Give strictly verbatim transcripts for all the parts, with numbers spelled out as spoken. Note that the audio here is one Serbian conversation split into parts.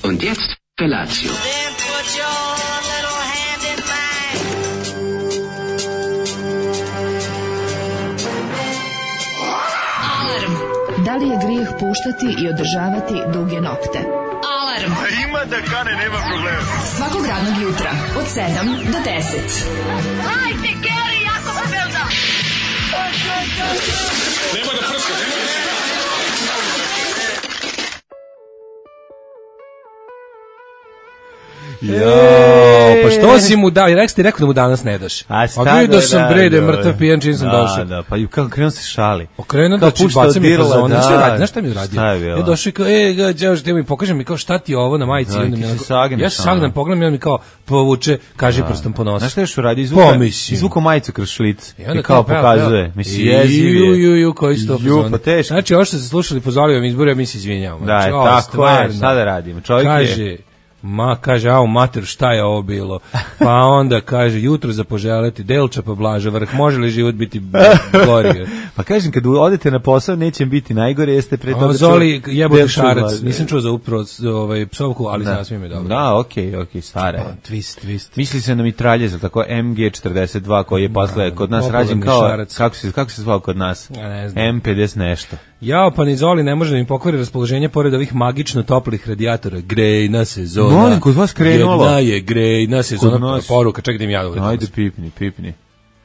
Und jetzt Felatio. Then put your little hand in mine. Alarm. Da li je grijeh puštati i održavati duge nokte? Alarm. Ima da kane, nema problema. Svakog radnog jutra od sedam do deset. Hajde, Geri, jako se velda. Nema da prska, nema da prska. Jo, pa što si mu dao? I rekao ti rekao da mu danas ne daš. A šta A vidio da, sam da, bre da je da, mrtav pijan čim sam da, došao. Da, pa ju kako krenuo se šali. Okrenuo Kao da pušta baca mi dirla, fazone. da. Šta je radio? Znaš šta mi je uradio? Šta je bilo? Ja došao i kao, e, ga, đeo, ti mi pokaže mi kao šta ti je ovo na majici. Da, I onda ti mi se onako- sagneš, ja se ono. sagnem, pogledam i on mi kao povuče, kaže prstom po nosu. Znaš šta još uradio? Izvuka, Pomislim. izvuka majicu kroz šlic. I onda I kao peva, pokazuje. peva. Mislim, I- jeziv Ju, je. ju, ju, koji su to Ju, fazoni. pa teško. Znači, ovo što ste slušali po Zolivom izboru, ja mi se izvinjavamo. Da, Znači, je, ovo tako je, stvarno. šta da radimo? Čovjek je... Kaže, ma, kaže, a u mater, šta je ovo bilo? Pa onda kaže, jutro za poželeti, Delča pa Blaža vrh, može li život biti gori? Pa kažem, kad odete na posao, neće biti najgore, jeste pre toga... A Zoli čuo- jebote Delču šarac, Blaža. nisam čuo za upravo ovaj, psovku, ali sasvim je dobro. Da, okej, okej, stara je. Twist, twist. Misli se na mitraljez, tako M G četrdeset dva koji je posle kod nas popularni rađen kao šarac. kako se kako se zvao kod nas? Ja ne znam. M pedeset nešto. Jao, pa ni Zoli ne može da mi pokvari raspoloženje pored ovih magično toplih radijatora. Grejna sezona. Molim, kod vas krenulo. Jedna je grejna sezona. Kod nas. Poruka, čekaj da im ja dovoljno. Ajde pipni, pipni.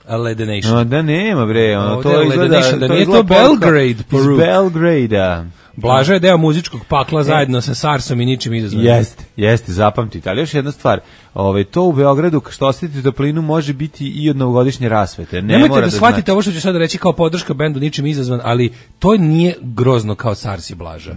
A Ledenation. No, da nema bre, ono Ovdje to je izgleda, Ledenation, da to nije izgleda to poruka Belgrade iz poruka. Belgrada. Blaža je deo muzičkog pakla zajedno sa Sarsom i ničim izazvanim. Jeste, jeste, zapamtite. Ali još jedna stvar, ovaj, to u Beogradu, što osetite toplinu, može biti i od novogodišnje rasvete. Ne Nemojte mora da da shvatite znači. ovo što ću sad reći kao podrška bendu ničim izazvan, ali to nije grozno kao Sars i Blaža.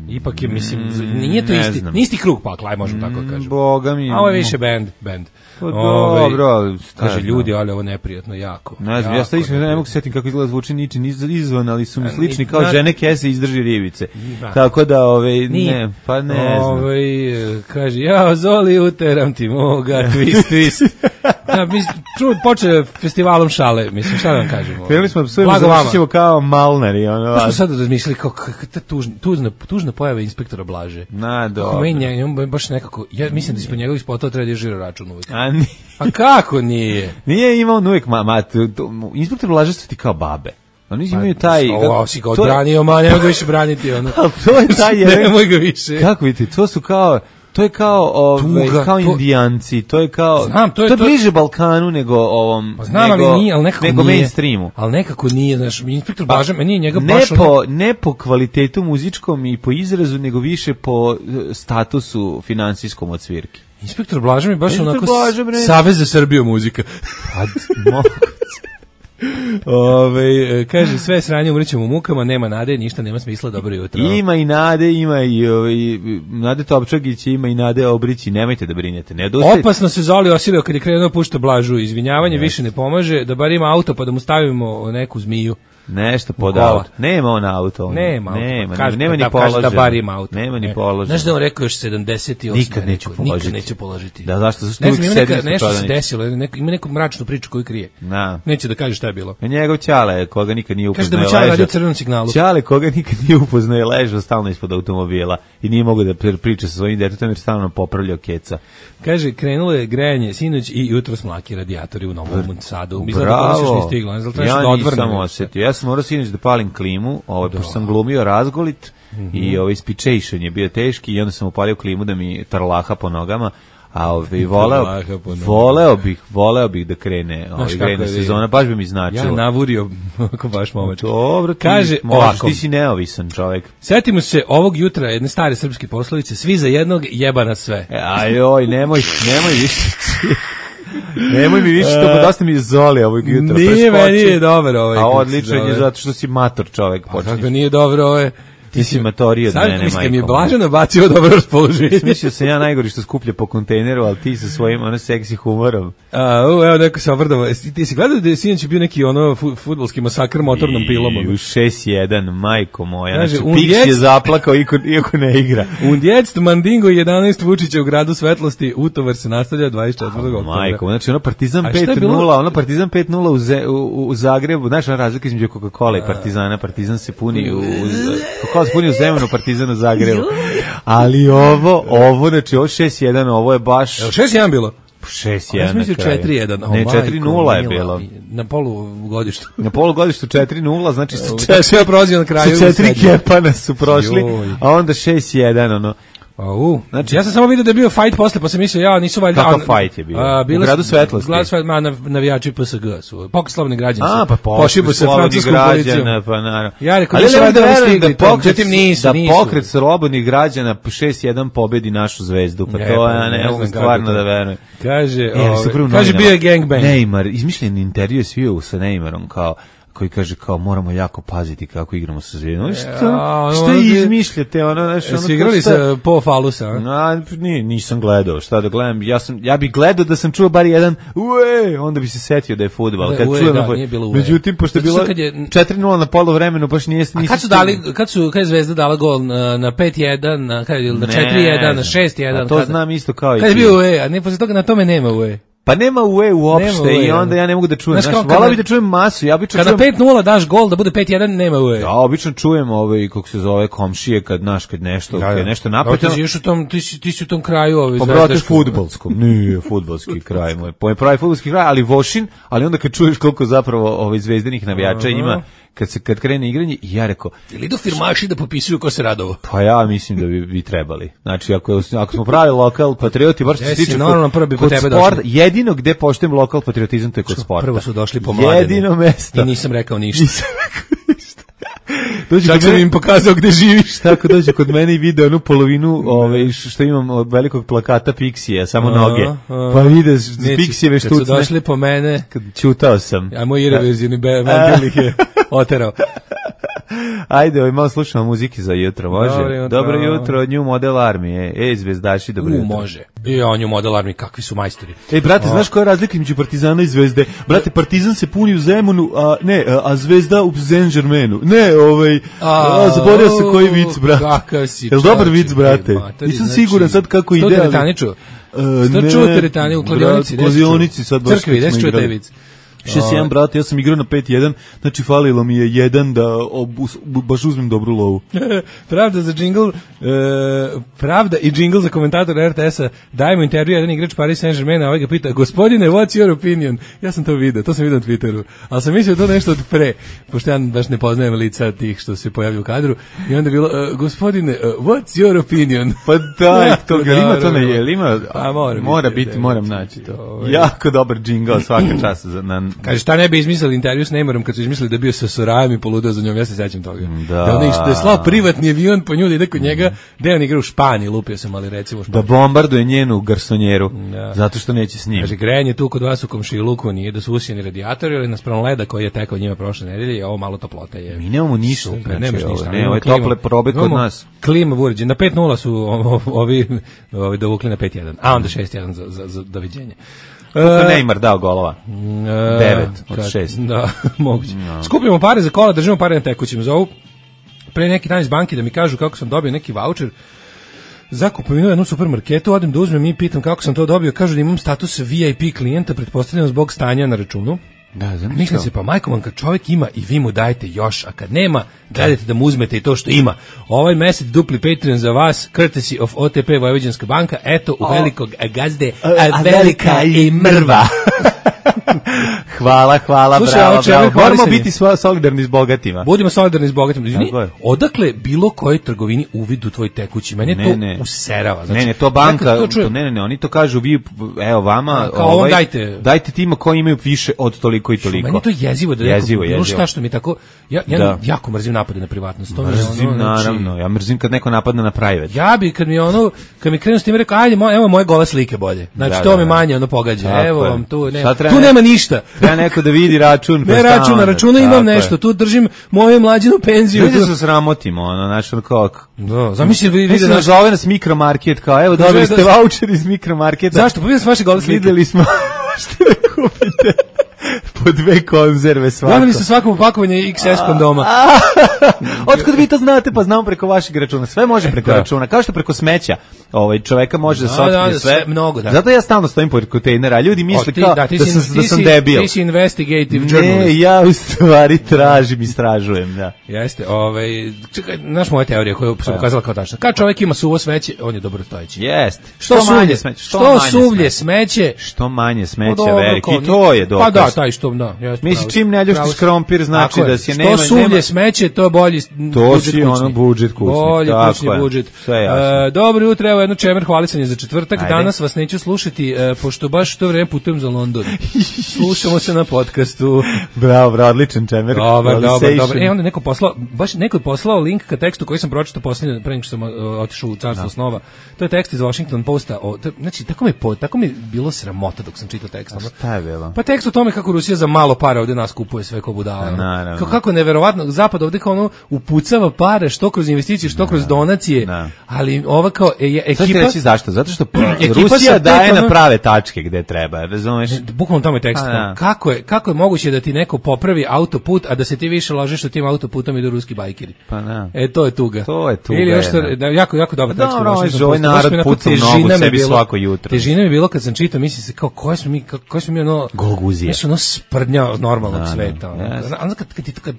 Ipak je, mislim, nije to ne isti, znam. nije isti krug pakla, aj možemo tako kažemo. Boga mi. A ovo je više bend, bend. Pa Ovaj, dobro, ali šta kaže znam. ljudi, ali ovo je neprijatno jako. Ne znam, ja jako sad iskreno ne neprijatno. mogu se setim kako izgleda zvuči ničim iz- izvan, ali su mi A, slični ni- kao na- žene kese izdrži ribice. Da. Tako da, ove, Nije. ne, pa ne znam. Ovaj, e, kaže, ja Zoli uteram ti moga, twist, twist. Da, mislim, ču, počeo festivalom šale, mislim, šta da vam kažemo? Krenuli smo da psujemo, Blago vama. završit ćemo kao malnari. Ono, Pa smo sad razmišljali kao kakva ta tužna, tužna, tužna pojava inspektora Blaže. na, Kako dobro. meni nje- njemu baš nekako, ja mislim da ispod njegovih spotova treba da je žiro račun uvijek. A nije, Pa kako nije? nije imao on uvijek, ma, ma, to- to- inspektor Blaže su ti kao babe. Oni imaju taj... Ovo si ga to je- odbranio, ma nemoj ga više braniti, ono. Ali to je taj jedan... Nemoj ga više. Kako vidite, to su kao... To je kao, ovaj, Tuga, kao to- indijanci, to je kao... Znam, to je- to je to- bliže Balkanu nego ovom... Pa znam, nego, ali nije, ali nekako nego nije. mainstreamu. Ali nekako nije, znaš, inspektor Blaža, meni je njega Ne baš ono- po, ne po kvalitetu muzičkom i po izrazu, nego više po eh, statusu finansijskom od svirke. Inspektor Blaža mi baš Inspektor onako Blaža, bre. Savez za Srbiju muzika. Pa, moguće. Ove, kaže, sve sranje umrećemo u mukama, nema nade, ništa nema smisla, dobro jutro. Ima i Nade, ima i, ovaj, Nade Topčagić, ima i Nade Obrići, nemojte da brinete, ne odustajte. Opasno se Zoli osilio kad je krenuo pušta Blažu, izvinjavanje više ne pomaže, da bar ima auto pa da mu stavimo neku zmiju. Nešto pod Kola. auto. Nema on auto. on. Nema, nema, kaže, nema ni da, kaže položeno. da bar ima auto. Nema ni Ne. položeno. Znaš da on rekao još sedamdeset osam. Nikad neću rekao, položiti. Nikad neću položiti. Da, zašto? Zašto Ne uvijek znam, ima neka, sedim sa nešto se prodavnice? desilo, neko, ima neku mračnu priču koju krije. Da. Neće da kaže šta je bilo. A njegov Ćale, koga nikad nije Kaže da upoznao, mu je Ćale ležao. radio u crvenom signalu. Ćale, koga nikad nije upoznao, je ležao stalno ispod automobila i nije mogao da pri- priča sa svojim detetom jer stalno popravljao keca. Kaže, krenulo je grejanje sinoć i jutro smlaki radijatori u Novom Sadu. Izgleda da Bravo. još nije stiglo, ne znam, trebaš Ja da odvrnem. nisam osetio. Ja sam morao sinoć da palim klimu, ovaj, pošto sam glumio razgolit i ovaj speechation je bio teški i onda sam upalio klimu da mi tarlaha po nogama. A ovaj voleo, Tarlaha po nogama. voleo bih, voleo bih da krene ovaj kako grejna je, sezona, baš bi mi značilo. Ja navurio, ako baš momački. Dobro, ti Kaže možeš, ovako. ti si neovisan čovjek. Setimo se ovog jutra jedne stare srpske poslovice, svi za jednog, jeba na sve. E, Ajoj, nemoj, nemoj više. Nemoj mi više, to dosta mi je Zoli ovog jutra. Nije, preskoči. meni je dobar ovaj. A kako se odličan je zove. zato što si mator čovjek. A počinješ. kako nije dobro ovo je. Ti si matoriji od Sad mene, mislim, mi je majko. Blaženo bacio dobro raspoloženje. Mislio sam ja najgori što skuplja po kontejneru, ali ti sa svojim ono seksi humorom. A, u, evo neko se ovrdavo. Jesi- Ti si gledao da je sinoć bio neki ono fu- fudbalski masakr motornom pilom? I u šest jedan, majko moja. Kaže, Znači, un Pix djec- je zaplakao iako, iako ne igra. Un djecst Mandingo jedanaest Vučića u gradu svetlosti, utovar se nastavlja dvadeset četvrtog oktobra. Majko, znači ono Partizan A šta je pet bilo? nula, ono Partizan pet nula u, Ze- u, u Zagrebu, znaš ona razlika između Coca-Cola i Partizana, Partizan se puni u, u Coca-Cola se puni u Zemunu, Partizan u Zagrebu. Ali ovo, ovo, znači ovo šest jedan, ovo je baš... Evo šest jedan bilo? šest Ja jedan sam mislio na kraju. četiri jedan. Ne, četiri nula je bilo. Na polugodištu. Na polugodištu četiri nula, znači sa Četiri sve prozio na kraju. sa četiri kepana su prošli, Joj. a onda šest jedan, ono. Au, znači ja sam samo vidio da je bio fight posle, pa sam mislio ja nisu valjda. Kakav fight je bio? A, U Gradu Svetlosti? Grad Svetlosti, ma nav, navijači P S G su. Pokret slobodnih građana. A, pa pošibu se francuskom policijom. Pa naravno. Ja rekao, ali nisu ne valjda da oni verujem stigli, da pokret, međutim nisu, da nisu. pokret slobodnih građana šest jedan pobedi našu zvezdu, pa Je, to pa ja ne ne mogu znam stvarno kako to. da verujem. Kaže, E, ali su ovaj, prvo kaže novinama, bio je gangbang. Neymar, izmišljen intervju je svio sa Neymarom kao koji kaže kao moramo jako paziti kako igramo sa Zvezdom. Ja, Šta, ono, šta ono je- izmišljate? Ono, znaš, ono, Jesi igrali šta- sa Po Falusa, a? A, nije, nisam gledao, šta da gledam, ja, sam, ja bih gledao da sam čuo bar jedan ue, onda bi se setio da je fudbal. Da, Kad ue, čujem, da, pa- nije bilo ue. Međutim, pošto je Zato bilo što kad je- četiri nula na poluvremenu, baš nije... A kad su dali, kad su, kad je Zvezda dala gol na, na pet jedan, na, kad je, na Ne četiri jedan, na znam. šest jedan? A to kada? znam isto kao i Kad je ti. bio U E, a ne, posle toga na tome nema U E. Pa nema ue uopšte Nema ue, i onda ja. ja ne mogu da čujem. Znaš Znaš, kao hvala kada- bi da čujem masu, ja obično Kada čujem... pet nula daš gol da bude pet jedan, nema U E. Ja obično čujem ovaj, kako se zove, komšije kad, naš, kad nešto, kad je nešto Evo, napetno. ti si još u tom, ti si, ti si u tom kraju ove Pa brate, zvezdaškog. fudbalskom. Nije fudbalski kraj moj. Po je pravi fudbalski kraj, ali Vošin, ali onda kad čuješ koliko zapravo ovaj zvezdanih navijača ima, kad se kad krene igranje, i ja rekao, Ili idu firmaši da popisuju ko se radovo. pa ja mislim da bi, bi trebali. Znači, ako, ako smo pravi lokal patrioti, bar što se Jesi, tiče normalno, kod, prvo bi po kod tebe sporta, došli. jedino gde poštujem lokal patriotizam, to je kod sporta. Prvo su došli po mladene. Jedino mesto. I nisam rekao ništa. Nisam rekao ništa. Dođe Čak kod sam mene- im pokazao gde živiš. Tako dođe kod mene i vide onu polovinu ove, što imam od velikog plakata Pixija, samo A, noge. a. Pa vide Neće, Pixijeve kad su štucne. došli po mene, Kad čutao sam. a moj irreverzioni Vandil ih je oterao. Ajde, ovaj, malo slušamo muzike za jutro, može? Dobro jutro. Dobro jutro, New Model Armije. Ej, zvezdaši, dobro U, jutro. može. I on je model armi, kakvi su majstori. Ej, brate, znaš koja je razlika između Partizana i Zvezde? Brate, Partizan se puni u Zemunu, a ne, a Zvezda u Saint-Germainu. Ne, ovaj, a, zaboravio se koji vic, brate. Kakav si, Jel dobar čoveče, vic, brate? matori, Nisam znači, siguran sad kako sto ide. ali- teretaniču? E, Sto ne, čuo teretani u kladionici? brat, kladionici sad baš Crkvi, kad gde smo si čuo taj igrali. vic? šest jedan, brate, ja sam igrao na pet jedan, znači falilo mi je jedan da obu, baš uzmem dobru lovu. Pravda za džingl, e, pravda i džingl za komentator R T S-a, dajemo intervju, jedan igrač Paris Saint-Germain, a ovaj ga pita, gospodine, what's your opinion? Ja sam to vidio, to sam vidio na Twitteru, ali sam mislio to nešto od pre, pošto ja baš ne poznajem lica tih što se pojavljaju u kadru, i onda je bilo, e, gospodine, uh, what's your opinion? Pa daj, Jako to ga ima to dobro. ne je, ili ima? A, mora mora biti, biti, da, moram da, naći to. ovaj. Jako dobar džingl svaka čast za na. Kaže, šta ne bi izmislili intervju s Neymarom kad su izmislili da je bio sa Sorajom i poludeo za njom, ja se sećam toga. Da. Da, on je, da je slao privatni avion po nju da ide kod njega, da on igra u Španiji, lupio sam, ali recimo u Da Španiji. bombarduje njenu garsonjeru, Da. zato što neće s njim. Kaže, grejanje tu kod vas u komšiluku nije da su usijeni radijatori, ali naspram leda koji je tekao njima prošle nedelje i ovo malo toplote je. Mi nemamo ništa, Super, znači, nemaš ovo, ništa. ne, imamo ovo je klimu. tople probe kod Imamo nas. Klima uređen. Na pet nula su o- ovi, ovi dovukli na pet jedan, a onda šest jedan za, za, za doviđenje. Koliko E, Neymar dao golova? E, Devet od kad- šest. Da, moguće. Skupljamo pare za kola, držimo pare na tekućim. Zovu pre neki dan iz banke da mi kažu kako sam dobio neki voucher za kupovinu u jednom supermarketu, odem da uzmem i pitam kako sam to dobio, kažu da imam status V I P klijenta, pretpostavljam zbog stanja na računu. Da, znam Mislim se, pa majko vam, kad čovjek ima i vi mu dajete još, a kad nema, gledajte da mu uzmete i to što ima. Ovaj mesec dupli Patreon za vas, courtesy of O T P Vojvođanska banka, eto u velikog gazde, a, a velika i mrva. Hvala, hvala, Slušaj, bravo, ovo čemu bravo. je Moramo hvalisanje? biti sva- solidarni s bogatima. Budimo solidarni s bogatima. Izvini, Tako je. odakle bilo kojoj trgovini uvid u tvoj tekući? Mene Ne, to ne. userava. Znači, ne, ne, to ja banka, kad to čujem, ne, ne, ne, oni to kažu, vi, evo vama, ovaj, A, kao ovom dajte. dajte tima koji imaju više od toliko i toliko. meni je to jezivo da Jezivo, neko, bilo jezivo. šta što mi tako, ja, ja Da. jako mrzim napade na privatnost. To mi je Mrzim, ono, znači, naravno, ja mrzim kad neko napadne na private. ja bi, kad mi ono, kad mi krenu s tim rekao, ajde, mo, evo moje gole slike bolje. Znači, Da, to da, me da. manje ono pogađa. Tako Evo je. vam, tu Šta nema, treba tu ne- nema ništa. Treba neko da vidi račun. pa Ne šta račun, na onda? računu imam Tako nešto, je. tu držim moju mlađinu penziju. Ljudi tu- se sramotimo, ono, znači, ono kao... Da, zamisli vi vide Mislim, naš... zove nas mikromarket, kao, evo, dobili Kaže ste da- voucher iz mikromarketa. Zašto? Pa vidio sam vaše gole slike. Videli smo što da kupite. po dve konzerve svako. Dobili ste svako pakovanje iks es kondoma. Otkud vi to znate? Pa znamo preko vašeg računa. Sve može preko računa. Kao što preko smeća ovaj čoveka može da se otkrije sve. sve mnogo, da. Zato ja stalno stojim pored kontejnera, a ljudi misle kao da, da, sam, da sam debil. Ti si investigative journalist. Ne, ja u stvari tražim, istražujem, da. Jeste, ovaj, čekaj, znaš moja teorija koju sam pokazala kao tačna. Kad čovjek ima suvo smeće, on je dobrostojeći. Jeste. Što, što manje smeće? Što, što suvlje smeće? Što manje smeće, veliki, i to je dokaz. Pa da, taj što, da. Misli, čim ne ljuštiš krompir, znači da si nema... Što suvlje smeće, to je bolji to si ono budžet kućni. Bolji kućni budžet. Dobro jutro, evo jedno čemer hvalisanje za četvrtak. Ajde. Danas vas neću slušati, e, pošto baš to vreme putujem za London. Slušamo se na podcastu. Bravo, bravo, odličan čemer. Dobar, dobar, dobar. E, onda neko poslao, baš neko je poslao link ka tekstu koji sam pročitao posljednje, pre nego što sam uh, otišao u carstvo snova. To je tekst iz Washington Posta. O, to, znači, tako mi, po, tako mi bilo sramota dok sam čitao tekst. Šta je bilo? Pa tekst o tome kako Rusija za malo para ovde nas kupuje sve ko budala. Naravno. Kako je neverovatno, Zapad ovde kao ono upucava pare, što kroz investicije, što kroz donacije, na. Ali ova kao e, ekipa... Sad ti reći zašto? Zato što Rusija daje na prave tačke gde treba, razumeš? Bukvalno tamo je tekst. Kako je, kako je moguće da ti neko popravi autoput, a da se ti više ložiš u tim autoputom i do ruski bajkeri? Pa da. E, to je tuga. To je tuga. Ili još što, da, jako, jako dobar tekst. Dobro, ovaj narod puca u nogu sebi svako jutro. Težina mi je bilo kad sam čitao, mislim se kao, koje smo mi, koje smo mi ono... Golguzije. Nešto ono sprdnja normalnog sveta. Ono kad, kad, kad,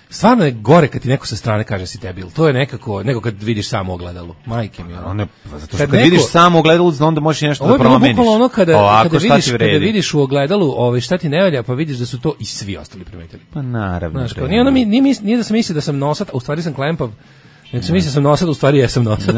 stvarno je gore kad ti neko sa strane kaže si debil. To je nekako, nego kad vidiš samo ogledalo. Majke mi. Ono. Ne, zato što kad, kad neko, vidiš samo ogledalo, onda možeš nešto da promeniš. Ovo je bukvalno ono kada, Ovako, kada, vidiš, kada vidiš u ogledalu ovaj, šta ti ne valja, pa vidiš da su to i svi ostali primetili. Pa naravno. Znaš, kao, nije, ono, nije, nije, nije da sam mislio da sam nosat, a u stvari sam klempav, nego sam mislio da sam nosat, u stvari jesam nosat.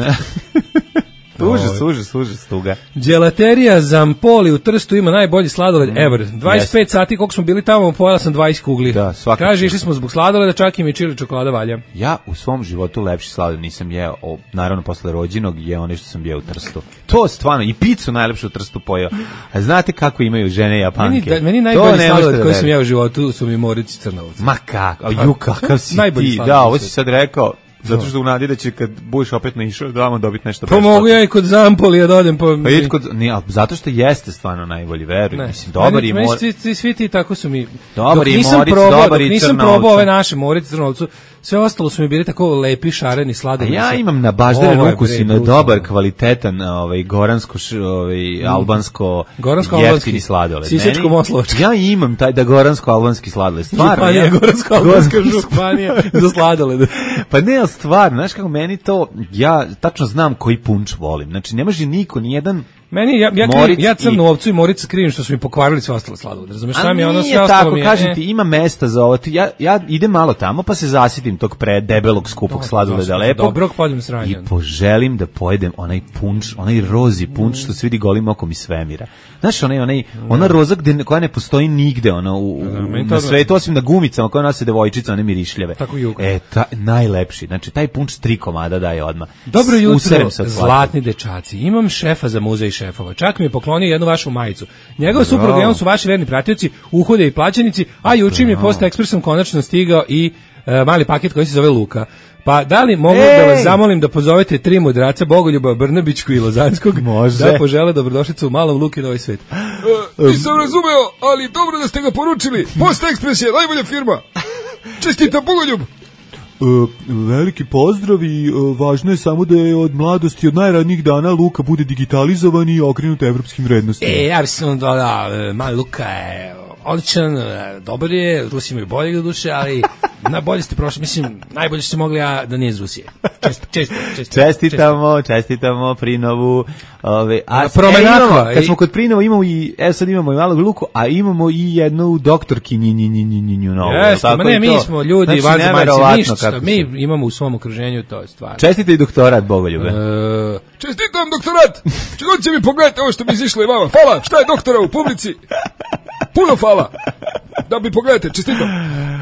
Užas, užas, užas, tuga. Đelaterija Zampoli u Trstu ima najbolji sladoled mm. ever. dvadeset pet yes. sati koliko smo bili tamo, pojela sam dvadeset kugli. Da, svakako. Kaže, išli smo zbog sladoleda, čak i mi čili čokolada valja. Ja u svom životu lepši sladoled nisam jeo, o, naravno posle rođenog je ono što sam jeo u Trstu. To stvarno, i picu najlepšu u Trstu pojeo. A znate kako imaju žene Japanke? Meni, da, meni najbolji sladoled koji sam jeo u životu su mi Morici Crnovac. Ma kako, ju kakav si ti. Da, ovo si sad rekao. Zato što u nadi da će kad budeš opet naišao da vam dobiti nešto besplatno. Pa mogu ja i kod Zampolija da odem. Pa, pa i kod, nije, zato što jeste stvarno najbolji, veruj. Mislim, dobar i mor... Svi, svi, svi ti tako su mi... Dobar i Moric, dobar i nisam probao ove naše Moric, Crnovcu, sve ostalo su mi bili tako lepi, šareni, sladoledi. Ja imam na baždaren ukus i na dobar, kvalitetan, ovaj, goransko, ovaj, albansko, jeftini sladoled. Sisačko-moslovački. Ja imam taj da goransko-albanski sladoled. Stvarno, ja. Goransko-albanska županija za sladoled. Pa ne, stvarno, znaš kako meni to, ja tačno znam koji punč volim. Znači, ne može niko, nijedan Meni ja ja krivim, ja crnu ovcu i Morica krivim što su mi pokvarili sve ostale sladolede. Razumeš, šta mi je ono sve ostalo mi je. Kažem ti, ima mesta za ovo. Ja ja idem malo tamo pa se zasitim tog pre debelog skupog sladoleda lepo. Dobrog pojedem sranja. I poželim da pojedem onaj punč, onaj rozi punč što se vidi golim okom iz svemira. Znaš, onaj onaj ona roza gde koja ne postoji nigde, ona u, u na svetu osim na gumicama koje nose devojčice, one mirišljave. E, ta, najlepši. Znači taj punč tri komada daje odmah. Dobro jutro, zlatni dečaci. Imam šefa za muzej šefova. Čak mi je poklonio jednu vašu majicu. Njegov suprug i on su vaši verni pratioci, uhode i plaćenici, a juče mi je Post Ekspresom konačno stigao i e, mali paket koji se zove Luka. Pa da li mogu Ej! da vas zamolim da pozovete tri mudraca, Bogoljuba, Brnabićku i Lozanskog, Može. da požele dobrodošlicu u malom Luki na ovaj svet. Uh, nisam razumeo, ali dobro da ste ga poručili. Post Ekspres je najbolja firma. Čestita Bogoljub. Uh, veliki pozdrav i uh, važno je samo da je od mladosti, od najranijih dana Luka bude digitalizovan i okrenut evropskim vrednostima. E, ja sam da, da, mali Luka je odličan, dobar je, Rusi imaju bolje do duše, ali najbolje ste prošli, mislim, najbolje ste mogli, a da nije iz Rusije. Čest, čest, čest, čestitamo, čestitamo Prinovu. Ove, a Promenakva. E, kad smo kod Prinova imamo i, evo sad imamo i malog Luku, a imamo i jednu doktorki nji, nji, nji, nji, nji, nji, novu. Jeste, ma ne, mi smo ljudi, znači, vanzemaljci, ništa, mi imamo u svom okruženju, to je stvar. Čestite i doktorat, Bogoljube. E, čestitam doktorat, čegod će mi pogledati ovo što mi izišlo i vama. Hvala, šta je doktora u publici? Puno hvala. Da bi pogledajte, čestitam.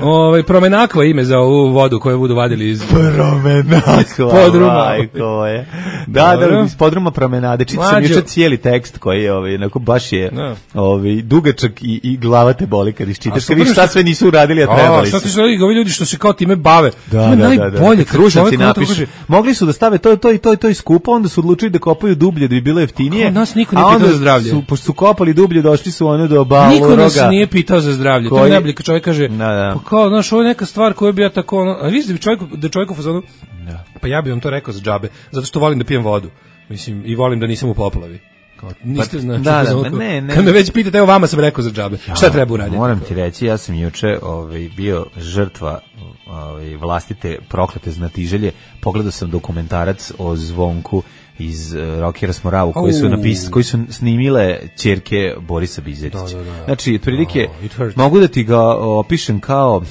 Ovaj Promenakva ime za ovu vodu koju budu vadili iz Promenakva. podruma. Majko je. Da, da, iz podruma promenade. Čitao sam juče cijeli tekst koji je ovaj onako baš je no. ovaj dugačak i i glava te boli kad iščitaš. Kad vidiš šta sve nisu uradili, a trebali su. Šta ti su ovi ljudi što se kao time bave? Da, da, da, najbolje kad Kruševci napišu. Mogli su da stave to to i to i to iskupo, onda su odlučili da kopaju dublje da bi bilo jeftinije. Nas niko nije pitao za zdravlje. Su, pošto su kopali dublje, došli su ono do Baloroga. Niko nas nije pitao za zdravlje. Koji... To je najbolje kad čovjek kaže, da, da. pa kao, znaš, ovo je neka stvar koju bi ja tako, ono, a vidiš da bi čovjeku, da čovjeku fazonu, da. Pa ja bi vam to rekao za džabe, zato što volim da pijem vodu, mislim, i volim da nisam u poplavi. Kao, niste, pa, znači, da, da, da, ne, ne. Kad me već pitate, evo vama sam rekao za džabe, ja, šta treba uraditi? Moram ti reći, ja sam juče ovaj, bio žrtva ovaj, vlastite proklete znatiželje, pogledao sam dokumentarac o Zvonku iz uh, Rockera Smoravu koji su napis, koji su snimile ćerke Borisa Bizetića. Da, da, da. Znači, otprilike oh, mogu da ti ga opišem kao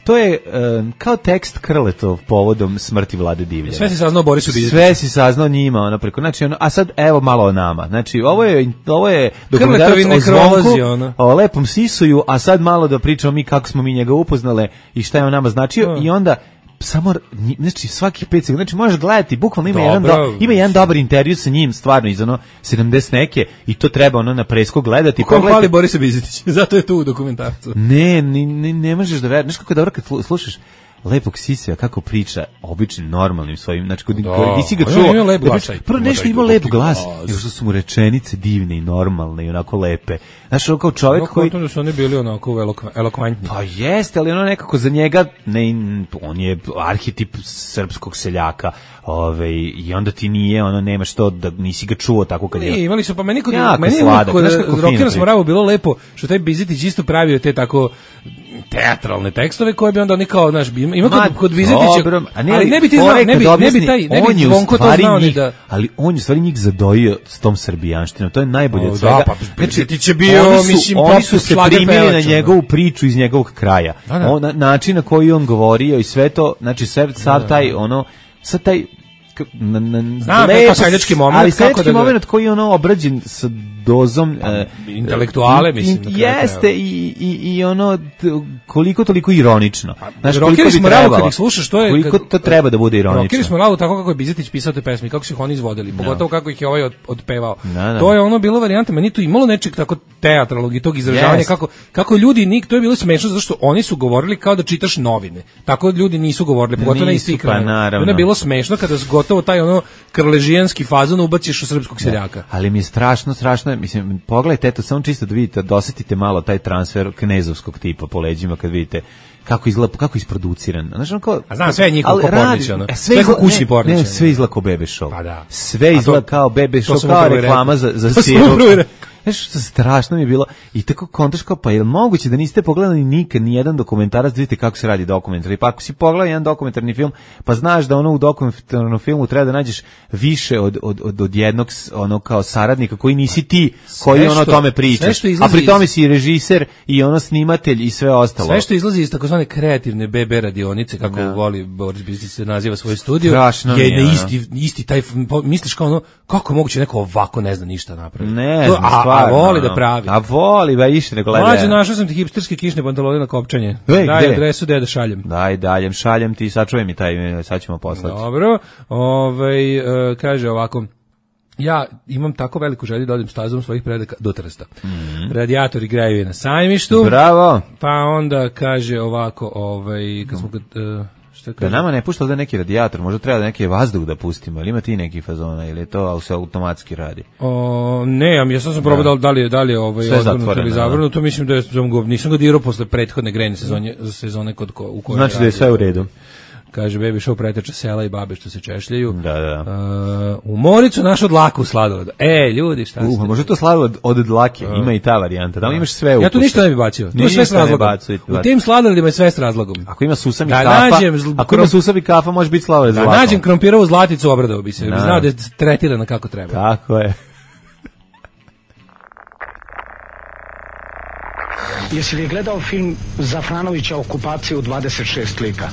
to je uh, kao tekst Krletov povodom smrti Vlade Divljana. Sve si saznao Borisu Bizetiću. Sve si saznao njima, ono preko. Znači, ono, a sad evo malo o nama. Znači, ovo je ovo je dokumentarac o Zvonku, ono. O lepom sisuju, a sad malo da pričamo mi kako smo mi njega upoznale i šta je on nama značio oh. i onda samo znači svaki pet sekundi, znači možeš gledati bukvalno ima jedan do, ima jedan dobar intervju sa njim stvarno iz ono sedamdeset neke i to treba ono na presku gledati. Ko hvali Borisa Bizetić, zato je tu u dokumentarcu. Ne, ne, ne, ne možeš da veruješ, znaš kako je dobro kad slušaš lepog Sisija kako priča običnim normalnim svojim, znači kod nisi ga čuo. Ima lep glas. Prvo nešto ima lep glas, nego što su mu rečenice divne i normalne i onako lepe. Znaš, ono kao čovjek no, koji da su oni bili onako elokventni. Pa jeste, ali ono nekako za njega ne, on je arhetip srpskog seljaka. Ove, i onda ti nije, ono nema što da nisi ga čuo tako kad je. Ne, imali su pa meni kod meni sladak, kod Rockera Smoravu bilo lepo što taj Bizetić isto pravio te tako teatralne tekstove koje bi onda oni kao naš ima ima kod, kod Bizetića, ali ne bi ti znao, ne bi ne bi taj ne bi Zvonko to znao ni da, ali on je stvari njih zadojio s tom srbijanštinom, to je najbolje od svega. Da, pa Bizetić je bio, mislim, oni su se primili na njegovu priču iz njegovog kraja. On način na koji on govorio i sve to, znači sve sav taj ono, sad taj na, na, znam, lepo, seljački moment, ali seljački moment koji je ono obrađen sa dozom uh, intelektuale, mislim. In, jeste i, i, i ono t, koliko toliko ironično. Znaš, koliko bi trebalo, kad ih slušaš, to je... Koliko to treba da bude ironično. Rockeri Smoravu tako kako je Bizetić pisao te pesme, kako su ih oni izvodili, pogotovo no. kako ih je ovaj od, odpevao. No, no. To je ono bilo varijanta, meni tu imalo nečeg tako teatralnog i tog izražavanja, yes. kako, kako ljudi, nik, to je bilo smešno, zato što oni su govorili kao da čitaš novine. Tako ljudi nisu govorili, pogotovo na isti kraj. Ono je bilo smešno kada gotovo taj ono krležijanski fazon ubaciš u srpskog seljaka. Ali mi je strašno, strašno, mislim, pogledajte, eto, samo čisto da vidite, dosetite malo taj transfer knezovskog tipa po leđima kad vidite kako izgleda, kako je isproduciran. Znaš, on kao, a znam, sve je njihov kao Pornić, ono. Sve je kao kućni Pornić. Ne, sve izgleda kao Bebe Show. Pa da. Sve izgleda kao Bebe Show, kao reklama za, za sirup. Znaš, strašno mi je bilo. I tako kontaš kao, pa je li moguće da niste pogledali nikad ni jedan dokumentarac, da vidite kako se radi dokumentarni. Pa ako si pogledao jedan dokumentarni film, pa znaš da ono u dokumentarnom filmu treba da nađeš više od, od, od, od jednog ono kao saradnika koji nisi ti, koji ono o tome pričaš. A pri tome si režiser i ono snimatelj i sve ostalo. Sve što izlazi iz takozvane kreativne be be radionice, kako da. voli Boris Bizetić se naziva svoj studio, strašno je na isti, isti taj, misliš kao ono, kako moguće neko ovako ne zna ništa napraviti. Ne to, znam, a, a voli da pravi. A voli, ba ište nego gleda. Mlađe, našao sam ti hipsterske kišne pantalone na kopčanje. Ej, daj gde? Adresu gde da šaljem. Daj, daljem, šaljem ti, sačuvaj mi taj, sad ćemo poslati. Dobro, ovaj, uh, kaže ovako, ja imam tako veliku želju da odem stazom svojih predaka do Trsta. Mm-hmm. Radijatori greju na Sajmištu. Bravo. Pa onda kaže ovako, ovaj, kad smo... Uh, da nama ne pušta da neki radijator, možda treba da neki vazduh da pustimo, ili ima ti neki fazona, ili je to se automatski radi? O, ne, ja sam sam probao da li je, da li je ovaj, odvrnuto ili zavrnuto, mislim da je, nisam ga dirao posle prethodne grejne sezone, sezone kod ko, u kojoj znači da je sve u redu. Kaže, Baby Show preteča sela i babe što se češljaju. Da, da. Uh, u Moricu naš od dlaku sladoled. E, ljudi, šta ste? Uh, može to sladoled od dlake, uh, ima i ta varijanta. Da li imaš sve u Ja tu ništa ne bi bacio. To je sve s razlogom. U tim sladoledima je sve s razlogom. Ako ima susam i da kafa, nađem, ako ima susam i kafa, može biti sladoled da s dlakom. Nađem krompirovu zlaticu, obradao bi se. Bi znao da je tretirana kako treba. Tako je. Jesi li gledao film Zafranovića Okupacija u dvadeset šest lika?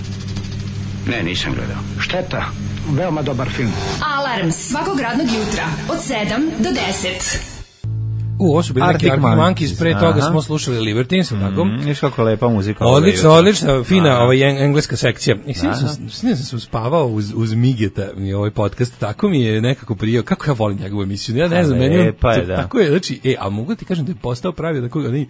Ne, nisam gledao. Šteta, veoma dobar film. Alarm svakog radnog jutra od sedam do deset. U, ovo su bili neki Arctic Monkeys, pre toga smo slušali Libertines, tako? Mm, viš kako lepa muzika. Odlično, odlična, fina ovaj engleska sekcija. I sve sam, sve sam se uspavao uz, uz Migeta i ovaj podcast, tako mi je nekako prijao, kako ja volim njegovu emisiju, ja ne znam, meni je, tako je, znači, e, a mogu ti kažem da je postao pravi, da koga ne,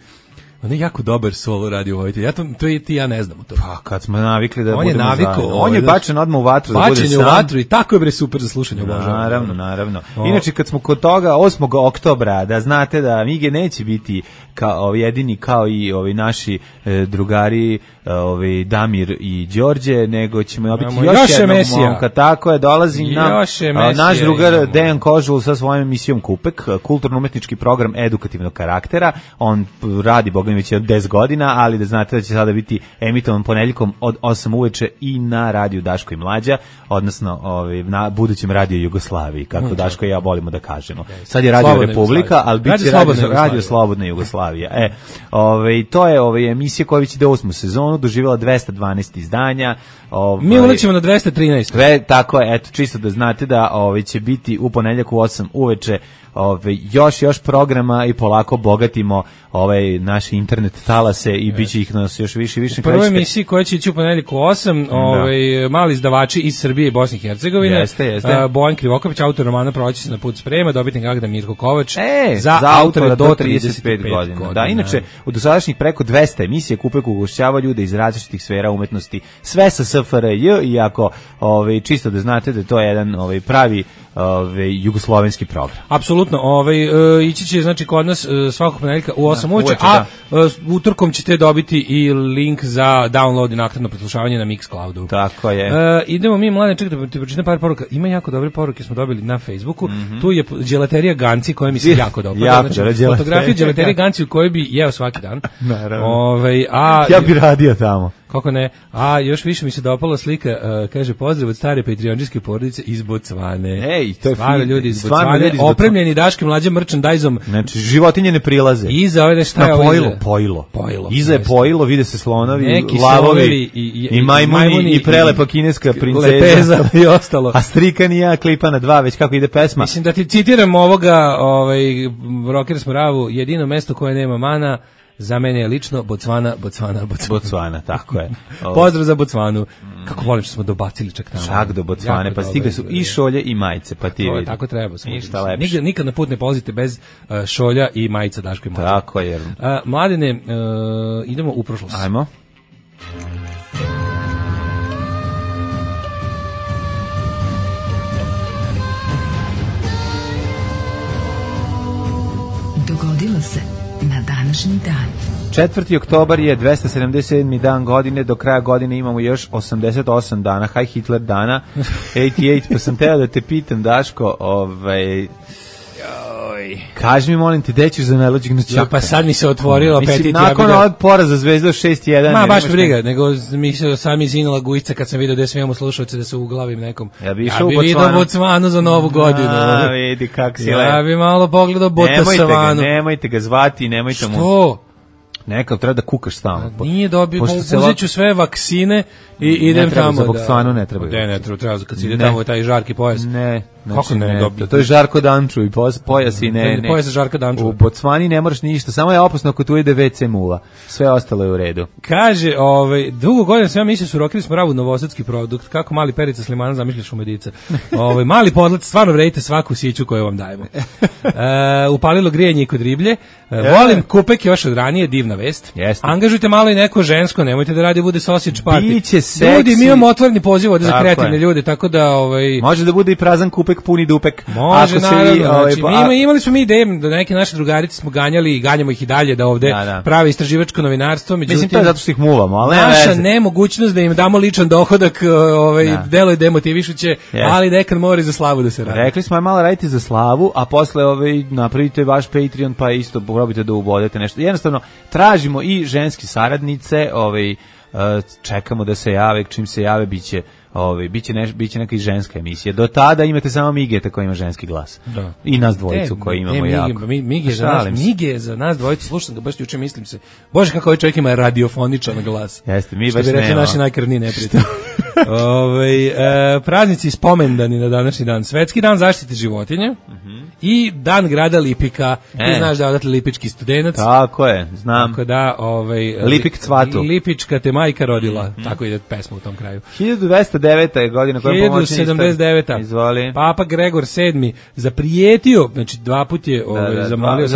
on je jako dobar solo radio vojitelj. Ja to, to i ti ja ne znamo to. Pa kad smo navikli da on budemo je naviko, zajedno. On je bačen odmah u vatru da bude sam. Bačen je u vatru i tako je bre super za slušanje. Obožavam. Naravno, naravno. O. Inače kad smo kod toga osmog oktobra, da znate da Mige neće biti kao jedini kao i ovi naši e, drugari, ovi Damir i Đorđe, nego ćemo biti još, još jednog momka. Tako je, dolazi nam naš drugar imamo. Dejan Kožul sa svojom emisijom Kupek, kulturno-umetnički program edukativnog karaktera. On radi, boga mi, već deset godina, ali da znate da će sada biti emitovan ponedjeljkom od osam uveče i na radiju Daško i Mlađa, odnosno ovi, na budućem radiju Jugoslaviji, kako mm, Daško i ja volimo da kažemo. Sad je Radio Slobodna Republika, ali bit će radio, radio Slobodna Jugoslavija. E, ove, to je ove, emisija koja će da osmu sezonu, doživjela dvesta dvanaest izdanja. Ove, Mi ulećemo na dvesta trinaest. Sve, tako je, eto, čisto da znate da ove, će biti u ponedjeljak u osam uveče ove, još još programa i polako bogatimo ovaj naše internet talase i yes. biće ih nas još više i više. U prvoj emisiji koja će ići u ponedjeljak u osam, ovaj, mali izdavači iz Srbije i Bosne i Hercegovine. Jeste, jeste. Uh, Bojan Krivokapić, autor romana Proći se na put sprema, dobitnik nagrade Mirko Kovač. E, za, za autore do trideset pet godina. godina. Da, inače, u dosadašnjih preko dvesta emisije Kupek ugošćava ljude iz različitih sfera umetnosti, sve sa S F R J, iako ovaj, čisto da znate da to je jedan ovaj, pravi ovaj, jugoslovenski program. Apsolutno, ovaj, uh, ići će znači kod nas uh, svakog ponedjeljka u osam uveče, a uh, utorkom ćete dobiti i link za download i naknadno preslušavanje na Mixcloudu. Tako je. Uh, idemo mi, mlade, čekaj da ti pročitam par poruka. Ima jako dobre poruke, smo dobili na Facebooku. Mm-hmm. Tu je đelaterija Ganci koja mi se jako dobro. Jako znači, fotografija đelaterije Ganci u kojoj bi jeo svaki dan. Naravno. Ovaj, a, ja bi radio tamo. Kako ne? A još više mi se dopala slika, uh, kaže pozdrav od stare patreonđijske porodice iz Bocvane. Ej, to je stvarno ljudi iz Bocvane, opremljeni Daškim mlađim merchandise-om. Znači, životinje ne prilaze. Iza ove nešto je pojilo, pojilo. Pojilo. Iza je pojilo, vide se slonovi, neki lavovi i, i, i majmuni, majmuni i prelepa kineska princeza. Lepeza i ostalo. A Strikan i ja klipa na dva, već kako ide pesma. Mislim da ti citiram ovoga, ovaj, Rockers Moravu, jedino mesto koje nema mana, za mene je lično Bocvana, Bocvana, Bocvana. Bocvana, tako je. Pozdrav za Bocvanu. Kako volim što smo dobacili čak tamo. Čak do Bocvane, pa stigle su i šolje i majice, pa ti vidi. Tako treba. Nikad, nikad na put ne polazite bez uh, šolja i majica Daško i Mlađe. Tako je. Uh, mladine, uh, idemo u prošlost. Ajmo. Dogodilo se na današnji dan. četvrti oktobar je dvesta sedamdeset sedmi dan godine, do kraja godine imamo još osamdeset osam dana, Haj Hitler dana, osamdeset osam, pa sam teo da te pitam, Daško, ovaj... kaži mi, molim te, gde ćeš za najluđeg noćaka? Ja, pa sad mi se otvorilo apetit. Mislim, nakon ja ovog poraza Zvezda šest jedan. Ma, baš briga, nego mi se sami izinila gujica kad sam vidio da sve imamo slušalce da se uglavim nekom. Ja bi išao ja bi vidio Bocvanu za novu godinu. A, vidi kak si ja lep. Ja bi malo pogledao Botasavanu. Nemojte ga, nemojte ga zvati, nemojte mu... Što? Nekav, treba da kukaš stalno. Nije dobio, uzet ću sve vaksine i idem tamo. Za Bocvanu ne treba. Ne, ne treba, treba kad se ide tamo taj žarki pojas. Ne, kako ne dobio? To je Žarko Danču i pojas i ne, ne. Pojas Žarka Danču. U Bocvani ne moraš ništa, samo je opasno ako tu ide ve ce muva. Sve ostalo je u redu. Kaže, ovaj, dugo godina sam ja mislio su Rockers Moravu novosadski produkt, kako mali Perica Slimana zamišljaš u Medica. Ovaj, mali podlet, stvarno vredite svaku siću koju vam dajemo. E, upalilo grijanje kod riblje. E, volim Kupek još od ranije, divna vest. Jeste. Angažujte malo i neko žensko, nemojte da radi bude sausage party. Biće seksi. Ljudi, mi imamo otvoreni poziv ovde za kreativne ljude, tako da ovaj može da bude i prazan kupek, puni dupek. Može, ako naravno, se, ovaj, znači, pa, mi ima, imali smo mi ideje da neke naše drugarice smo ganjali i ganjamo ih i dalje da ovde da, da. pravi istraživačko novinarstvo, međutim mislim to je zato što ih muvamo, ali naša nemogućnost da im damo ličan dohodak, ovaj da. deluje demotivišuće, yes. ali nekad mora i za slavu da se radi. Rekli smo aj malo radite za slavu, a posle ovaj napravite vaš Patreon pa isto probajte da ubodete nešto. Jednostavno tražimo i ženske saradnice, ovaj čekamo da se jave, čim se jave biće ovaj biće neš, biće neka i ženska emisija. Do tada imate samo Migeta koji ima ženski glas. Da. I nas dvojicu e, koji imamo e, jako. Mi, Mige za nas, Mige za nas dvojicu, slušam ga baš juče, mislim se. Bože kako ovaj čovjek ima radiofoničan glas. Jeste, mi što baš bi rekli nema. Naši najkrvniji neprijatelji. Ove, e, praznici spomendani na današnji dan. Svetski dan zaštite životinja mm-hmm. i dan grada Lipika. E. Ti znaš da je odatle lipički studenac. Tako je, znam. Tako da, ovaj, Lipik cvatu. Lipička te majka rodila. Mm-hmm. Tako ide pesma u tom kraju. hiljadu dvesta deveta je godina koja je pomoćni sedamdeset deveta. Izvoli. Papa Gregor sedmi zaprijetio, znači dva put je ovaj, da, da, zamolio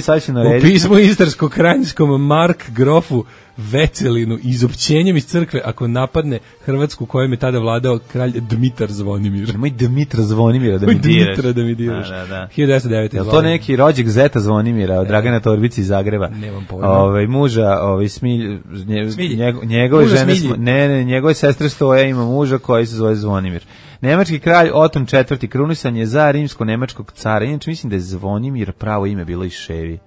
sad će narediti, u pismu istarsko-krajinjskom Mark Grofu Vecelinu izopćenjem iz crkve ako napadne Hrvatsku kojom je tada vladao kralj Dmitar Zvonimir. Moj Dmitra Zvonimira da mi diraš. Dmitra da mi diraš. Da, da, da. hiljadu devetsto devete. Je to neki rođak zeta Zvonimira od Dragana Torbici iz Zagreba? Nemam pojma. Ovaj muža, ovaj Smilj, nje, njegove muža žene, Smilji. ne, ne, njegove sestre Stoja ima muža koji se zove Zvonimir. Nemački kralj Oton četvrti krunisan je za rimsko-nemačkog cara. Inače mislim da je Zvonimir pravo ime bilo i Ševi.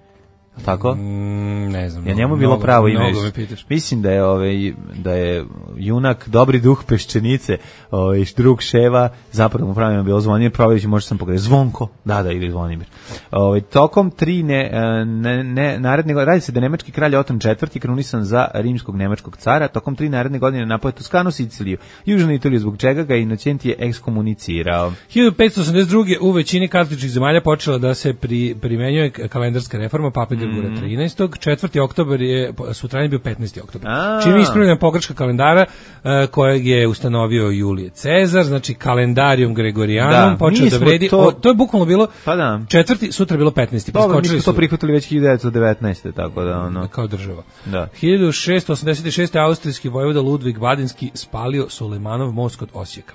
Tako? Mm, ne znam. Ja njemu mnogo, bilo pravo ime. Mislim da je ovaj da je junak dobri duh Peščenice, ovaj drug Ševa, zapravo mu pravo ime bilo Zvonimir, Prović, možda sam pogrešio. Zvonko. Da, da, ili Zvonimir. Ovaj tokom tri ne, ne, ne naredne godine radi se da nemački kralj Oton četvrti krunisan za rimskog nemačkog cara, tokom tri naredne godine napao Toskanu, Siciliju, južnu Italiju, zbog čega ga Inocenti je ekskomunicirao. hiljadu petsto osamdeset druge u većini katoličkih zemalja počela da se pri, primenjuje kalendarska reforma Pape Grigora trinaestog. četvrti oktobar je sutradan bio petnaesti oktobar. Čim je ispravljena pogreška kalendara uh, kojeg je ustanovio Julije Cezar, znači kalendarium Gregorijanum počeo da vredi. To, o, to je bukvalno bilo pa da. četvrti, sutra bilo petnaesti. Dobro, mi smo to prihvatili već hiljadu devetsto devetnaeste. tako da ono. Kao država. Da. hiljadu šeststo osamdeset šeste. austrijski vojvoda Ludvig Badinski spalio Sulejmanov most kod Osijeka.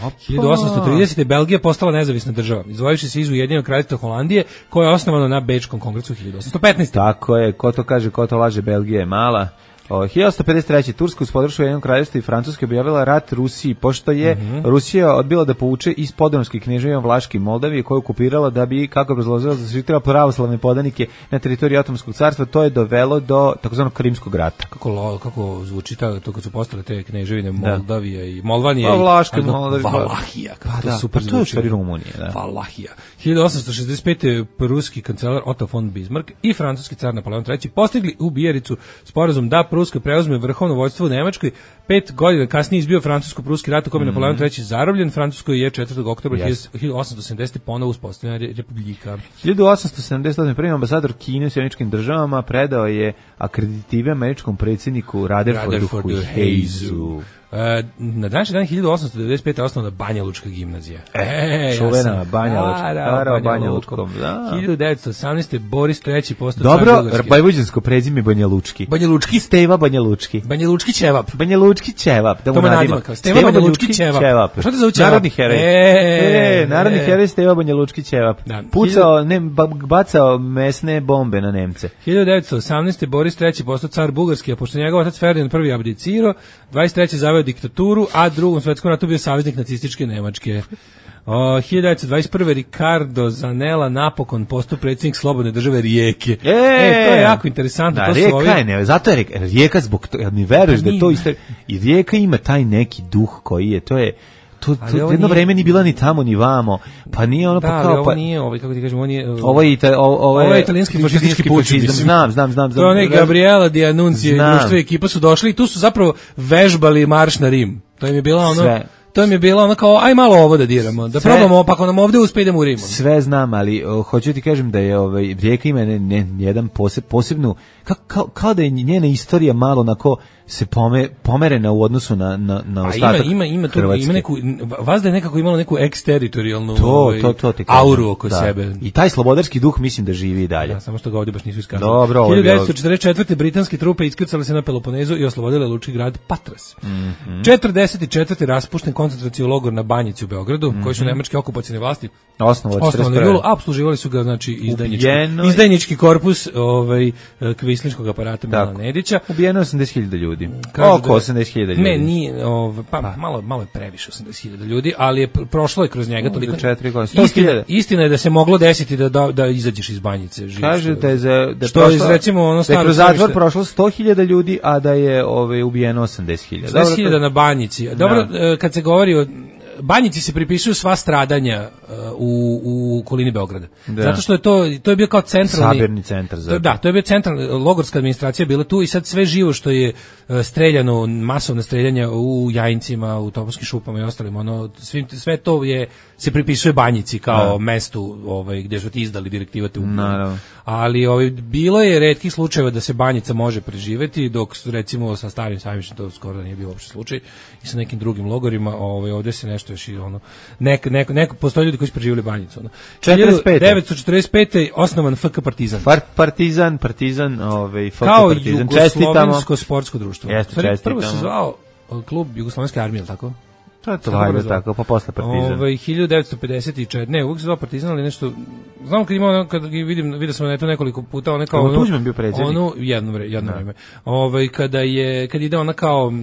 Opa. hiljadu osamsto tridesete. Belgija postala nezavisna država, izdvojivši se iz Ujedinjenog kraljevstva Holandije, koje je osnovano na Bečkom kongresu hiljadu osamsto petnaeste. Tako je, ko to kaže, ko to laže, Belgija je mala. O, hiljadu osamsto pedeset treće. Turska uz podršku Ujedinjenog kraljevstva i Francuske objavila rat Rusiji, pošto je mm-hmm. Rusija odbila da povuče iz podunavskih kneževina Vlaške i Moldavije, koju okupirala da bi, kako obrazložila, zaštitila pravoslavne podanike na teritoriji Otomanskog carstva. To je dovelo do takozvanog Krimskog rata. Kako, kako zvuči ta, to kad su postale te kneževine Moldavija i Molvanija pa, Vlaška i Moldavija. Valahija. Pa, da, super pa to je u stvari Rumunija. Da. Valahija. hiljadu osamsto šezdeset pete. Pruski kancelar Otto von Bismarck i francuski car Napoleon treći postigli u Bijericu sporazum da Pruska preuzme vrhovno vođstvo u Nemačkoj. Pet godina kasnije izbio francusko-pruski rat u kojem je Napoleon treći zarobljen. Francuskoj je četvrtog oktobra yes. hiljadu osamsto sedamdesete. ponovo uspostavljena republika. hiljadu osamsto sedamdeset osme. prvi ambasador Kine u Sjedinjenim Državama predao je akreditive američkom predsjedniku Rutherfordu Hayesu. Uh, na današnji dan hiljadu osamsto devedeset pete. osnovana Banja Lučka gimnazija. E, čuvena ja Banja Lučka. Stara Banja Lučkom. hiljadu devetsto osamnaeste. Boris treći postao dobro, vojvođansko prezime Banja Lučki. Banja Lučki. Steva Banja Lučki. Banja Lučki ćevap. Banja Lučki ćevap. Da mu nadima. Steva Banja Lučki ćevap. Šta te zove ćevap? Narodni heroj. E, narodni heroj Steva Banja Lučki ćevap. Pucao, ne, bacao mesne bombe na Nemce. hiljadu devetsto osamnaeste. Boris treći postao car Bugarski, a pošto njegov otac Ferdinand prvi abdicirao, dvadeset treće zaveo diktaturu, a drugom svetskom ratu bio saveznik nacističke Nemačke. O, hiljadu devetsto dvadeset prve. Ricardo Zanella napokon postao predsjednik slobodne države Rijeke. E, e to je jako interesantno. Da, to Rijeka ovi... je, ne, zato je Rijeka zbog toga, mi veruješ da to isto, i Rijeka ima taj neki duh koji je, to je, to, to jedno nije... vreme ni bila ni tamo ni vamo, pa nije ono da, pa kao... ovo pa... nije, ovo, kako ti kažem, on je... Ovo je, ita, ovo, ovo je, ovo je italijanski fašistički puč, znam, znam, znam. To je Gabriela Di Annunzi i društvo ekipa su došli i tu su zapravo vežbali marš na Rim. To im je bila ono... Sve. To mi je bilo ono kao, aj malo ovo da diramo, da sve, probamo, pa ako nam ovde uspe idemo u Rimu. Sve znam, ali o, hoću ti kažem da je ovaj, Rijeka ima ne, ne, jedan poseb, posebnu, ka, kao, kao da je njena istorija malo onako se pome, pomerena u odnosu na, na, na ostatak ima, ima, ima, tu, ima neku, vas da je nekako imalo neku eksteritorijalnu to, ovaj, to, to auru oko da. Sebe. I taj slobodarski duh mislim da živi i dalje. Da, samo što ga ovdje baš nisu iskazali. Dobro, hiljadu devetsto četrdeset četvrte. britanske trupe iskrcale se na Peloponezu i oslobodile lučki grad Patras. Mm-hmm. četrdeset četvrte. raspušten koncentracijski logor na Banjici u Beogradu, mm-hmm. koji su nemačke okupacione vlasti osnovali julu, a opsluživali su ga znači izdajnički, izdajnički korpus ovaj kvislinškog aparata Milana Nedića. Ubijeno osamdeset hiljada ljudi. Oko osamdeset hiljada ljudi. Ne, nije, ovaj pa, pa malo malo je previše osamdeset hiljada ljudi, ali je prošlo je kroz njega toliko četiri godine. Istina, istina je da se moglo desiti da da, da izađeš iz Banjice živ. Kažete za da što je recimo ono staro kroz zatvor prošlo sto hiljada ljudi, a da je ovaj ubijeno osamdeset hiljada. osamdeset hiljada na Banjici. Dobro, no. Kad se govori o Banjici se pripisuju sva stradanja uh, u, u okolini Beograda. Da. Zato što je to, to je bio kao centralni... Sabirni centar. Zato. Da, to je bio centralni, logorska administracija bila tu i sad sve živo što je uh, streljano, masovne streljanja u Jajincima, u Topovskim šupama i ostalim, ono, svim, sve to je, se pripisuje Banjici kao da. mestu ovaj, gdje su ti izdali direktiva te ubili. Ali ovaj, bilo je retkih slučajeva da se Banjica može preživeti, dok recimo sa Starim Sajmištem to skoro da nije bio uopšte slučaj i sa nekim drugim logorima, ovaj, ovdje se nešto još i ono, nek, nek, neko, postoje ljudi koji su preživjeli Banjicu. Ono. četrdeset pete devetsto četrdeset pete osnovan F K Partizan. Par, partizan, Partizan, ovaj, F K kao Partizan. Jugoslovensko sportsko društvo. Jeste, čestitamo. Prvo se zvao klub Jugoslovenske armije, tako? To je to valjda tako, pa posle Partizan. Ovaj hiljadu devetsto pedeset četvrte ne, uvijek se zvao Partizan, ali nešto, znam kad imao, kad vidim, vidio sam na to nekoliko puta, ona kao... Ono, Tuđman bio predsjednik. Ono, jedno, jedno vreme. Ovaj, kada je, kad ide ona kao,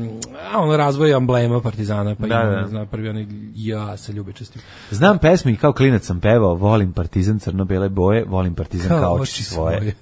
a ono razvoj amblema Partizana, pa da, ima, da. Zna, prvi onaj, ja se ljubečestim. Znam pesmi, kao klinac sam pevao, volim Partizan crno-bele boje, volim Partizan kao, kao oči svoje. svoje.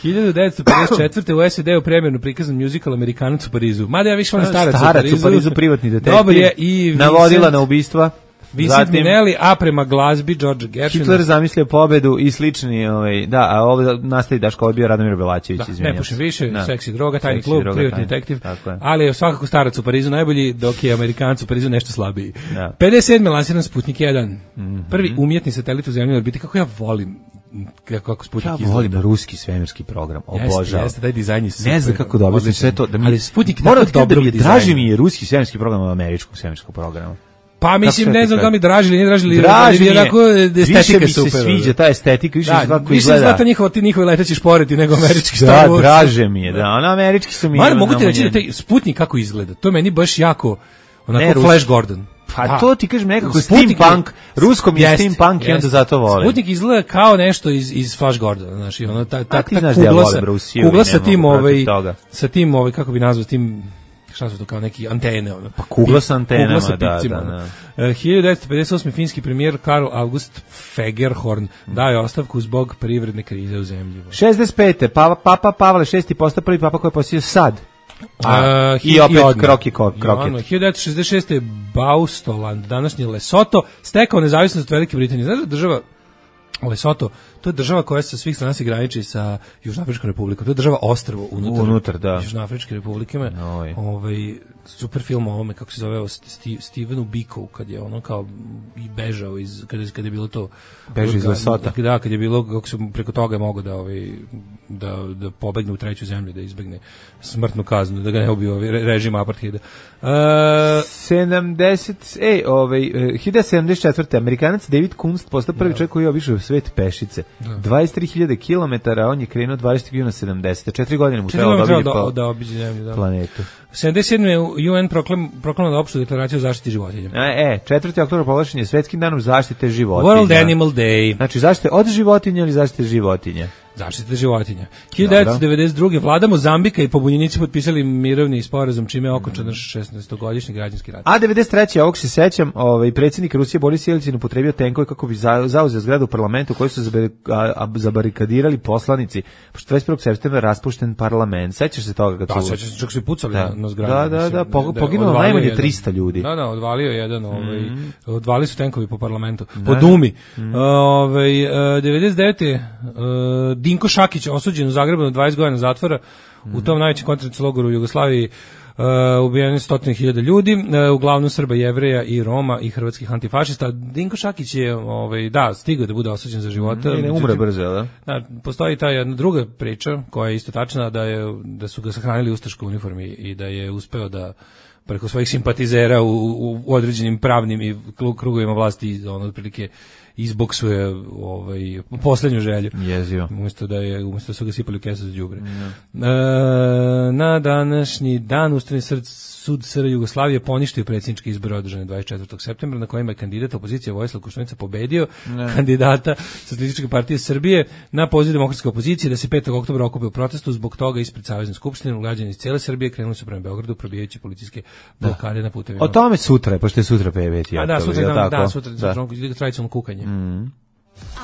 hiljadu devetsto pedeset četvrte u S A D-u premjerno prikazan musical Amerikanac u Parizu. Mada ja više volim starac, starac u Parizu. u Parizu, privatni detektiv. Dobar je i navodila na ubistva. Vincent Minnelli, a prema glazbi George Gershwina. Hitler zamislio pobedu i slični, ovaj, da, a ovo nastavi Daško, ovo je bio Radomir Belačević, da, izvinjam ne pušim više, da. seksi droga, tajni seksi klub, droga, privatni tajni. detektiv, je. ali je svakako starac u Parizu najbolji, dok je Amerikanac u Parizu nešto slabiji. Da. pedeset sedme lansiran Sputnik jedan, mm-hmm. prvi umjetni satelit u zemlji orbiti, kako ja volim kako, kako Sputnik izgleda. Ja volim izgleda. Ruski svemirski program, obožavam. Jeste, jeste, taj dizajn je super. Ne znam kako dobro sve to. Da mi, ali Sputnik moram tako dobro da draži mi je ruski svemirski program od američkog svemirskog programa. Pa mislim, ne znam da mi draži ili ne draži, ili draži mi je, estetika više mi super. se sviđa ta estetika, više da, svako više izgleda. Više znate njihovo, ti njihovi leteći šporeti nego američki Star Wars. Da, draže mi je, da, ono američki su mi... Mara, mogu ti reći da taj Sputnik kako izgleda, to meni baš jako, onako ne, Flash Gordon. Pa da. To ti kažem nekako steampunk, ruskom je steampunk i onda zato volim. Sputnik izgleda kao nešto iz iz Flash Gordona, znači ono ta ta, ta kugla, sa, kugla sa tim ovaj sa tim ovaj kako bi nazvao tim šta su to kao neki antene ono. Pa kugla sa antenama, kugla sa da, pipcima, da, da. Uh, hiljadu devetsto pedeset osme finski premijer Karl August Fagerhorn daje ostavku zbog privredne krize u zemlji. šezdeset pete Papa, Papa Pavle šesti postao prvi papa koji je posjetio sad. A, uh, i opet i kroki kroket. hiljadu devetsto šezdeset šeste Baustoland, današnji Lesoto, stekao nezavisnost od Velike Britanije. Znaš da država Lesoto, to je država koja sa svih strana se graniči sa Južnoafričkom republikom. To je država ostrvo unutar, unutar da. Južnoafričke republike. Ovaj super film o ovome, kako se zove, Sti, Stevenu Bikovu, kad je ono kao i bežao iz, kad je, kad je bilo to... Beži iz Lesota. Da, kad je bilo, kako su preko toga je mogao da, ovaj, da, da pobegne u treću zemlju, da izbegne smrtnu kaznu, da ga ne ubio ovaj, režim apartheida. Uh, sedamdeset ej, ovaj, hiljadu sedamdeset četvrte Amerikanac David Kunst postao prvi čovjek koji je obišao svet pešice. Da. dvadeset tri hiljade kilometara, on je krenuo dvadeset na sedamdeset. Četiri godine mu trebalo da obiđe da, da obiđe zemlju, da. Planetu. sedamdeset sedme U N proklam, proklamao opštu deklaraciju o zaštiti životinja. E, e četvrti oktobar proglašen je svetskim danom zaštite životinja. World Animal Day. Znači zaštite od životinja ili zaštite životinja? Zaštite životinja. hiljadu devetsto devedeset druge vlada Mozambika i pobunjenici potpisali mirovni sporazum čime je okončan šesnaestogodišnji građanski rat. A devedeset treće ovog se sećam, ovaj predsjednik Rusije Boris Jelcin upotrebio tenkove kako bi zauzeo zgradu u parlamentu koju su zabarikadirali poslanici. Pošto dvadeset prvog septembra raspušten parlament. Sećaš se toga kad da, su? Da, sećaš se čak su i pucali da. na zgradu. Da, da, da, po, da poginulo najmanje trista ljudi. Da, da, odvalio jedan, ovaj mm. odvali su tenkovi po parlamentu, da. po Dumi. Mm. Ovaj devedeset devete Uh, Dinko Šakić osuđen u Zagrebu na dvadeset godina zatvora mm. u tom najvećem koncentracionom logoru u Jugoslaviji. Uh, ubijeni stotine hiljada ljudi, uh, uglavnom Srba, Jevreja i Roma i hrvatskih antifašista. Dinko Šakić je, ovaj, da, stigao da bude osuđen za života. Mm, ne umre brzo, da? Da, postoji ta jedna druga priča koja je isto tačna, da, je, da su ga sahranili u ustaškoj uniformi i da je uspeo da preko svojih simpatizera u, u, u određenim pravnim i krugovima vlasti ono otprilike izboksuje ovaj poslednju želju. Jezio. Umesto da je umesto da su ga sipali u kesu za đubre. Mm. E, na današnji dan Ustavni sud S R Jugoslavije poništio predsjedničke izbore održane dvadeset četvrtog septembra na kojima je kandidat opozicije Vojislav Koštunica pobedio ne. kandidata Socijalističke partije Srbije na poziv demokratske opozicije da se petog oktobra okupe u protestu. Zbog toga ispred Savezne skupštine građani iz cijele Srbije krenuli su prema Beogradu probijajući policijske blokade na putevima. O tome sutra, pošto je sutra peveti. A da, sutra, da, da, sutra, da. sutra tradicionalno kukanje. Mm.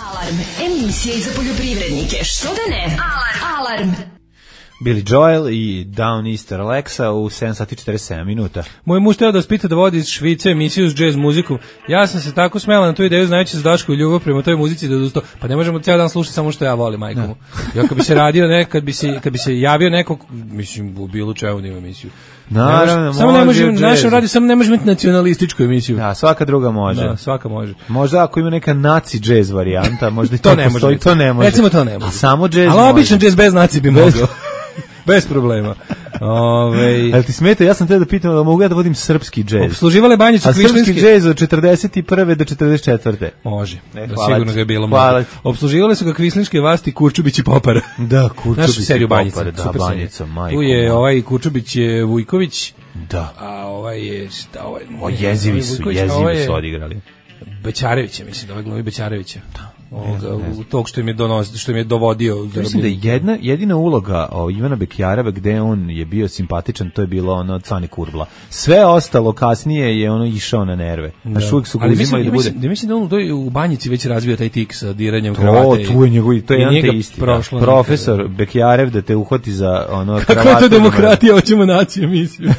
Alarm, emisija za poljoprivrednike. Što da ne? Alarm. Alarm. Billy Joel i Down Easter Alexa u sedam sati i četrdeset sedam minuta. Moj muž teo da vas pita da vodi iz Švice emisiju s jazz muzikom. Ja sam se tako smela na tu ideju, znajući za Daško i ljubav prema toj muzici da odustao. Pa ne možemo cijel dan slušati samo što ja volim, majko mu. Ja kad bi se radio ne, kad bi se, kad bi se javio neko, mislim, u bilo čemu da ima emisiju. Naravno, može, samo ne može, našem radiju samo ne može imati nacionalističku emisiju. Da, svaka druga može. Da, svaka može. Možda ako ima neka naci džez varijanta, možda i to, to ne postoji, može. to ne može. Recimo to ne može. A samo džez može. Ali običan džez bez naci bi mogao. Bez problema. Ove... Ali ti smeta, ja sam te da pitam da mogu ja da vodim srpski džez. Obsluživale banjicu Kvišlinski. A srpski džez od četrdeset prve do četrdeset četvrte Može, e, da sigurno ga je bilo. Obsluživale su ga Kvislinške vlasti, Kurčubić i Popara. Da, Kurčubić i Popara, da, Banjica, majko. Tu je ovaj Kurčubić je Vujković. Da. A ovaj je, šta ovaj? O, jezivi su, jezivi su odigrali. Bećarevića, mislim, da ovaj glumi Bećarevića. Da. Ovoga, u tog što im je donos, što im je dovodio. Mislim da je jedna, jedina uloga o, Ivana Bekjareva gde on je bio simpatičan, to je bilo ono Cane Kurbla. Sve ostalo kasnije je ono išao na nerve. Znaš, uvijek su ga uzimali da bude... Da mislim da on u Banjici već razvio taj tik sa diranjem kravate. O, tu je njegov, to je jedan te isti. Profesor Bekjarev da te uhvati za ono kravatu. Kako je to demokratija, hoćemo naciju emisiju.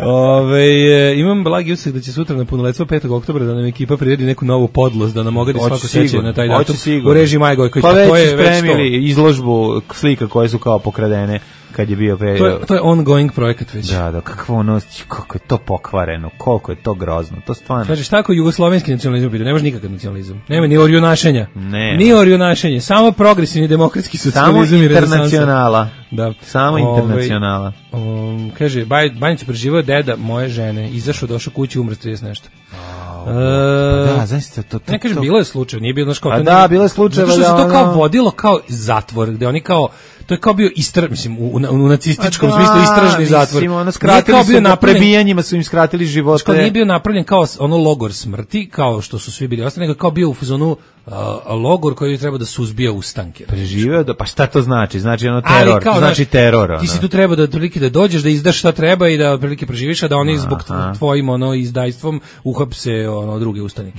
Ove, e, imam blagi utisak da će sutra na punoletstvo petog oktobra da nam ekipa priredi neku novu podlost, da nam ogadi svako sećanje na taj datum u režiji Maja Gojković. Pa već to je spremili izložbu slika koje su kao pokradene kad je bio... Pre... To, je, to je ongoing projekat već. Da, da, kakvo ono, kako je to pokvareno, koliko je to grozno, to stvarno... Kažeš tako, jugoslovenski nacionalizam pita, ne može nikakav nacionalizam. Nema ni orjunašenja. Ne. Ni orjunašenje, samo progresivni demokratski socijalizam. Samo internacionala. Da. Samo internacionala. Um, kaže, Banjica preživao deda moje žene, izašao, došao kući, umre trideset nešto. Uh, pa da, zaista to, to ne kažem, to... bilo je slučaj, nije bilo znaš kao... A da, bilo je slučaj, zato što se to kao vodilo kao zatvor, gde oni kao, to je kao bio istra, mislim, u, u, u nacističkom da, smislu istražni zatvor. Mislim, ono skratili su na prebijanjima, su im skratili živote. Kao nije bio napravljen kao ono logor smrti, kao što su svi bili ostali, nego kao bio u fazonu uh, logor koji treba da suzbija ustanke. Preživeo da, pa šta to znači? Znači ono teror, kao, znači teror. Ono. Ti si tu treba da otprilike da dođeš, da izdaš šta treba i da otprilike preživiš, a da oni zbog tvojim ono izdajstvom uhapse ono druge ustanike.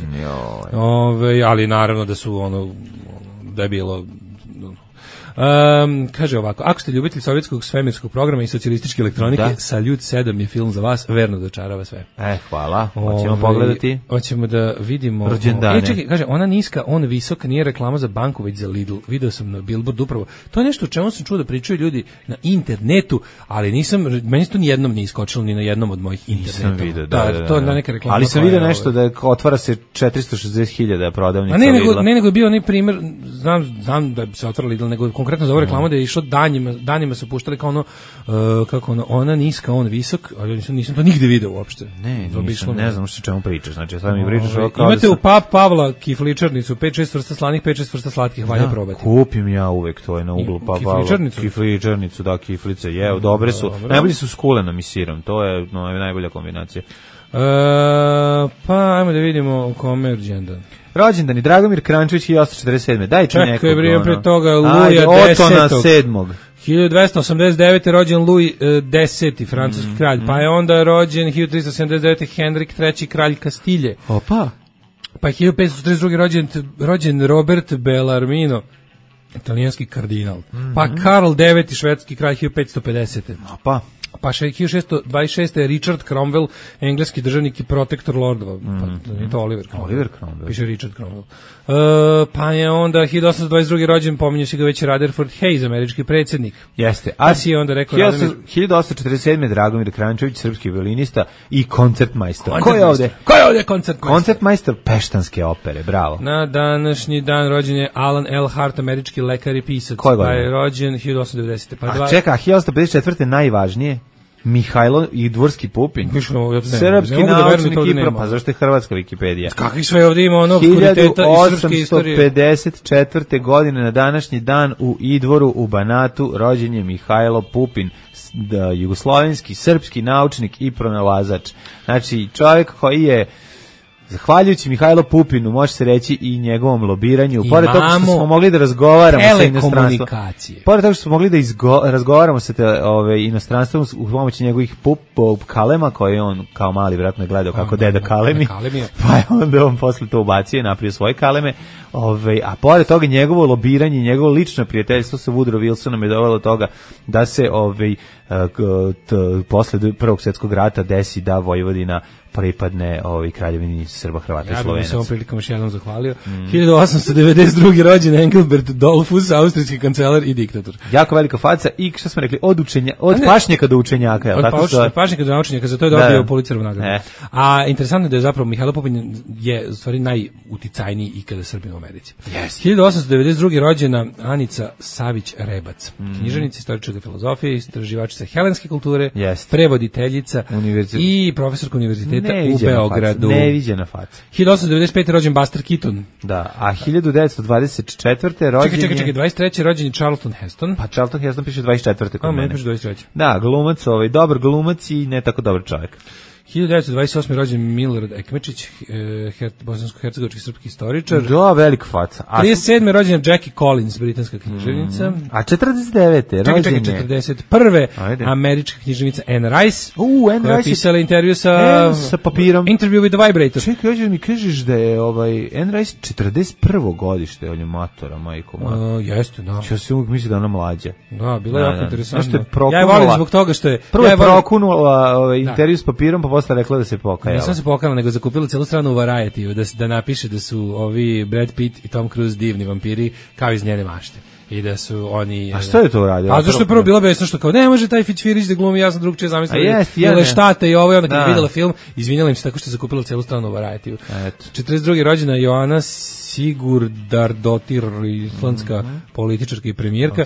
Ove, ali naravno da su ono da je bilo Um, kaže ovako, ako ste ljubitelj sovjetskog svemirskog programa i socijalističke elektronike, da. Saljut sedam je film za vas, verno dočarava sve. E, hvala, hoćemo pogledati. Hoćemo da vidimo... Rođendane. E, čekaj, kaže, ona niska, on visok, nije reklama za banku, već za Lidl. Video sam na Billboard upravo. To je nešto o čemu sam čuo da pričaju ljudi na internetu, ali nisam, meni to nijednom nije iskočilo ni na jednom od mojih interneta. Nisam vidio, da, da, da, da. To je neka reklama. Ali sam vidio nešto da otvara se četiristo šezdeset hiljada prodavnica ne, nego, Lidla. Ne, nego je bio onaj primjer, znam, znam da se otvara Lidl, nego konkretno za ovu reklamu da je išlo danima, danima su puštali kao ono, uh, kako ono, ona niska, on visok, ali nisam, nisam to nigde video uopšte. Ne, nisam, ne znam što čemu pričaš, znači sad mi pričaš ovo kao imate da u Pap Pavla kifličarnicu, pet šest vrsta slanih, pet šest vrsta slatkih, valja probati. Kupim ja uvek, to je na uglu Pap Pavla. Kifličarnicu? Kifličarnicu, da, kiflice, je, dobre su, dobro. Najbolji su s kulenom i sirom, to je no, najbolja kombinacija. Uh, pa, ajmo da vidimo u kome je rođendan. Rođendani Dragomir Krančević hiljadu osamsto četrdeset sedme Daj ti nekog. Čekaj, brijem pre toga Luja desetog hiljadu dvesta osamdeset devete rođen Louis deseti francuski mm, kralj, mm. pa je onda rođen hiljadu trista sedamdeset devete Henrik treći kralj Kastilje. Opa. Pa je hiljadu petsto četrdeset druge rođen, rođen Robert Bellarmino, italijanski kardinal. Mm. Pa Karl deveti švedski kralj hiljadu petsto pedesete Opa. Pa hiljadu šessto dvadeset šeste Richard Cromwell, engleski državnik i protektor lordova. Mm. Pa nije to Oliver Cromwell. Oliver Cromwell. Piše Richard Cromwell. Uh, pa je onda hiljadu osamsto dvadeset druge rođen, pominju si ga već Rutherford Hayes, američki predsjednik. Jeste. A pa si je onda rekao hiljadu osamsto četrdeset sedme Dragomir Krančević, srpski violinista i koncertmajstor. Ko je ovde? Ko je ovde koncertmajstor? Koncertmajstor Peštanske opere, bravo. Na današnji dan rođen je Alan L. Hart, američki lekar i pisac. Ko je pa je rođen hiljadu osamsto devedesete Pa A dva... čeka, hiljadu osamsto pedeset četvrte najvažnije Mihajlo i Dvorski Pupin. Srpski naučnik i pa zašto je hrvatska Wikipedija? Kakvi sve ovdje ima ono obskuriteta iz srpske istorije? hiljadu osamsto pedeset četvrte godine na današnji dan u Idvoru u Banatu rođen je Mihajlo Pupin, da, jugoslovenski, srpski naučnik i pronalazač. Znači, čovjek koji je Zahvaljujući Mihajlo Pupinu, može se reći i njegovom lobiranju, pored toga što smo mogli da razgovaramo sa inostranstvom. Pored toga što smo mogli da izgo, razgovaramo sa te, ove, inostranstvom u pomoći njegovih pup, pup kalema, koje on kao mali vjerojatno je gledao kako deda kalemi, pa je onda on posle to ubacio i napravio svoje kaleme. Ove, a pored toga njegovo lobiranje, njegovo lično prijateljstvo sa Woodrow Wilsonom je dovelo do toga da se ove, t, posle Prvog svjetskog rata desi da Vojvodina pripadne ovaj kraljevini Srba, Hrvata i Slovenaca. Ja bih se ovom prilikom još jednom zahvalio. Mm. hiljadu osamsto devedeset druge rođen Engelbert Dollfuss, austrijski kancelar i diktator. Jako velika faca i što smo rekli, od učenja, od ne, pašnjaka do učenjaka, je od tako pa, od pašnjaka do naučenjaka, za to je dobio Pulitzerovu nagradu. Ne. A interesantno je da je zapravo Mihajlo Pupin je u stvari najuticajniji ikada Srbin u Americi. Yes. hiljadu osamsto devedeset druge rođena Anica Savić Rebac, mm. književnica, istoričarka filozofije, istraživačica helenske kulture, yes. prevoditeljica Univerzit... i profesorka univerziteta u Beogradu. Neviđena faca. hiljadu osamsto devedeset pete rođen Buster Keaton. Da, a hiljadu devetsto dvadeset četvrte rođen Čekaj, čekaj, čekaj, dvadeset treće rođen je Charlton Heston. Pa Charlton Heston piše dvadeset četvrte kod a, mene. piše dvadeset treće. Da, glumac, ovaj, dobar glumac i ne tako dobar čovjek. hiljadu devetsto dvadeset osme rođen Milorad Ekmečić, eh, bosansko-hercegovački srpski istoričar. Da, velika faca. A trideset sedme rođen Jackie Collins, britanska književnica. Mm, a četrdeset devete rođen čekaj, čekaj, četrdeset prve američka književnica Anne Rice, uh, Anne koja Rice je pisala intervju sa, e, sa papirom. Interview with the Vibrator. Čekaj, hoćeš mi kažeš da je ovaj, Anne Rice četrdeset prvo godište, on je matora, majko moja. Uh, jeste, da. Ja se uvijek misli da ona mlađa. Da, bilo je da, jako da. interesantno. Je ja je volim zbog toga što je... Prvo je ja prokunula ovaj, intervju s papirom, pa posle rekla da se pokajala. Nisam se pokajala, nego zakupila celu stranu u Variety, da, da napiše da su ovi Brad Pitt i Tom Cruise divni vampiri, kao iz njene mašte. I da su oni... A što je to uradio? A zašto je prvo bilo besno što kao, ne može taj Fićfirić da glumi, ja sam drugčije zamislila. Jest, ja ne. Štate i ovo, i onda kad je vidjela film, izvinjala im se tako što je zakupila celu stranu u Variety. četrdeset druge rođena Joana Sigurdardotir, islandska mm -hmm. političarka i premijerka.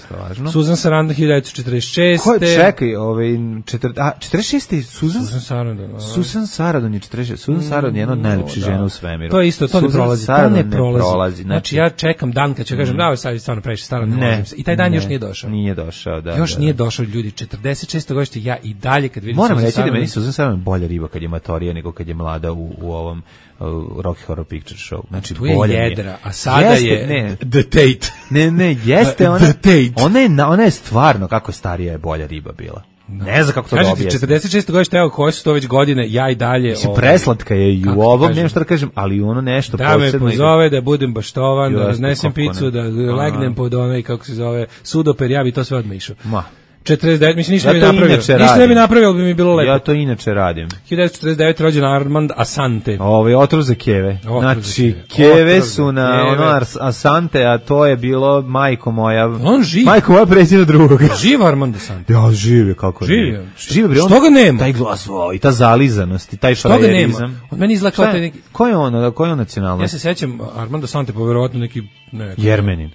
Susan Sarandon, hiljadu devetsto četrdeset šeste. Ko je, čekaj, ovaj, četrdeset, a, četrdeset šeste Susan? Susan Sarandon. Ovaj. Susan Sarandon je četrdeset šeste. Susan Sarandon je jedna od najlepših žena u svemiru. To je isto, to ne prolazi. To ne prolazi. prolazi. Znači, ja čekam dan kad ću mm. kažem, da, sad je stvarno previše staro, ne, ne možem se. I taj dan ne, još nije došao. Nije došao, da. Još da, nije da. došao, ljudi, četrdeset šeste godište, ja i dalje kad vidim Moram Susan reći Sarandon, da meni Susan Sarandon bolja riba kad je matorija nego kad je mlada u, u ovom uh, Rocky Horror Picture Show. Znači, tu je jedra, a sada jeste, je ne, The Tate. Ne, ne, jeste ona. The Tate. Ona je, ona je stvarno, kako starija je bolja riba bila. Ne znam kako to dobije. Kažete, četrdeset šeste godište, evo, koje su to već godine, ja i dalje... Mislim, preslatka je i u ovom, nema šta da kažem, ali ono nešto da posebno... Da me pozove, da budem baštovan, da raznesem picu, da legnem pod onaj, kako se zove, sudoper, ja bi to sve odmišao. Ma. četrdeset devet, mislim, ništa ja ne bi napravio. Ništa ne bi napravio, ali bi mi bilo lepo. Ja to inače radim. hiljadu devetsto četrdeset devete rođen Armand Asante. Ovo je otrov za keve. Otrov znači, za keve, keve su na keve. Ono Asante, a to je bilo majko moja. On živ. Majko moja pređena drugog. Živ Armand Asante. Ja, živ je, kako živ. ne. Živ je. Što ga nema? Taj glas, o, i ta zalizanost, i taj frajerizam. Što ga nema? Od meni izgleda kao taj neki... Ko je on, ko je on nacionalnost? Ja se sećam Armand Asante, pa verovatno neki... Ne, Jermenin.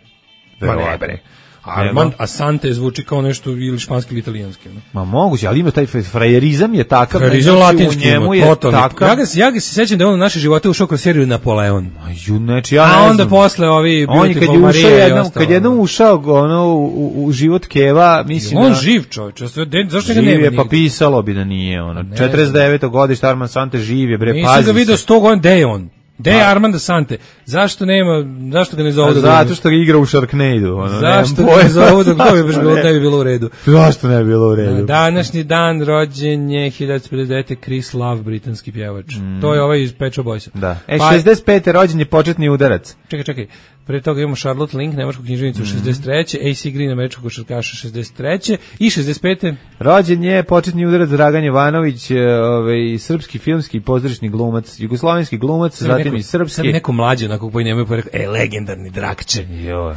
Ma ne, bre. Armand Asante zvuči kao nešto ili španski ili italijanski. Ne? Ma moguće, ali ima taj frajerizam je takav. Frajerizam latinski, njemu je takav. Ja ga, ja ga se sećam da je on u naše živote ušao kroz seriju Napoleon. A, ju, neči, ja A ne onda znam. posle ovi Beautiful Maria i ostalo. Kad jednom ušao ono, u, u život Keva, mislim on da... živ čovječ, zašto ga živ nema? Je, pa pisalo bi da nije. Ono. četrdeset deveto godište Armand Asante živ je, bre, pazi se. Nisam ga vidio sto godina, gde je on? Gde je Armand Asante? Zašto nema, zašto ga ne zovu? Zato što ga igra u Sharknado. Ono, zašto ga ne zovu da to bi baš bilo, ne bi bilo u redu? Zašto ne bi bilo u redu? Današnji dan rođen je hiljadu devetsto pedeset devete Chris Love, britanski pjevač. Mm. To je ovaj iz Pet Shop Boysa. Da. E, pa, šezdeset pete rođen je početni udarac. Čekaj, čekaj. Pre toga imamo Charlotte Link, nemačku književnicu, mm. šezdeset treće A C Green, američkog košarkaša, šezdeset treće i šezdeset pete rođen je početni udarac Dragan Jovanović, ovaj, srpski filmski pozorišni glumac, jugoslovenski glumac, sve zatim neko, i srpski. Sad neko mlađe, onako koji nemaju pa rekao, e, legendarni Drakče. Joj.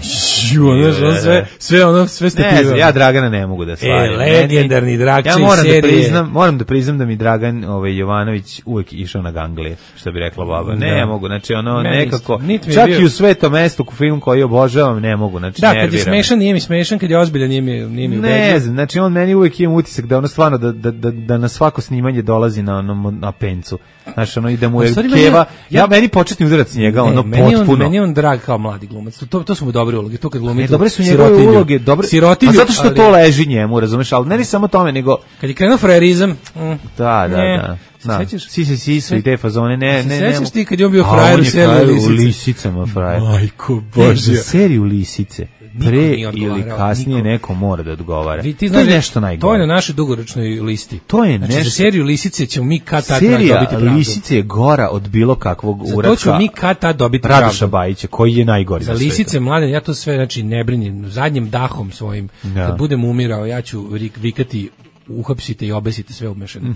Joj, ono, sve, sve ono, sve ste pivali. Ne, ja Dragana ne mogu da slavim. E, legendarni Drakče ja moram iz serije. Da priznam, moram da priznam da mi Dragan ovaj, Jovanović uvek išao na ganglije, što bi rekla baba. Ne, ja mogu, znači ono, ne, nekako, čak bio... i u Svetom mestu, u film koji obožavam, ne mogu, znači da, nerviram. Da, kad je smešan, nije mi smešan, kad je ozbiljan, nije mi, nije mi ubedljiv. Ne znam, znači on meni uvek ima utisak da ono stvarno, da, da, da, da na svako snimanje dolazi na, na, na pencu. Znaš, ono, ide mu A je stvari, keva, meni- ja, ja- meni početni udarac njega, ono, meni je on, potpuno. meni je on drag kao mladi glumac. To, to su mu dobre uloge. To kad glumi Ne, tu dobre su njegove sirotinju. uloge, dobre. Sirotinju, A zato što ali- to leži njemu, razumeš, ali ne ni samo tome, nego Kad je krenuo frajerizam, mm, da, da, ne. da. Se Da. sećaš? Si se si su i te fazone, ne, Se ne, ne. sećaš ti kad je on bio A, frajer on u je seriji frajer Lisice? u Lisicama, frajer. Majko Ne, Božja. za seriju Lisice. Pre nije ili odgovarao, kasnije niko. neko mora da odgovara. Vi, ti to znaš, je nešto najgore. To je na našoj dugoročnoj listi. To je znači, nešto- za seriju Lisice ćemo mi kad tad Serija dobiti pravdu. Lisice je gora od bilo kakvog Za to uratka ćemo mi kad tad dobiti Radoša pravdu. Bajića, koji je najgori Za na svetu. Lisice, mladen, ja to sve, znači, ne brinim, zadnjim dahom svojim, Da. kad budem umirao, ja ću rik- vikati, uhapsite i obesite sve umešano.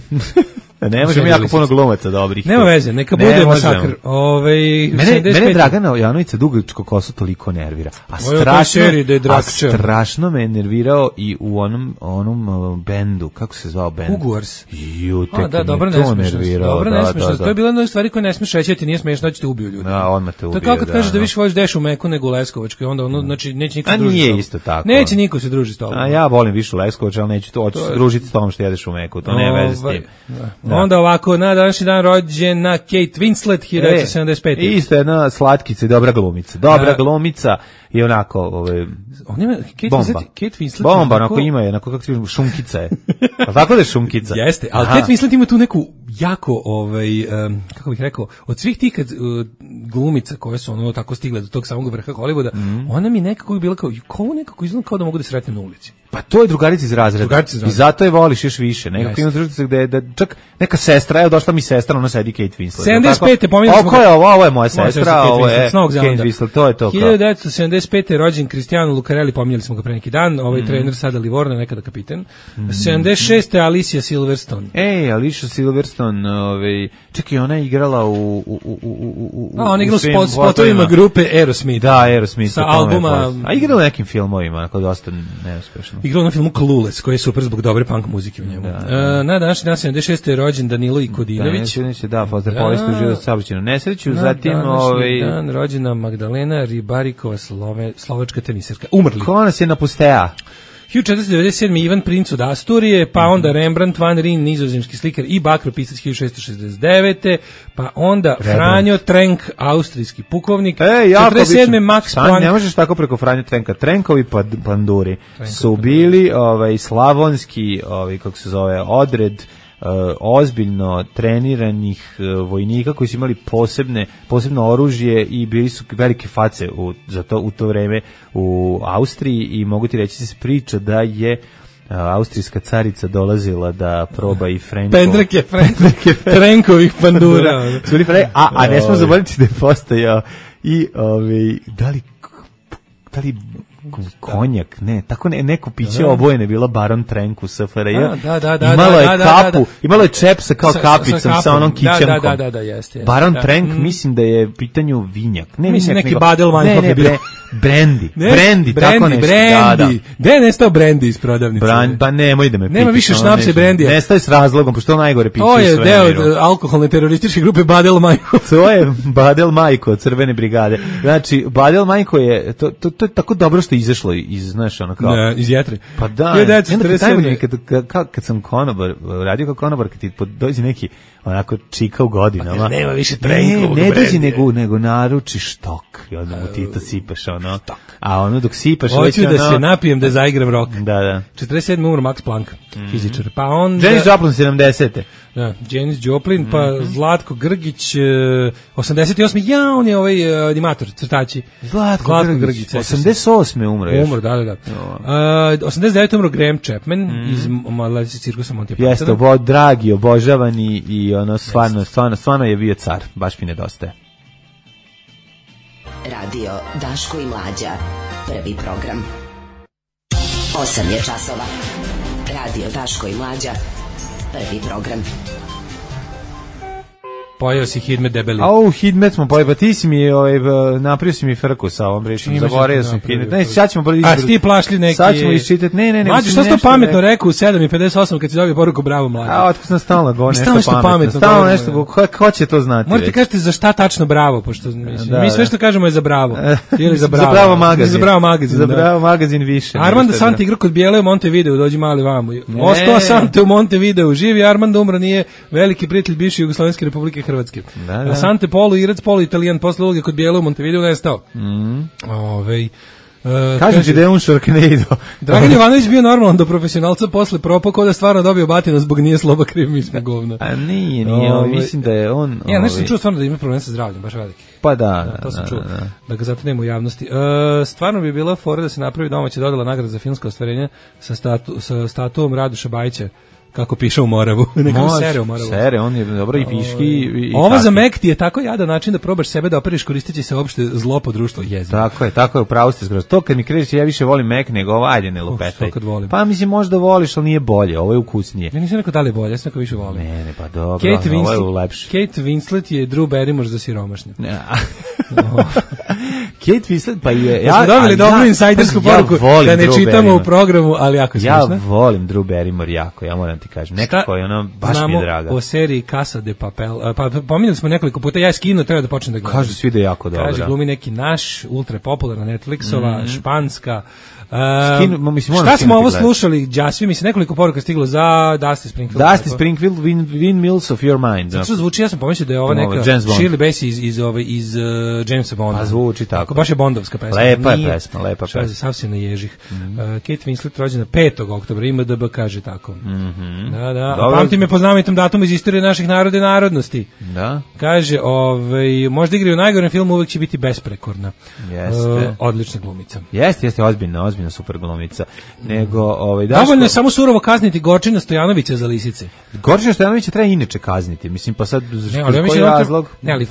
Ne možemo Serija jako Lisice. puno glumaca dobrih. Nema veze, neka Ne bude možemo. masakr. Ove, Mene, sedamdeset mene pet. Dragana Janovića dugačko kosu toliko nervira. A Ovo je u toj strašno, seriji da je a Drakća. strašno me je nervirao i u onom, onom uh, bendu, kako se zvao bend? Hogwarts. Ju, tek A, da, me dobro, to nesmešnost. nervirao. Dobro, da, nesmešnost. da, da. To je bila jedna od stvari koje ne smiješ reći, a ti nije smiješno, da će te ubiju ljudi. Da, odmah te To je ubije, kao kad da, kažeš da da. više voliš Dešu Meku nego u Leskovačkoj, onda ono, znači, neće niko A se družiti nije s tobom. isto tako. Neće niko se družiti s tobom. A ja volim više Leskovac, ali neću to, hoću se družiti s tom što jedeš u Meku, to nema veze s Ovaj, tim. da. Da. Onda ovako, na današnji dan rođena Kate Winslet, hiljadu devetsto sedamdeset pete. E, isto jedna slatkica i dobra glumica. Dobra Da. glumica i onako, ove, On ima, Kate bomba. Winslet, Kate Winslet Bomba, onako- onako ima je, onako kako ti kažem, šunkica je. A tako da je šunkica? Jeste, ali Aha. Kate Winslet ima tu neku jako, ovaj, um, kako bih rekao, od svih tih kad, uh, glumica koje su ono tako stigle do tog samog vrha Hollywooda, Mhm. ona mi nekako bila kao, kao ovo nekako izgleda kao da mogu da sretnem na ulici. Pa to je drugarica iz razreda. Drugarica iz razreda. I zato je voliš još više. Nekako Jeste. ima družica gde da čak neka sestra, evo došla mi sestra, ona sedi Kate Winslet. sedamdeset pete, Tako? pominjali smo Ovo ga. je ovo, ovo je moja Moja sestra, Kate ovo Winslet, je s Novog Kate Zelanda. Winslet, to je to kao. hiljadu devetsto sedamdeset pete rođen Cristiano Lucarelli, pominjali smo ga pre neki dan, ovaj trener sada Livorno, nekada kapitan. sedamdeset šeste Alicia Silverstone. Ej, Alicia Silverstone, ovaj, čekaj, ona je igrala u u u u u u. A on igra u svim spot, spotovima grupe Aerosmith. Da, Aerosmith. Sa o tome je albuma- poznato. A igrala u nekim filmovima, onako dosta neuspešno. Igrao na filmu Clueless, koji je super zbog dobre punk muzike u njemu. Da, da. E, na današnji dan sedamdeset šeste je rođen Danilo Ikodinović. Da, neće, da, pozdrav Da. povijesti u život saobraćajnu nesreću, Na zatim današnji ovaj dan rođena Magdalena Ribarikova, Slove, slovačka teniserka. Umrli. ko nas je napustea? hiljadu četiristo devedeset sedme Ivan Princ od Asturije, pa onda Rembrandt van Rijn, nizozemski slikar i bakropisac hiljadu šessto šezdeset devete pa onda Franjo Trenk, austrijski pukovnik, E, jako četrdeset sedme obično. Max Sam, Planck. ne možeš tako preko Franje Trenka. Trenkovi pa panduri su bili ovaj slavonski, ovaj kako se zove, odred uh, ozbiljno treniranih uh, vojnika koji su imali posebne posebno oružje i bili su velike face u za to u to vreme u Austriji i mogu ti reći da se priča da je uh, austrijska carica dolazila da proba i Frenko. Pendreke, Pendreke, Trenkovih pandura. Su bili fre- a, a ne smo zaboraviti da je postojao i ovaj da li da li konjak, ne, tako ne, neko piće obojene bila Baron Trenk u S F R J. Da, da, da, da, imalo je da, da, kapu, da, da. imalo je čep sa kao Sa- sa- kapicom sa sa, kapom. onom Da, kićankom. da, da, da, da, jeste, jeste. Baron Da. Trenk, Mm. mislim da je u pitanju vinjak. Ne Mislim, vinjak, neki nego- Badelweinhof ne, ne, je bio. bre- Brandy, Ne, brandy, tako Brandy, nešto. Brandy. Da, da. Gde je nestao Brandy iz prodavnice? Bran, pa nemoj da me Nema pitaš, više ono šnapsa i neću. Brandyja. Nestaje s razlogom, pošto to najgore piće To u je svemiru. deo od alkoholne terorističke grupe Badel Majko. To je Badel Majko od Crvene brigade. Znači, Badel Majko je, to, to, to je tako dobro što je izašlo iz, znaš, ono kao... Ne, iz jetre. Pa da, hiljadu i devetsto onda kad, četrdeset sedme. najbolje kad, kad, kad, kad sam konobar, radio kao konobar, kad ti pod- dođe neki onako čika u godinama. Pa nema više Ne, Trenkovog ne dođe Brandyja. nego, nego naručiš tok i onda mu ti to sipaš, ono. A ono dok sipaš... Hoću već da ono- se napijem da zaigram rock. Da, da. četrdeset sedme umro Max Planck, fizičar. Pa onda... Janis Joplin sedamdesete. Da, Janis Joplin, pa Zlatko Grgić, e, osamdeset osme Ja, on je ovaj e, animator, crtači. Zlatko, Grgić. sećam se. osamdeset osme umro još. Umro, da, da, da. Uh, osamdeset devete umro Graham Chapman iz Mladeci cirkusa Monty Pythona. Jeste, obo, dragi, obožavani i ono, stvarno, stvarno, stvarno je bio car. Baš mi nedostaje. Radio Daško i Mlađa. Prvi program. Osam je časova. Radio Daško i Mlađa. Prvi program. Pojeo si Hidmet debeli. Au, Hidmet smo pojeli, pa ti si mi, ovaj, napravio si mi frku sa ovom rečom, zaboravio sam Hidmet. Ne, sad ćemo bolje izbrati. A ti plašli neki... Sad ćemo iščitati, ne, ne, ne. Mlađe, što si to pametno rekao u sedam i pedeset osam kad si dobio poruku bravo mlađe? A, otko sam stalno go, nešto pametno. pametno stalno nešto, ko, ko će to znati? Morate kažete za šta tačno bravo, pošto mislim, da, mi sve što kažemo je za bravo. Ili za bravo. Za bravo magazin. Za bravo magazin, Za bravo magazin više. Armando Sante igra kod Bijele u Montevideo, dođi mali vamo. Ostao Sante u Montevideo, živi Armando, umro, nije veliki prijatelj bivše Jugoslovenske Republike Hrvatske. Da, da. Sante polu Irac, polu Italijan, posle uloge kod Bijele u Montevideo nestao. Mm. Ovej Uh, kažem ti da je on Sharknado. Dragan Jovanović bio normalan do profesionalca, posle propao kao da stvarno dobio batinu zbog nije sloba kriv, mi smo govna. A nije, nije, ove, mislim da je on... Ja, nešto sam čuo stvarno da ima problem sa zdravljem, baš veliki. Pa da, da, to sam čuo, da, da. da ga zato nema u javnosti. Uh, stvarno bi bila fora da se napravi domaća dodala nagrada za filmsko ostvarenje sa, statu, sa statuom Radoša Bajića, kako piše u Moravu. Nekako sere u Moravu. Sere, on je dobro i piški. I, i Ovo za Mek ti je tako jadan način da probaš sebe da operiš koristeći se uopšte zlo po društvu jezik. Tako je, tako je, upravo ste skroz. To kad mi krećeš, ja više volim Mek nego ovo, ajde ne lupetaj. Pa mislim možda voliš, ali nije bolje, ovo je ukusnije. Ja nisam rekao da li je bolje, ja sam rekao više volim. Ne, ne, pa dobro, Kate ovo je lepše. Kate Winslet je Drew Barrymore za siromašne. Kate Winslet, pa je... Ja, smo dobili dobru insajdersku poruku da ne čitamo u programu, ali jako smiješno. Ja volim Drew Barrymore jako, ja moram ti kažem. Nekako je ono, baš mi je draga. O seriji Casa de Papel. Pa pominjali smo nekoliko puta, ja je skinuo, treba da počnem da gledam. Kažu svi da je jako dobro. Kaže, glumi neki naš, ultra popularna Netflixova, mm-hmm. španska. Uh, Skinu, mislim, šta smo ovo slušali, Đasvi, mislim, nekoliko poruka stiglo za Dusty Springfield. Dusty Springfield, win, win Mills of Your Mind. Zato što zvuči, ja sam pomislio da je ovo neka Shirley Bassey iz, iz, ove, iz uh, Jamesa Bonda. Pa zvuči tako. Baš je bondovska pesma. Lepa je pesma, lepa pesma. Sav se naježih. Mm-hmm. Uh, Kate Winslet rođena petog oktobra, I M D B kaže tako. Mm-hmm. Da, da. A pamti me po znamenitom datumu iz istorije naših naroda i narodnosti. Da. Kaže, ovaj, možda igraju u najgorem filmu, uvek će biti besprekorna. Jeste. Uh, odlična glumica. Jeste, jeste, ozbiljna, ozbiljna super glumica. Nego, ovaj, Daško... Dovoljno je samo surovo kazniti Gorčina Stojanovića za lisice. Gorčina Stojanovića treba inače kazniti. Mislim, pa sad, ne, ali ja koji razlog? Ne, ali,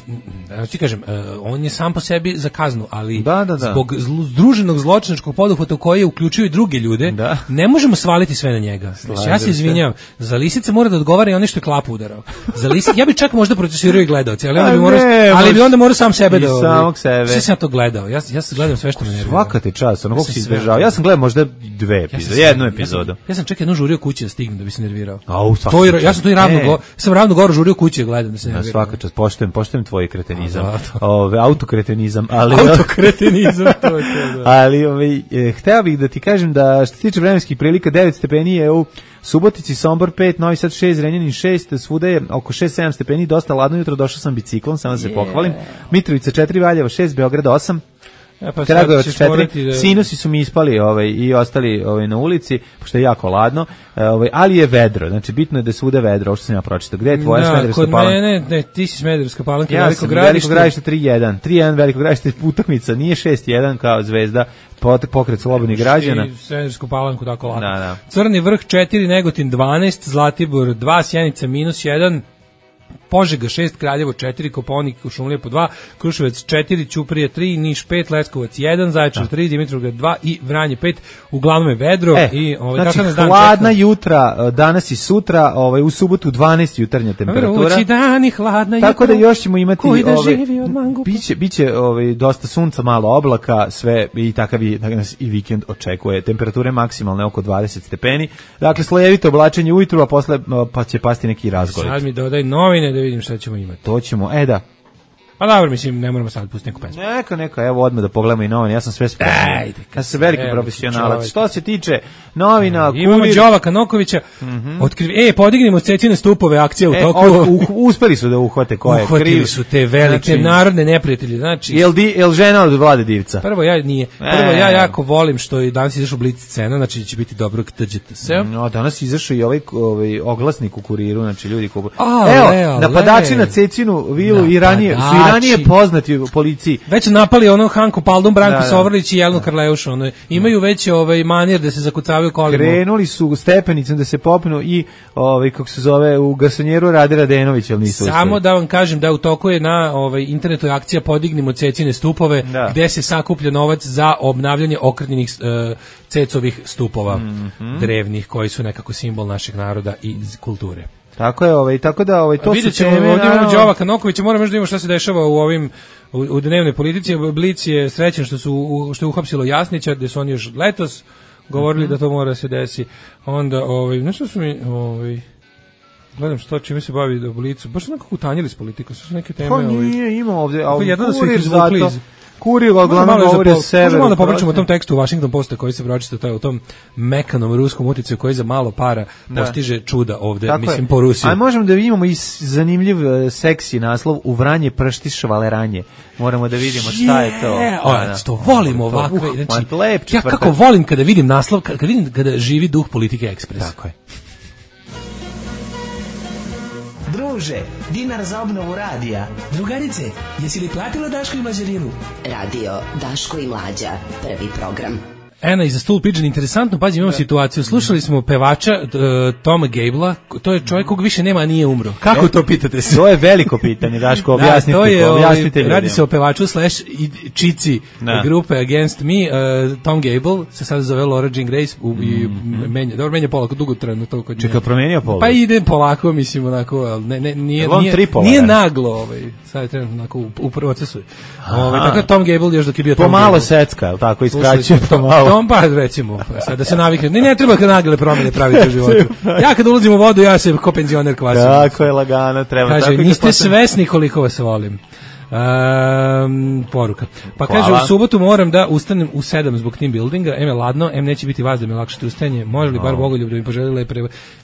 ja ti kažem, uh, on je sam po sebi za kaznu, ali da, da, da. zbog zlu, združenog zločinačkog poduhvata u koji uključuju i druge ljude, da. Ne možemo svaliti sve na njega. Slažem ja se izvinjavam, za lisice mora da odgovara i on što je klapu udarao. Za lisice, ja bih čak možda procesuirao i gledalce, ali, onda bi morao, ali bi onda morao sam sebe da... Samog sebe. Sve sam ja to gledao, ja, ja sam gledam sve što me nervira. Svaka te čast, ono kako si izbežao. Ja sam gledao možda dve epizode, jednu epizodu. Ja sam, ja sam čak jednu žurio kući da stignem da bi se nervirao. Au, to je, ja sam to i ravno, go, sam ravno gore žurio kući da gledam da se nervirao. Svaka čast, poštujem, poštujem tvoj kretenizam. Ove, autokretenizam, ali... Autokretenizam, to je to, da. Ali, ove, e, hteo bih da ti kažem da što se tiče vremenskih prilika, devet stepeni je u Subotici, Sombor pet, Novi Sad šest, Zrenjanin šest, svuda je oko šest sedam stepeni, dosta ladno jutro, došao sam biciklom, samo da se yeah. pohvalim. Mitrovica četiri, Valjevo šest, Beograd osam. Ja, pa Kragujevac četiri, da... sinusi su mi ispali ovaj, i ostali ovaj, na ulici, pošto je jako ladno, ovaj, ali je vedro, znači bitno je da je svuda vedro, ovo što sam ja pročitao. Gde je tvoja da, Smederevska Palanka? Ne, ne, ne, ti si Smederevska Palanka, ja Veliko sam gradište. Veliko gradište tri jedan, tri jedan Veliko gradište utakmica, nije šest jedan kao Zvezda, pokret slobodnih građana. I Smederevsku Palanku tako lako. Da, da. Crni vrh četiri, Negotin dvanaest, Zlatibor dva, Sjenica minus jedan, Požega šest, Kraljevo četiri, Kopaonik u Šumlije po dva, Kruševac četiri, Ćuprije tri, Niš pet, Leskovac jedan, Zaječar tri, Dimitrovgrad dva i Vranje pet. Uglavnom je vedro e, i ovaj znači, tako hladna jutra danas i sutra, ovaj u subotu dvanaest jutarnja temperatura. Vrući dani, hladna jutra. Tako da još ćemo imati ovaj biće biće ovaj dosta sunca, malo oblaka, sve i takav i takav nas i vikend očekuje. Temperature maksimalne oko dvadeset stepeni. Dakle slojevito oblačenje ujutru, a posle pa će pasti neki razgorit. Sad mi dodaj novine da vidim šta ćemo imati. To ćemo, e da. Pa dobro, mislim, ne moramo sad pustiti neku pesmu. Neka, neka, evo odmah da pogledamo i novine, ja sam sve spremio. Ajde. Ja sam veliki profesionalac. Što se tiče novina, kurir... Imamo Đovaka Nokovića, mm-hmm. otkriv... e, podignimo Cecine stupove, akcija u e, toku. O, uh, uspeli su da uhvate ko je kriv. Uhvatili su te velike znači, narodne neprijatelje. Znači, jel, di, jel žena od Vlade Divca? Prvo ja nije. Prvo e, ja jako volim što je danas izašao Blic scena, znači će biti dobro T G T S. No, danas izašao i ovaj, ovaj oglasnik u kuriru, znači ljudi kupu. A, evo, leo, napadači na Cecinu vilu i ranije, su i ranije poznati u policiji. Već su napali ono Hanku Paldum, Branku Sovrlić i Jelenu Karleušu. Ono, imaju već ovaj manir da se zakucavaju kolima. Krenuli su stepenicom da se popnu i ovaj kako se zove u garsonjeru Rade Radenović, al nisu Samo uspeli. Da vam kažem da u toku je na ovaj internetu akcija Podignimo Cecine stupove, da. Gde se sakuplja novac za obnavljanje okrnjenih uh, Cecovih stupova, mm-hmm. drevnih, koji su nekako simbol našeg naroda i kulture. Tako je, ovaj, tako da ovaj, to vidjet su ćemo, teme. ovdje imamo naravno- Đova Kanokovića, moramo još da imamo šta se dešava u ovim u, u dnevnoj politici. Blic je srećan što su u- što je uhapsilo Jasnića, gde su oni još letos govorili Mhm. da to mora se desi. Onda ovaj nešto su mi ovaj gledam što čime se bavi do Blicu. Baš su nekako utanjili s politikom, sve su neke teme. Pa ovaj, nije, ima ovde, a Kako jedno da su ih kurir izvukli zato, iz- kurir Možda uglavnom malo govori za o pol- severu. možda malo da popričamo o prosto. tom tekstu u Washington Postu koji se pročita, to je u tom mekanom ruskom uticaju koji za malo para Da. postiže čuda ovde, Tako mislim, je. po Rusiji. A možemo da imamo i s- zanimljiv e, seksi naslov U Vranje pršti švaleranje. Moramo da vidimo šta je to. Je, Da, o, da. to volim To, ovakve. uh, Znači, ma, lep ja četvrtak. kako volim kada vidim naslov, kada vidim kada živi duh politike ekspres. Tako je. Druže, dinar za obnovu radija. Drugarice, jesi li platila Daško i Mlađarinu? Radio Daško i Mlađa, prvi program. Ena iza Stool Pigeon, interesantno, pazi, imamo situaciju. Slušali smo pevača uh, Toma Gablea, to je čovjek kog više nema, a nije umro. Kako E, to pitate se? To je veliko pitanje, Daško, objasnite, da, to je, objasnite ovaj, radi ljudima. se o pevaču slash i čici Da. grupe Against Me. Uh, Tom Gable se sad zove Laura Jean Grace u, i menja, dobro, menja polako, dugo trajno to kod Čekaj, nje. promenio pol? Pa ide polako, mislim, onako, ali ne, ne, nije, Jel on nije, tripolaran? nije naglo, ovaj, sad je trenutno onako u, u procesu. Ovaj, tako da Tom Gable još dok je bio Tom Pomalo Gable. secka, je li tako, Slušali iskraćuje smo pomalo. Tom, pa recimo, pa sad da se navikne. Ne, ne treba kad nagle promjene praviti u životu. Ja kad ulazim u vodu, ja se ko penzioner kvasim. Tako je lagano, treba. Kaže, tako i kad niste postane- svesni koliko vas volim. Um, poruka. Pa Hvala. kaže, u subotu moram da ustanem u sedam zbog team buildinga, em je ladno, em neće biti vas da mi lakše ustajanje, može li bar Bogoljub da mi poželi lepe...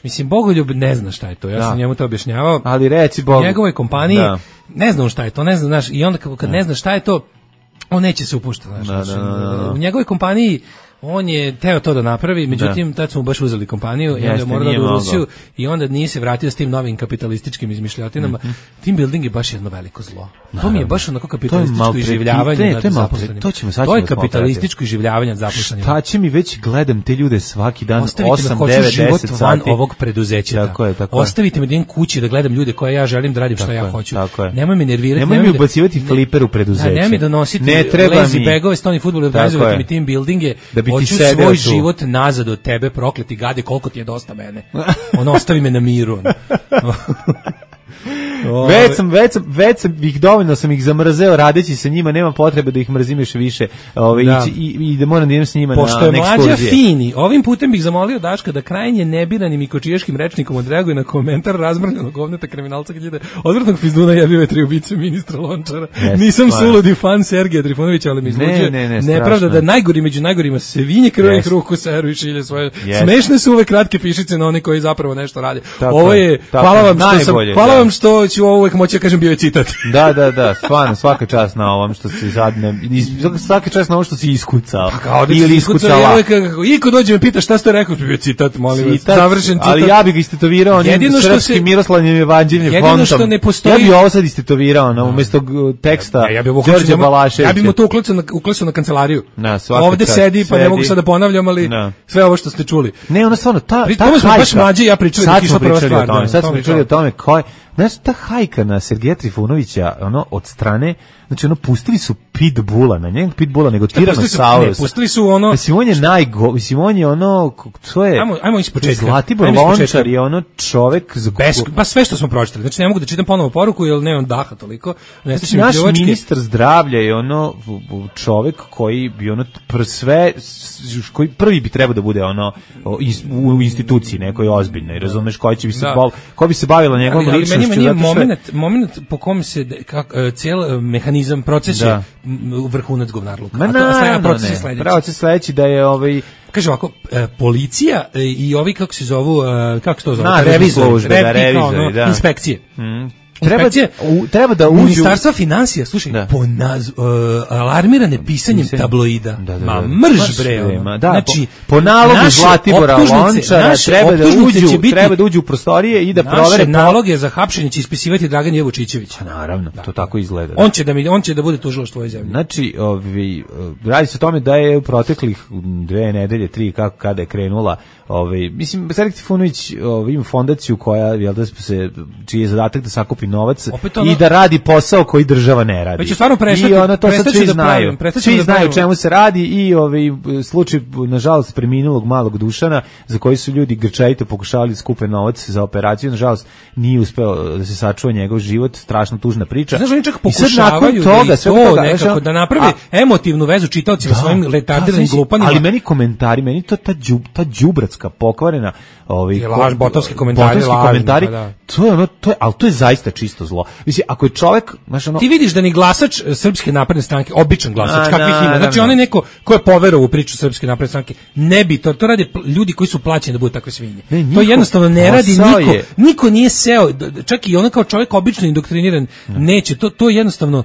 Mislim, Bogoljub ne zna šta je to, ja Da. sam njemu to objašnjavao. Ali reci Bogu. U njegovoj kompaniji Da. ne zna on šta je to, ne zna, znaš, i onda kad, kad ne zna šta je to, on neće se upuštati, znaš, Da, znači, da, da, da. u njegovoj kompaniji on je teo to da napravi, međutim tad su mu baš uzeli kompaniju i onda je Jeste, morao da nije ode u mogao. Rusiju i onda nije se vratio s tim novim kapitalističkim izmišljotinama. Team building je baš jedno veliko zlo. To mi je baš onako kapitalističko maltreti- iživljavanje ne, nad to je maltre- zaposlenima. to ćemo, sad To je ćemo kapitalističko iživljavanje nad zaposlenima. Šta će mi već gledam te ljude svaki dan Ostavite me, osam, hoću devet, život deset van sati. ovog preduzeća. Tako je, tako je. Ostavite me da idem kući da gledam ljude koje ja želim da radim šta Tako ja je, hoću. tako je. Nemoj me nervirati. Nemoj mi da- ubacivati ne- fliper u preduzeće. Da, nemoj mi donositi Ne treba lazy mi. bagove, stoni fudbal i Tako organizovati je. mi team buildinge. Da bi ti Hoću sedeo svoj tu. život nazad od tebe, prokleti gade, koliko ti je dosta mene. On ostavi me na miru. ono. Već sam, već sam, već sam ih dovoljno sam ih zamrzeo radeći sa njima, nema potrebe da ih mrzim još više. Ovaj Da. i, i, i da moram da idem s njima Pošto na, je na mlađa ekskurzije. fini, ovim putem bih zamolio Daška da krajnje nebiranim i kočijaškim rečnikom odreaguje na komentar razmrljenog govneta kriminalca kad ide odvrtnog fizduna jebio tri ubice ministra Lončara. Jeste, Nisam stvarno. suludi fan Sergeja Trifunovića, ali mi izluđuje Ne, ne, ne, nepravda strašno da je. najgori među najgorima svinje krvih Jeste. ruku seru i šilje svoje. Jeste. Smešne su ove kratke pišice na one koji zapravo nešto rade. Tako Ovo je, je, tako hvala je, vam što sam, najbolje, hvala da. vam što ću ovo uvek moći da kažem bio je citat. Da, da, da, stvarno, svaka čast na ovom što si sad, ne, is- svaka čast na ovom što si iskucao. Kao da Ili si iskucao, iskucala. ja uvek, kako- i ko dođe me pita šta ste rekao, bio je citat, molim vas, Citat, završen citat. Ali ja bih ga istetovirao onim Jedino što srpskim se- Miroslavnim evanđeljnim jedino fontom. što ne postoji- Ja bih ovo sad istetovirao na umjesto g- teksta Ja, ja bih Đorđe Balaševića. Ja bih mu to uklesao na, uklesao na kancelariju. Na, svaka Ovde čast, sedi, pa ne sedi. mogu sad da ponavljam, ali Da. sve ovo što ste čuli. Ne, ono stvarno, ta, Pri ta tome smo hajka. baš mlađi i ja pričali Sad dok je smo išla prva pričali o stvar, tome, da, sad to smo mi je pričali to. o tome ko je, znaš, ta hajka na Sergeja Trifunovića, ono, od strane, znači, ono, pustili su Pitbulla, na njeg Pitbulla, nego Pustili su- ne, Tyrannosaurus. pustili su ono- Mislim, on je najgo, mislim, on je ono, k- to je, Ajmo- ajmo iz početka. Zlatibor Ajmo iz početka. Lončar je ono čovek za Bez, pa sve što smo pročitali. Znači ne mogu da čitam ponovo poruku jer nemam daha toliko. Ne Znači, stižem naš pljuvačke. ministar zdravlja je ono v- v- čovek koji bi ono pr sve s- koji prvi bi trebao da bude ono o, is- u instituciji nekoj ozbiljnoj, razumeš, koji će bi se Da. bol, ko bi se bavila njegovom ali, ali ličnošću. meni, meni je zato što je- moment, moment po kom se de- kak, e, cijel e, mehanizam, proces Da. je m, vrhunac govnarluka. Ma A to- a sled- a naravno proces je ne, sledeći. proces sledeći da je ovaj Kaže ovako, e, policija e, i ovi kako se zovu, e, kako se to zove? Nadležne Revizori, službe, da, repi, kao revizori, ono, da. inspekcije. mm, treba, Inspekcije, u, treba da uđu Ministarstva financija, slušaj, Da. po naz, uh, alarmirane pisanjem Pisanje. tabloida. Da, da, Ma da. mrž Baš bre. bre, ono. ma da, znači, po, po nalogu naše Zlatibora optužnice- Lončara naše treba da optužnice uđu, će biti- treba da uđu u prostorije i da naše provere naloge za hapšenje će ispisivati Dragan Jevučićević. Naravno, to tako izgleda. On će da mi on će da bude tužilaštvo svoje zemlje. Znači, ovi, radi se o tome da je u proteklih dve nedelje, tri, kako kada je krenula, ovaj, mislim, Sergej Trifunović ovaj, ima fondaciju koja, jel da se, čiji je zadatak da sakupi novac ono, i da radi posao koji država ne radi. Već je stvarno prestati, I ono to sad svi da znaju. Pravim, svi da znaju čemu se radi i ovaj slučaj nažalost preminulog malog Dušana za koji su ljudi grčajito pokušavali da skupe novac za operaciju, nažalost nije uspeo da se sačuva njegov život, strašno tužna priča. Znaš, oni čak toga, pokušavaju da sve to toga, nekako znaš, da napravi a, emotivnu vezu čitaocima da, svojim retardiranim glupanima. Ali meni komentari, meni to ta đub, ta đubratska pokvarena, ovaj je laž, botovski komentari, botovski lažni, komentari, pa da. to je ono, to je, al to je zaista čisto zlo. Mislim, ako je čovjek, znaš, ono, ti vidiš da ni glasač Srpske napredne stranke, običan glasač, a, kakvih na, ima, znači na, na. on je neko ko je poverovao u priču Srpske napredne stranke, ne bi to, to rade ljudi koji su plaćeni da budu takve svinje. Ne, niko, to jednostavno ne radi niko, je. niko nije seo, čak i ono kao čovjek obično indoktriniran, ne. neće, to, to je jednostavno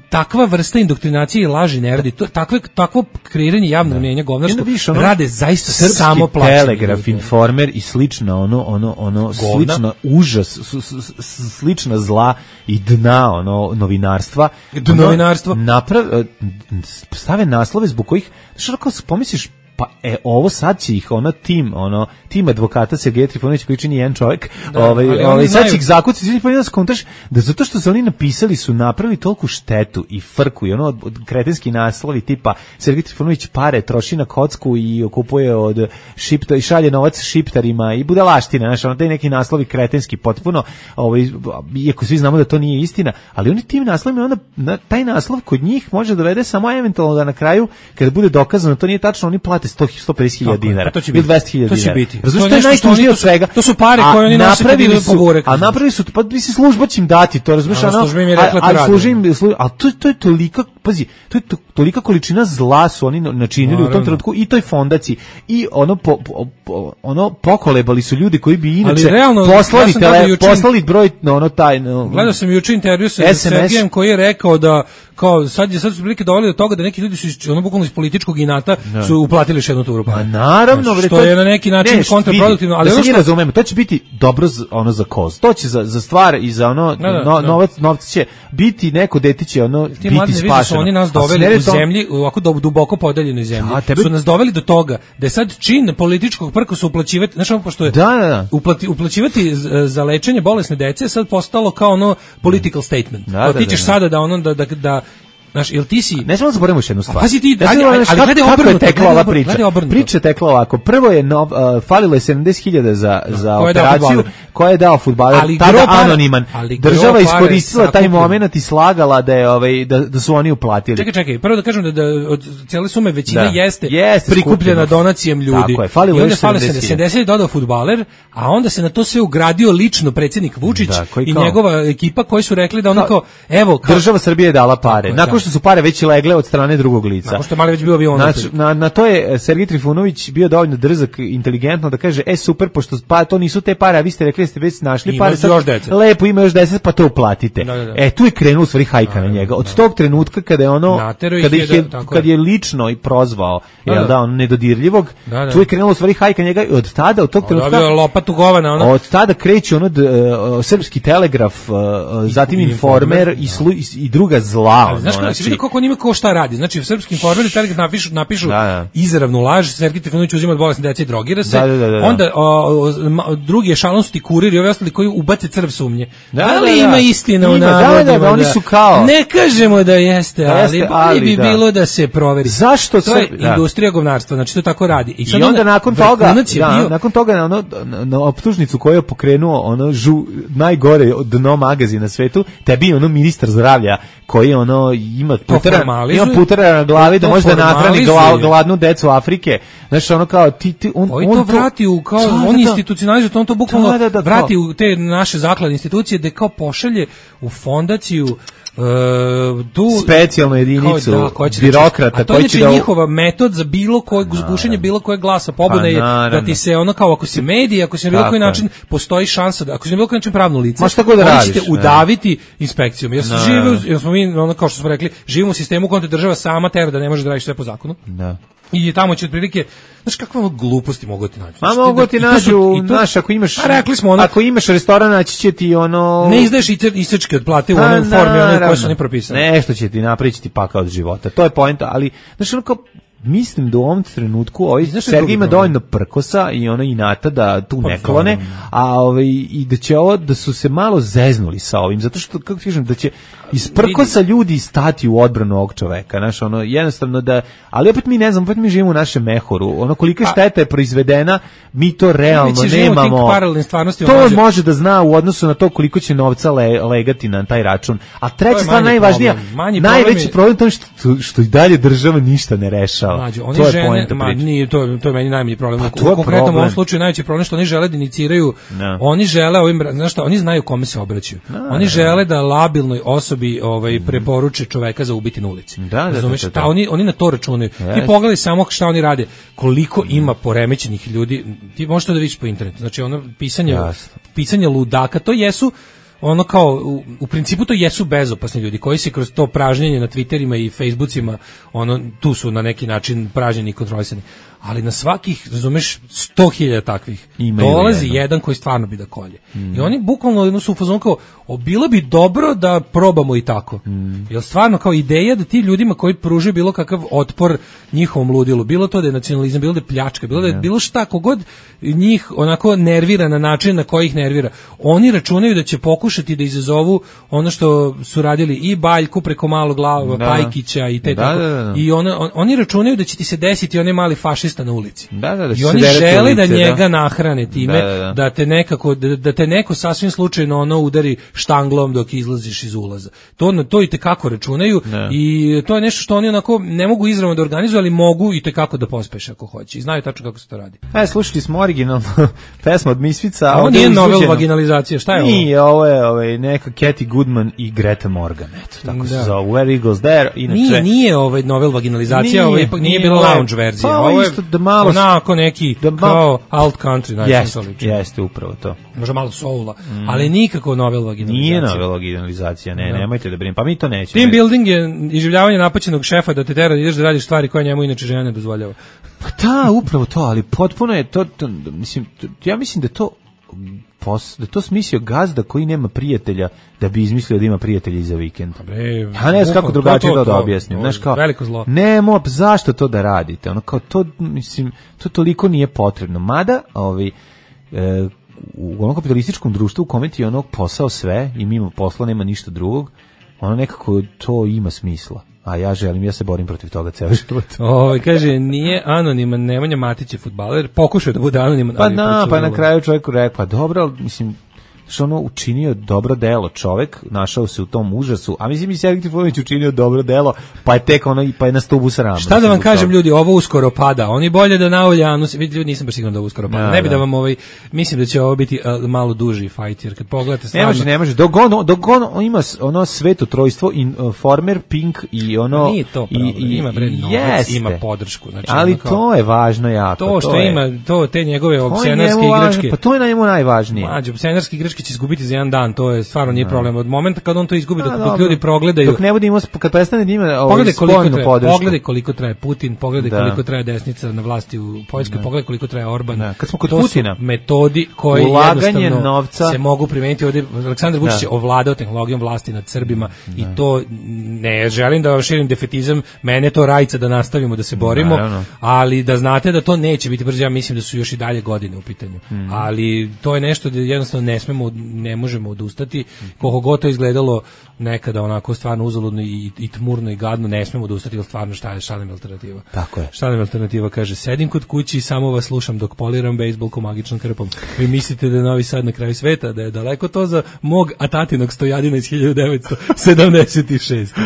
takva vrsta indoktrinacije i laži ne radi, to, takve, takvo kreiranje javnog mnjenja govnarsko ono, rade zaista Srpski samo plaćeni Telegraf, ljudi. Informer i slično ono, ono, ono, slična užas, s, s, s, slična zla i dna ono novinarstva. Do novinarstva. Naprav, stave naslove zbog kojih, što ako pomisliš, pa e ovo sad će ih ono tim ono tim advokata Sergeja Trifunovića koji čini jedan čovjek, da, ovaj ovaj sad će ih zakucati, znači pa da skontaš da zato što su oni napisali su napravili tolku štetu i frku i ono od, od kretenski naslovi tipa Sergej Trifunović pare troši na kocku i kupuje od šipta i šalje novac šiptarima i budalaština, znači ono taj neki naslovi kretenski potpuno, ovaj iako svi znamo da to nije istina, ali oni tim naslovima onda na, taj naslov kod njih može dovede samo eventualno da na kraju kada bude dokazano to nije tačno, oni plate sto do pedeset hiljada dinara ili dvesta hiljada dinara. Razumiješ, to je najtužnije od svega. To su pare koje oni nose kad idu po burek. A napravili su, pa bi se služba će im dati, to razumiješ, ono, ali služi im, ali to, to je tolika, pazi, to je to, tolika količina zla su oni načinili u tom trenutku i toj fondaciji i ono, po, po, ono pokolebali su ljudi koji bi inače realno, poslali, ja tele, jučin, poslali broj na ono taj... No, gledao sam juče intervju sa Sergejem koji je rekao da kao sad je sad su prilike doveli do toga da neki ljudi su iz, ono bukvalno iz političkog inata no. su uplatili još jednu turu. Pa naravno, znači, što je na neki način ne, kontraproduktivno, ali da ono što razumemo, to će biti dobro za, ono za koz. To će za za stvar i za ono da, da, no, da. novac novci će biti neko dete će ono ti biti spašeno. Oni nas doveli u zemlji, ovako duboko podeljenoj zemlji. Da, tebe... Su nas doveli do toga da je sad čin političkog prkosa uplaćivati, znači ono pošto je da, da, da. Uplati, uplaćivati za lečenje bolesne dece sad postalo kao ono political statement. Da, da, ti ćeš da, sada da ono da da, da znaš, jel ti si... Ne smemo zaboravimo još jednu stvar. Pazi ti, ja ajde, ali gledaj obrnuto. Kako je tekla ova priča? Priča je tekla ovako. Prvo je nov, uh, falilo je sedamdeset hiljada za, no, za operaciju koja je dao fudbaler, tada anoniman. Država iskoristila taj moment i slagala da je ovaj da, da su oni uplatili. Čekaj, čekaj, prvo da kažem da, da od cijele sume većina da. jeste, jeste prikupljena skupljeno. Donacijem ljudi. Tako je, falilo je sedamdeset je dodao fudbaler, a onda se na to sve ugradio lično predsjednik Vučić da, i njegova ekipa koji su rekli da ono kao, evo... Država Srbije je dala pare. Nakon što su pare već legle od strane drugog lica. Nakon što je mali već bio avion. Znači, na, na to je Sergej Trifunović bio dovoljno drzak, inteligentno da kaže, e super, pošto pa, to nisu te pare, a vi ste rekli da ste već našli ima pare, sad, još deset. Lepo, ima još deset, pa to uplatite. Da, da, da. E, tu je krenuo u stvari hajka na njega. Od tog trenutka kada je ono, kada ih je, kad je lično i prozvao, da, jel da, on nedodirljivog, da, da. Tu je krenuo u stvari hajka njega i od tada, od tog trenutka... Dobio lopatu govana, ono. Od tada kreće ono d, uh, Srpski telegraf, uh, zatim I, Informer i, slu, i, i druga zla. Ali, znaš kako, znači, kako on ima ko šta radi? Znači, u Srpskim Informeru Telegraf napišu, napišu da, da. izravnu laž, Sergej Trifunović uzima od bolesne dece i drogira se, da, da, da, da. onda o, o, drugi ešalon su ti kurir i ovi ostali koji ubace crv sumnje. Da, ali da, da. ima istina u navodima. Da, da, da, oni su kao... Ne kažemo da jeste, ali, jeste, ali bi da. bilo da se proveri. Zašto to je da. industrija govnarstva, znači to tako radi. I, I onda, onda nakon toga, da, bio... nakon toga na, ono, na, na optužnicu koju je pokrenuo ono žu, najgore dno magazina na svetu, tebi ono ministar zdravlja koji ono ima putera, ima putera na glavi da može da nahrani gladnu decu Afrike. Znači ono kao ti ti on on to vrati u kao da, on da, institucionalizuje to on to bukvalno da, da, da, vrati u te naše zakladne institucije da kao pošalje u fondaciju Uh, tu specijalnu jedinicu da, birokrata koji će da njihova metod za bilo koje gušenje bilo koje glasa pobune je da ti se ono kao ako si medij, ako si na bilo koji način postoji šansa da ako si na bilo koji način pravno lice, možete udaviti inspekcijom. Jer žive, jer smo mi ono kao što smo rekli, živimo u sistemu u kojem te država sama tera da ne može da radiš sve po zakonu. Da. I tamo će otprilike, znaš kakve ono gluposti mogu ti naći. Ma mogu ti nađu, znaš, ako imaš, rekli smo ono, ako imaš restoran, naći će ti ono... Ne izdaješ isečke od plate u onom formi, ono koje su ne propisane. Nešto će ti napričiti pakao od života, to je poenta, ali, znaš, ono kao, mislim da u ovom trenutku ovaj Sergej ima dovoljno prkosa i ono inata da tu ne klone, a ovaj i da će ovo da su se malo zeznuli sa ovim, zato što kako ti kažem da će iz prkosa ljudi stati u odbranu ovog čoveka, znaš, ono jednostavno da, ali opet mi ne znam, opet mi živimo u našem mehoru, ono kolika šteta je proizvedena, mi to realno nemamo. To može da zna u odnosu na to koliko će novca le, legati na taj račun. A treća stvar najvažnija, najveći problem je što, što i dalje država ništa ne rešava. Mađu, oni to je žene, ma, nije, to, to je meni najmanji problem. Pa, u konkretnom ovom slučaju najveći problem što oni žele da iniciraju, no. oni žele ovim, znaš šta, oni znaju kome se obraćaju. No, oni žele da labilnoj osobi ovaj, preporuče čoveka za ubiti na ulici. Da, da, Razumeš? da, da, da. Ta, oni, oni na to računaju. Yes. Ti pogledaj samo šta oni rade. Koliko ima poremećenih ljudi. Ti možeš to da vidiš po internetu. Znači ono pisanje, yes. pisanje ludaka, to jesu ono kao, u, u principu to jesu bezopasni ljudi koji se kroz to pražnjenje na Twitterima i Facebookima, ono, tu su na neki način pražnjeni i kontrolisani. Ali na svakih, razumeš, sto hiljada takvih imaju dolazi jedan. jedan koji stvarno bi da kolje. Mm. I oni bukvalno jedno su u fazonu kao, o, bilo bi dobro da probamo i tako. Mm. Jer stvarno kao ideja da ti ljudima koji pruže bilo kakav otpor njihovom ludilu, bilo to da je nacionalizam, bilo da je pljačka, bilo da je bilo šta, kogod njih onako nervira na način na koji ih nervira. Oni računaju da će pokušati da izazovu ono što su radili i Baljku preko malog glava, da. Pajkića i te da, tako. Da, da, da. I ona, on, oni računaju da će ti se desiti onaj mali fašist na ulici. Da, da, da, i oni žele ulice, da njega da. nahrane time, da, da, da. da te nekako da, da te neko sasvim slučajno ono udari štanglom dok izlaziš iz ulaza. To to i te kako računaju da. i to je nešto što oni onako ne mogu izravno da organizuju, ali mogu i te kako da pospeše ako hoće. I znaju tačno kako se to radi. E, slušali smo originalnu pesmu od Misfica, a ovo nije novel vaginalizacija, šta je ovo? Nije, ovo je ovaj neka Cathy Goodman i Greta Morgan, eto, tako da. se zove Where Eagles There, inače. Nije, nije ovaj novel vaginalizacija, ovo ipak nije, nije bila lounge verzija. Pa, ovo je da malo onako neki da kao alt country, znači jeste, jeste upravo to. Može malo soula, mm. ali nikako novel vaginalizacija. Nije novel vaginalizacija, ne, no. nemojte da brinete. Pa mi to nećemo. Team building je iživljavanje napaćenog šefa da te tera da ideš da radiš stvari koje njemu inače žena ne dozvoljava. Pa da, upravo to, ali potpuno je to, to mislim, to, ja mislim da to pos, da to smislio gazda koji nema prijatelja da bi izmislio da ima prijatelja i za vikend. Ja ne znam kako drugačije to, da objasnim. Znaš kao, veliko zlo. Nemo, zašto to da radite? Ono kao to, mislim, to toliko nije potrebno. Mada, ovaj, e, u onom kapitalističkom društvu u kome ti je ono posao sve i mimo posla nema ništa drugog, ono nekako to ima smisla. A ja želim, ja se borim protiv toga ceo život. O, kaže, nije anoniman, Nemanja Matić je fudbaler, pokušao da bude anoniman. Pa na, pa na kraju čovjeku rekao, pa dobro, ali mislim, što ono učinio dobro delo čovjek, našao se u tom užasu, a mislim i Sergej Trifunović učinio dobro delo, pa je tek ono, pa je na stubu srama. Šta da vam kažem ljudi, ovo uskoro pada, oni bolje da na Oljanu, vidite ljudi, nisam baš siguran da ovo uskoro pada, ja, ne bi da. da vam ovaj, mislim da će ovo biti uh, malo duži fight, jer kad pogledate stvarno... Ne može, ne može, dok ono, dok ono ima ono sveto trojstvo, Informer, Pink i ono... Nije to problem, i, i, ima bre novac, ima podršku. Znači, ali kao, to je važno jako. To što to je, ima, to te njegove opscenarske igračke. Pa to je na njemu najvažnije. Mađo, opscenarske igračke će izgubiti za jedan dan, to je stvarno nije problem. Od momenta kad on to izgubi, dok, dok ljudi progledaju, dok ne bude imao, kad prestane da ima ovaj spoljnu podršku. Pogledaj koliko traje Putin, pogledaj da. koliko traje desnica na vlasti u Poljskoj, da. pogledaj koliko traje Orban. Da. Kad smo kod to Putina, metodi koji jednostavno novca se mogu primeniti. Ovdje Aleksandar Vučić je ovladao tehnologijom vlasti nad Srbima da. i to ne želim da vam širim defetizam, mene to rajca da nastavimo da se borimo, da, ali da znate da to neće biti brzo, ja mislim da su još i dalje godine u pitanju. Mm. Ali to je nešto da jednostavno ne smemo, ne možemo odustati, koliko god to izgledalo nekada onako stvarno uzaludno i, i tmurno i gadno, ne smemo odustati, jer stvarno šta je, šta nam je alternativa? Tako je. Šta nam je alternativa? Kaže, sedim kod kući i samo vas slušam dok poliram bejsbolku magičnom krpom. Vi mislite da je Novi Sad na kraju sveta, da je daleko to za mog atatinog stojadina iz hiljadu devetsto sedamdeset šeste.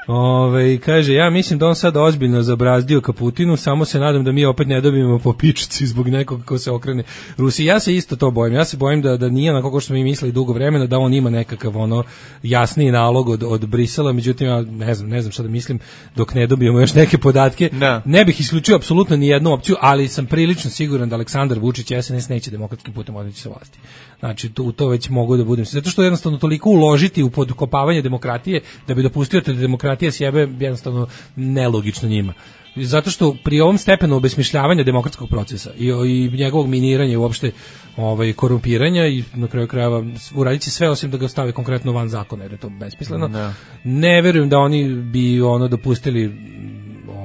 Ove, kaže, ja mislim da on sad ozbiljno zabrazdio Kaputinu, samo se nadam da mi opet ne dobijemo po pičici zbog nekog ko se okrene Rusiji. Ja se isto to bojim, ja se bojim da, da nije onako kao što smo mi mislili dugo vremena, da on ima nekakav ono jasniji nalog od, od Brisela, međutim ja ne znam, ne znam šta da mislim dok ne dobijemo još neke podatke. Da. Ne bih isključio apsolutno ni jednu opciju, ali sam prilično siguran da Aleksandar Vučić i S N S neće demokratskim putem odreći sa vlasti. Znači, to, to već mogu da budem. Zato što jednostavno toliko uložiti u podkopavanje demokratije da bi dopustio da demokratija sjebe jednostavno nelogično njima. Zato što pri ovom stepenu obesmišljavanja demokratskog procesa i, i njegovog miniranja i uopšte ovaj, korumpiranja i na kraju krajeva uraditi sve osim da ga stave konkretno van zakona, jer je to besmisleno. No. Ne verujem da oni bi ono dopustili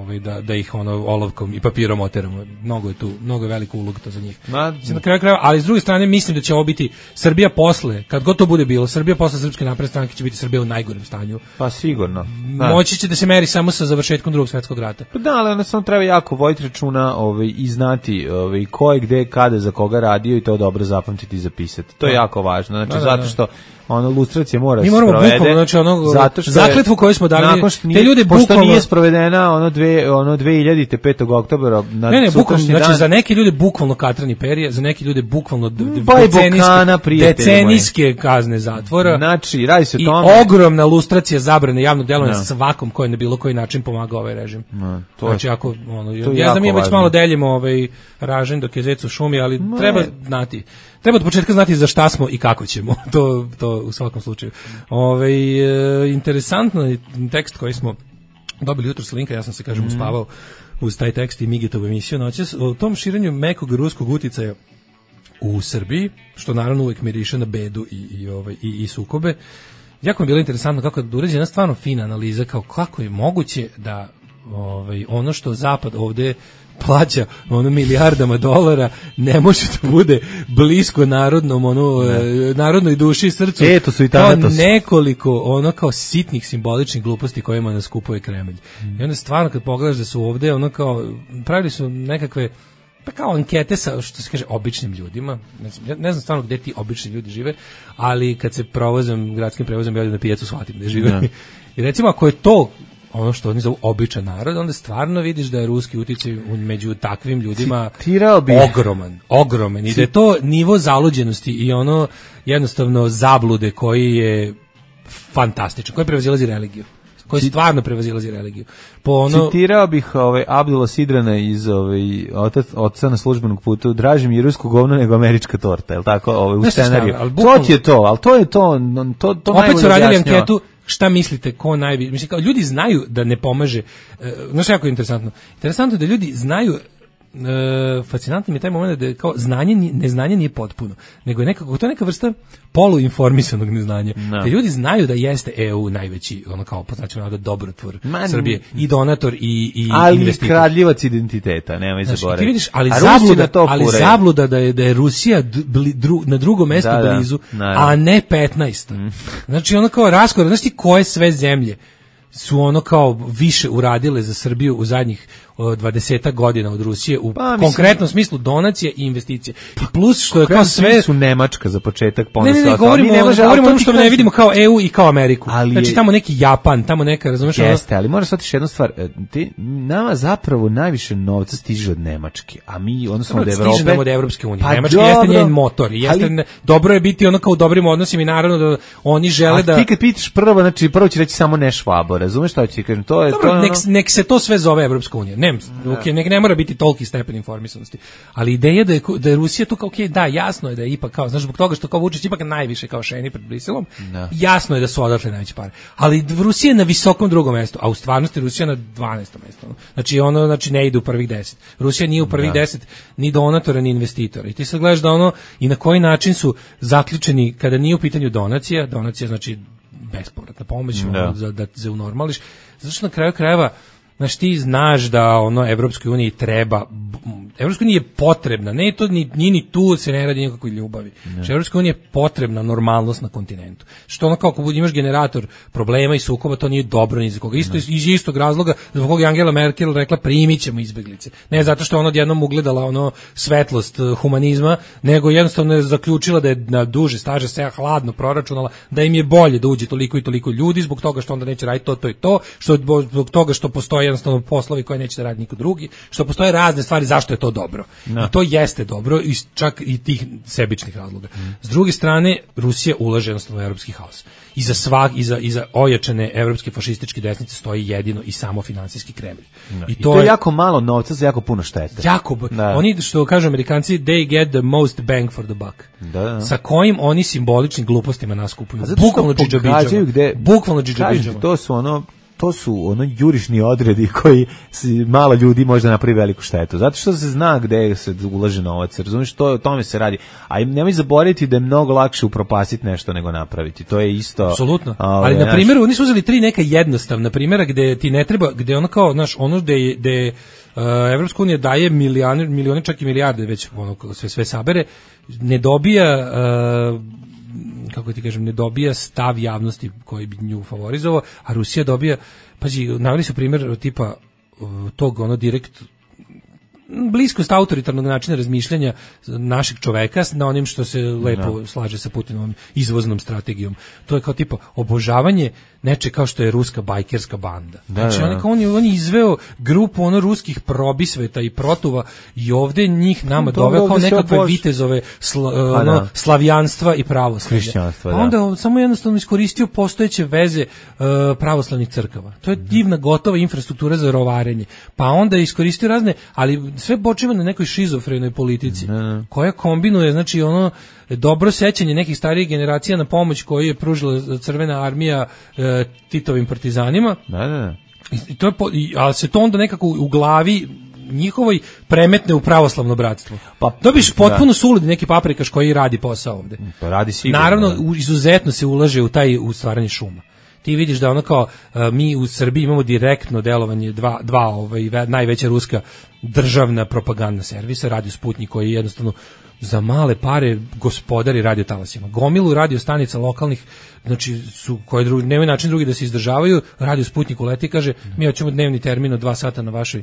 ovaj da da ih ono olovkom i papirom oteramo. Mnogo je tu, mnogo je velika uloga to za njih. Ma, na kraju krajeva, ali s druge strane mislim da će ovo biti Srbija posle, kad god to bude bilo, Srbija posle Srpske napredne stranke će biti Srbija u najgorem stanju. Pa sigurno. Da. Moći će da se meri samo sa završetkom Drugog svjetskog rata. Pa da, ali ono samo treba jako voditi računa ovaj, i znati ovaj, ko je gde, kada, za koga radio i to dobro zapamtiti i zapisati. To je jako važno. Znači, da, da, zato što ono lustracija mora se sprovede. Bukvalno, znači ono zato što zakletvu koju smo dali, nije, te ljude pošto bukvalno nije sprovedena ono dve ono dve hiljadite petog oktobra na ne, ne, bukvalno, dan. znači za neke ljude bukvalno katrani perije, za neke ljude bukvalno decenijske, decenijske kazne zatvora. Znači, radi se o tome. I ogromna lustracija zabrane javnog delovanja sa svakom ko je na bilo koji način pomagao ovaj režim. No, to znači, je, ako, ono, to ja znam, mi već malo deljimo ovaj ražanj dok je zec u šumi, ali no, treba znati. Treba od početka znati za šta smo i kako ćemo. To, to u svakom slučaju. Ove, e, interesantno tekst koji smo dobili jutro s linka, ja sam se, kažem, uspavao uz taj tekst i Migetovu emisiju noćas, o tom širenju mekog ruskog uticaja u Srbiji, što naravno uvijek miriše na bedu i, i, ovaj, i, i sukobe. Jako mi je bilo interesantno kako je urađena stvarno fina analiza, kao kako je moguće da ovaj, ono što Zapad ovde plaća ono milijardama dolara ne može da bude blisko narodnom ono ne. narodnoj duši i srcu. E, to su i kao nekoliko ono kao sitnih simboličnih gluposti kojima nas kupuje Kremlj. Mm. I onda stvarno kad pogledaš da su ovde ono kao pravili su nekakve pa kao ankete sa, što se kaže, običnim ljudima. Ja ne znam stvarno gde ti obični ljudi žive, ali kad se provozam gradskim prevozom ja na pijacu shvatim gde žive. Ne. I recimo ako je to ono što oni zovu običan narod, onda stvarno vidiš da je ruski uticaj među takvim ljudima ogroman, ogroman i da je to nivo zaluđenosti i ono jednostavno zablude koji je fantastičan, koji prevazilazi religiju. Koji stvarno prevazilazi religiju. Po ono citirao bih ovaj Abdula Sidrana iz ovaj otac oca na službenog putu, draži mi rusko govno nego američka torta, je l' tako, ovaj u scenariju. To ti je to, al to je to, to to opet su radili anketu. Šta mislite, ko najviše? Mislim, kao ljudi znaju da ne pomaže. E, znaš, jako je interesantno. Interesantno je da ljudi znaju, e, fascinantno mi je taj moment da je kao znanje, neznanje nije potpuno, nego je nekako, to je neka vrsta poluinformisanog neznanja. No. Da ljudi znaju da jeste E U najveći, ono kao, poznaćemo nada, dobrotvor Man. Srbije, i donator i, i ali investitor. Ali kradljivac identiteta, nemoj zaboraviti. Ti vidiš, ali zabluda, ali zabluda da je, da je Rusija dru, dru, na drugom mestu da, blizu, da, a ne petnaest. Mm. Znači, ono kao raskor, znaš ti koje sve zemlje su ono kao više uradile za Srbiju u zadnjih dvadesetak godina od Rusije u pa, konkretnom smislu donacije i investicije. I plus što je kao sve su Nemačka za početak, pa ne, ne, ne, govorimo, ne može, govorimo ono što ne vidimo kao E U i kao Ameriku. Ali znači tamo neki Japan, tamo neka, razumeš? Jeste, ali moraš shvatiti jednu stvar, ti, nama zapravo najviše novca stiže od Nemačke, a mi odnosno od Evrope. Stiže nam od Evropske unije. Pa Nemačka dobro, jeste njen motor, jeste ali, dobro je biti ono kao u dobrim odnosima i naravno da oni žele da. A ti kad pitaš prvo, znači prvo će reći samo ne Švabo, razumeš šta ću ti kažem? To je dobro, to. Nek, nek se to sve zove Evropska unija. Ne, okay, nek ne mora biti toliki stepen informisanosti. Ali ideja da je, da je Rusija tu kao, ok, da, jasno je da je ipak kao, znaš, zbog toga što kao Vučić ipak najviše kao šeni pred Briselom, no. Jasno je da su odatle najveće pare. Ali Rusija je na visokom drugom mestu, a u stvarnosti Rusija na dvanaestom mestu. Znači, ono, znači, ne ide u prvih deset. Rusija nije u prvih da. deset ni donatora, ni investitora. I ti sad gledaš da ono, i na koji način su zaključeni, kada nije u pitanju donacija, donacija znači bespovratna pomoć, da. Ono, za, da se unormališ. Zato što na kraju krajeva, znaš, ti znaš da ono Evropskoj uniji treba, Evropskoj uniji je potrebna, ne to ni, ni, ni tu se ne radi nikakvoj ljubavi. Znači, Evropskoj uniji je potrebna normalnost na kontinentu. Što ono kao ako imaš generator problema i sukoba, to nije dobro ni za koga. Isto iz istog razloga zbog koga Angela Merkel rekla primit ćemo izbeglice. Ne zato što ona odjednom ugledala ono svetlost humanizma, nego jednostavno je zaključila da je na duže staže se hladno proračunala da im je bolje da uđe toliko i toliko ljudi zbog toga što onda neće raditi to, to i to, što zbog toga što postoji jednostavno poslovi koje neće da radi niko drugi, što postoje razne stvari zašto je to dobro. No. I to jeste dobro, i čak i tih sebičnih razloga. Mm. S druge strane, Rusija ulaže jednostavno u evropski haos. I za svak, i za, i za ojačane evropske fašističke desnice stoji jedino i samo finansijski Kremlj. No. I, to I to je jako malo novca za jako puno štete. Jako, da. Oni, što kažu Amerikanci, they get the most bang for the buck. Da, da. Sa kojim oni simboličnim glupostima nas kupuju. Bukvalno džidžabidžama. Bukvalno džidžabidžama. To su ono to su ono jurišni odredi koji si, malo ljudi možda napravi veliku štetu. Zato što se zna gde se ulaže novac, razumiješ, to o tome se radi. A nemoj zaboraviti da je mnogo lakše upropastiti nešto nego napraviti. To je isto. Apsolutno. Ali na primjer, oni su uzeli tri neka jednostavna primjera gde ti ne treba, gde ono kao, znaš, ono gde gde uh, Evropska unija daje milione, milione čak i milijarde već ono sve sve sabere, ne dobija uh, kako ti kažem, ne dobija stav javnosti koji bi nju favorizovao, a Rusija dobija, pazi, naveli su primjer tipa tog ono direkt bliskost autoritarnog načina razmišljanja našeg čoveka na onim što se lepo no. slaže sa Putinovom izvoznom strategijom. To je kao tipa obožavanje neče kao što je ruska bajkerska banda. Da, znači, da. on, on, je, on je izveo grupu ono ruskih probisveta i protuva i ovde njih nama doveo kao nekakve vitezove sla, pa, ono, da. slavijanstva i pravoslavlja. Hrišćanstva, A da. onda on samo jednostavno iskoristio postojeće veze uh, pravoslavnih crkava. To je divna gotova infrastruktura za rovarenje. Pa onda je iskoristio razne, ali sve počiva na nekoj šizofrenoj politici, ne. koja kombinuje, znači ono dobro sećanje nekih starijih generacija na pomoć koju je pružila Crvena armija e, Titovim partizanima. Da, da. I to je po, i, ali se to onda nekako u glavi njihovoj premetne u pravoslavno bratstvo. Pa dobiš potpuno da. suludi neki paprikaš koji radi posao ovde. Pa radi sigurno. Naravno, u, izuzetno se ulaže u taj u stvaranje šuma. Ti vidiš da ono kao uh, mi u Srbiji imamo direktno delovanje dva, dva ovaj, najveća ruska državna propagandna servisa, Radio Sputnik, koji jednostavno za male pare gospodari radio talasima. Gomilu radio stanica lokalnih, znači su koje drugi, nemaju način drugi da se izdržavaju, Radio Sputnik uleti i kaže mi hoćemo dnevni termin od dva sata na vašoj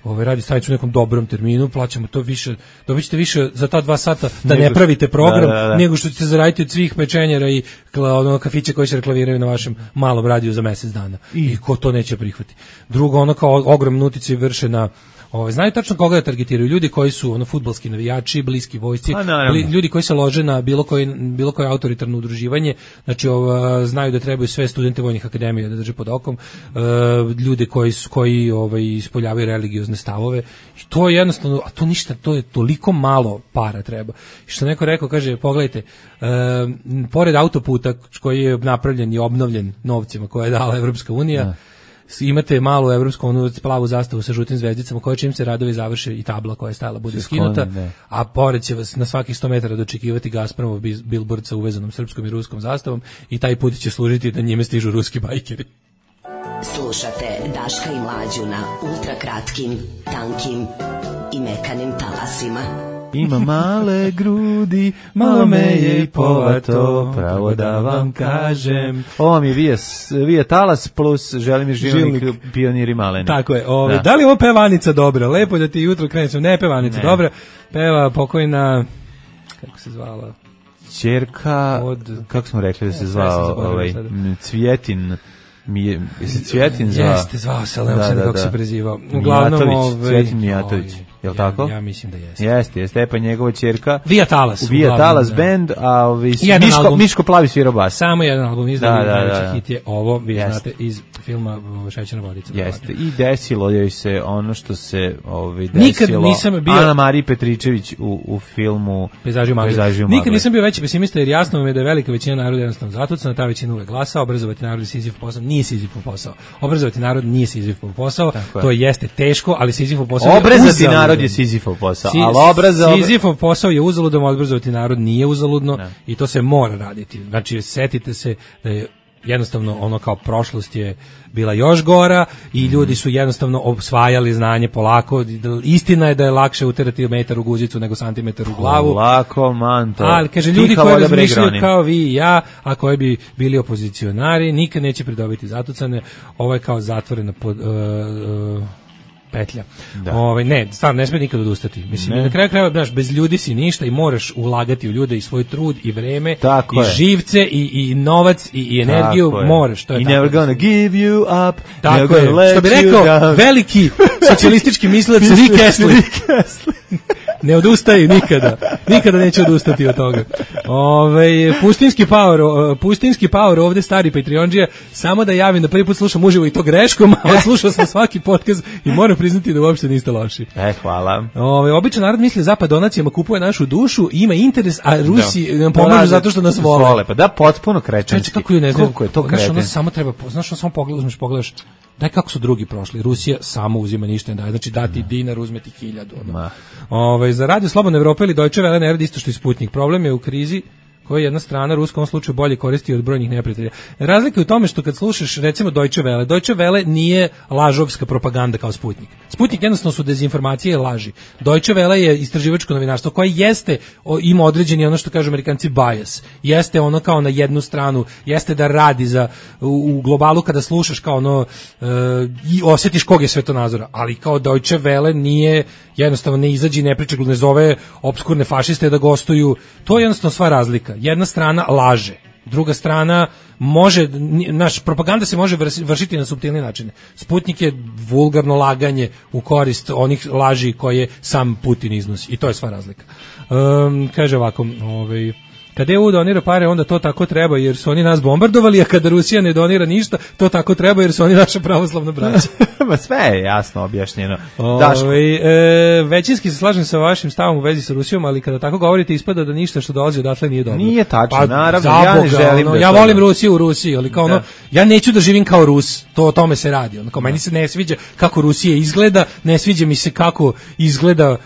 ovaj radi stanicu u nekom dobrom terminu, plaćamo to više, dobićete više za ta dva sata da nego, ne pravite program, da, da, da. nego što ćete zaraditi od svih pečenjera i ono kafića koji se reklamiraju na vašem malom radiju za mjesec dana. I, I ko to neće prihvati. Drugo, ono kao ogromne uticaje vrše na Ovaj znaju tačno koga da targetiraju, ljudi koji su ono fudbalski navijači, bliski vojsci, bli, ljudi koji se lože na bilo koji bilo koje autoritarno udruživanje, znači ova, znaju da trebaju sve studente vojnih akademija da drže pod okom, uh, ljude koji su koji ovaj ispoljavaju religiozne stavove. I to je jednostavno, a to ništa, to je toliko malo para treba. I što neko rekao, kaže, pogledajte, uh, pored autoputa koji je napravljen i obnovljen novcima koje je dala Evropska unija, da. Imate malu evropsku onu plavu zastavu sa žutim zvezdicama koja čim se radovi završe i tabla koja je stajala bude skinuta, a pored će vas na svakih sto metara dočekivati Gazpromov billboard sa uvezanom srpskom i ruskom zastavom i taj put će služiti da njime stižu ruski bajkeri. Slušate Daška i Mlađu na ultrakratkim, tankim i mekanim talasima. Ima male grudi, malo me je i povato, pravo da vam kažem. Ovo mi je Vija, Vija Talas plus Želimir Žilnik, Pioniri maleni. Tako je. Ove, da. da li ovo pevanica dobra? Lepo da ti jutro krenem. Ne pevanica ne. dobra. Peva pokojna, kako se zvala? Ćerka, od, kako smo rekli da se zvao, ovaj, Cvjetin. Mi je, je se Cvjetin zvao? Jeste, zvao se, ali ne znam kako se prezivao. Uglavnom, Mijatović, Cvjetin Mijatović. Jel' tako? Ja, ja mislim da jeste. Jeste, jeste, pa njegova ćerka. Vija Talas. Vija Talas band, a ovi Miško, album, Miško Plavi svira bas. Samo jedan album izdao, da, da, da, da. hit je ovo, vi jeste. Znate, iz filma Šećerna vodica. Jeste, i desilo joj se ono što se ovi, desilo Nikad nisam bio... Ana Marija Petričević u, u filmu Pejzaži u magli. Nikad nisam bio veći pesimista jer jasno mi je da je velika većina naroda jednostavno zatucana, ta većina uvek glasa, obrazovati narod je Sizifov posao, nije Sizifov posao. Obrazovati narod nije Sizifov posao, tako to je. Jeste teško, ali Sizifov posao obrazovati narod je Sizifov posao, Si, ali obraza... Sizifov posao je uzaludno, obrazovati narod nije uzaludno ne. I to se mora raditi. Znači, setite se da je jednostavno ono kao prošlost je bila još gora i mm. ljudi su jednostavno osvajali znanje polako. Istina je da je lakše uterati metar u guzicu nego santimetar u glavu. Polako, manto. Ali, kaže, ljudi koji razmišljaju kao vi i ja, a koji bi bili opozicionari, nikad neće pridobiti zatucane. Ovo je kao zatvorena pod... Uh, uh, petlja. Ovaj ne, stvarno ne sme nikad odustati. Mislim ne. Na kraju krajeva, znaš, bez ljudi si ništa i moraš ulagati u ljude i svoj trud i vreme tako i je. živce i, i novac i, i energiju moraš, to je I tako. Never gonna give you up. Tako je. Što bi rekao veliki socijalistički mislilac Rick Astley. ne odustaju nikada. Nikada neće odustati od toga. Ove, pustinski power, pustinski power ovde stari Patreonđija, samo da javim da prvi put slušam uživo i to greškom, ali slušao sam svaki podcast i moram priznati da uopšte niste loši. E, hvala. Ove, običan narod misli zapad donacijama kupuje našu dušu, ima interes, a Rusi nam pomažu zato što nas vole. vole. Pa da, potpuno kretenski. Kako je, ne znam, koliko je to znaš, kreten. ono samo treba, znaš, ono samo pogledaš, uzmeš, pogledaš, daj kako su drugi prošli. Rusija samo uzima ništa ne daje. Znači dati dinar, uzmeti hiljadu. Ono. Ove, za radio Slobodne Evrope ili Deutsche Welle ne radi isto što i Sputnik. Problem je u krizi koja jedna strana Ruska u ovom slučaju bolje koristi od brojnih neprijatelja. Razlika je u tome što kad slušaš recimo Deutsche Welle, Deutsche Welle nije lažovska propaganda kao Sputnik. Sputnik jednostavno su dezinformacije i laži. Deutsche Welle je istraživačko novinarstvo koje jeste, o, ima određeni ono što kažu Amerikanci bias. Jeste ono kao na jednu stranu, jeste da radi za u, u globalu kada slušaš kao ono e, i osjetiš kog je svetonazora, ali kao Deutsche Welle nije jednostavno ne izađi, ne priča, ne zove opskurne fašiste da gostuju. To je jednostavno sva razlika. Jedna strana laže, druga strana može, naš propaganda se može vršiti na suptilni način. Sputnik je vulgarno laganje u korist onih laži koje sam Putin iznosi i to je sva razlika. Um, kaže ovako, ovaj kada E U donira pare, onda to tako treba jer su oni nas bombardovali, a kada Rusija ne donira ništa, to tako treba jer su oni naša pravoslavna braća. Ma sve je jasno objašnjeno. Ove, e, većinski se slažem sa vašim stavom u vezi sa Rusijom, ali kada tako govorite ispada da ništa što dolazi odatle nije dobro. Nije tačno, pa, naravno, zaboga, ja ne želim ono, da ja to volim da. Rusiju u Rusiji, ali kao da. ono, ja neću da živim kao Rus, to o tome se radi. Ono, kao, meni se ne sviđa kako Rusija izgleda, ne sviđa mi se kako izgleda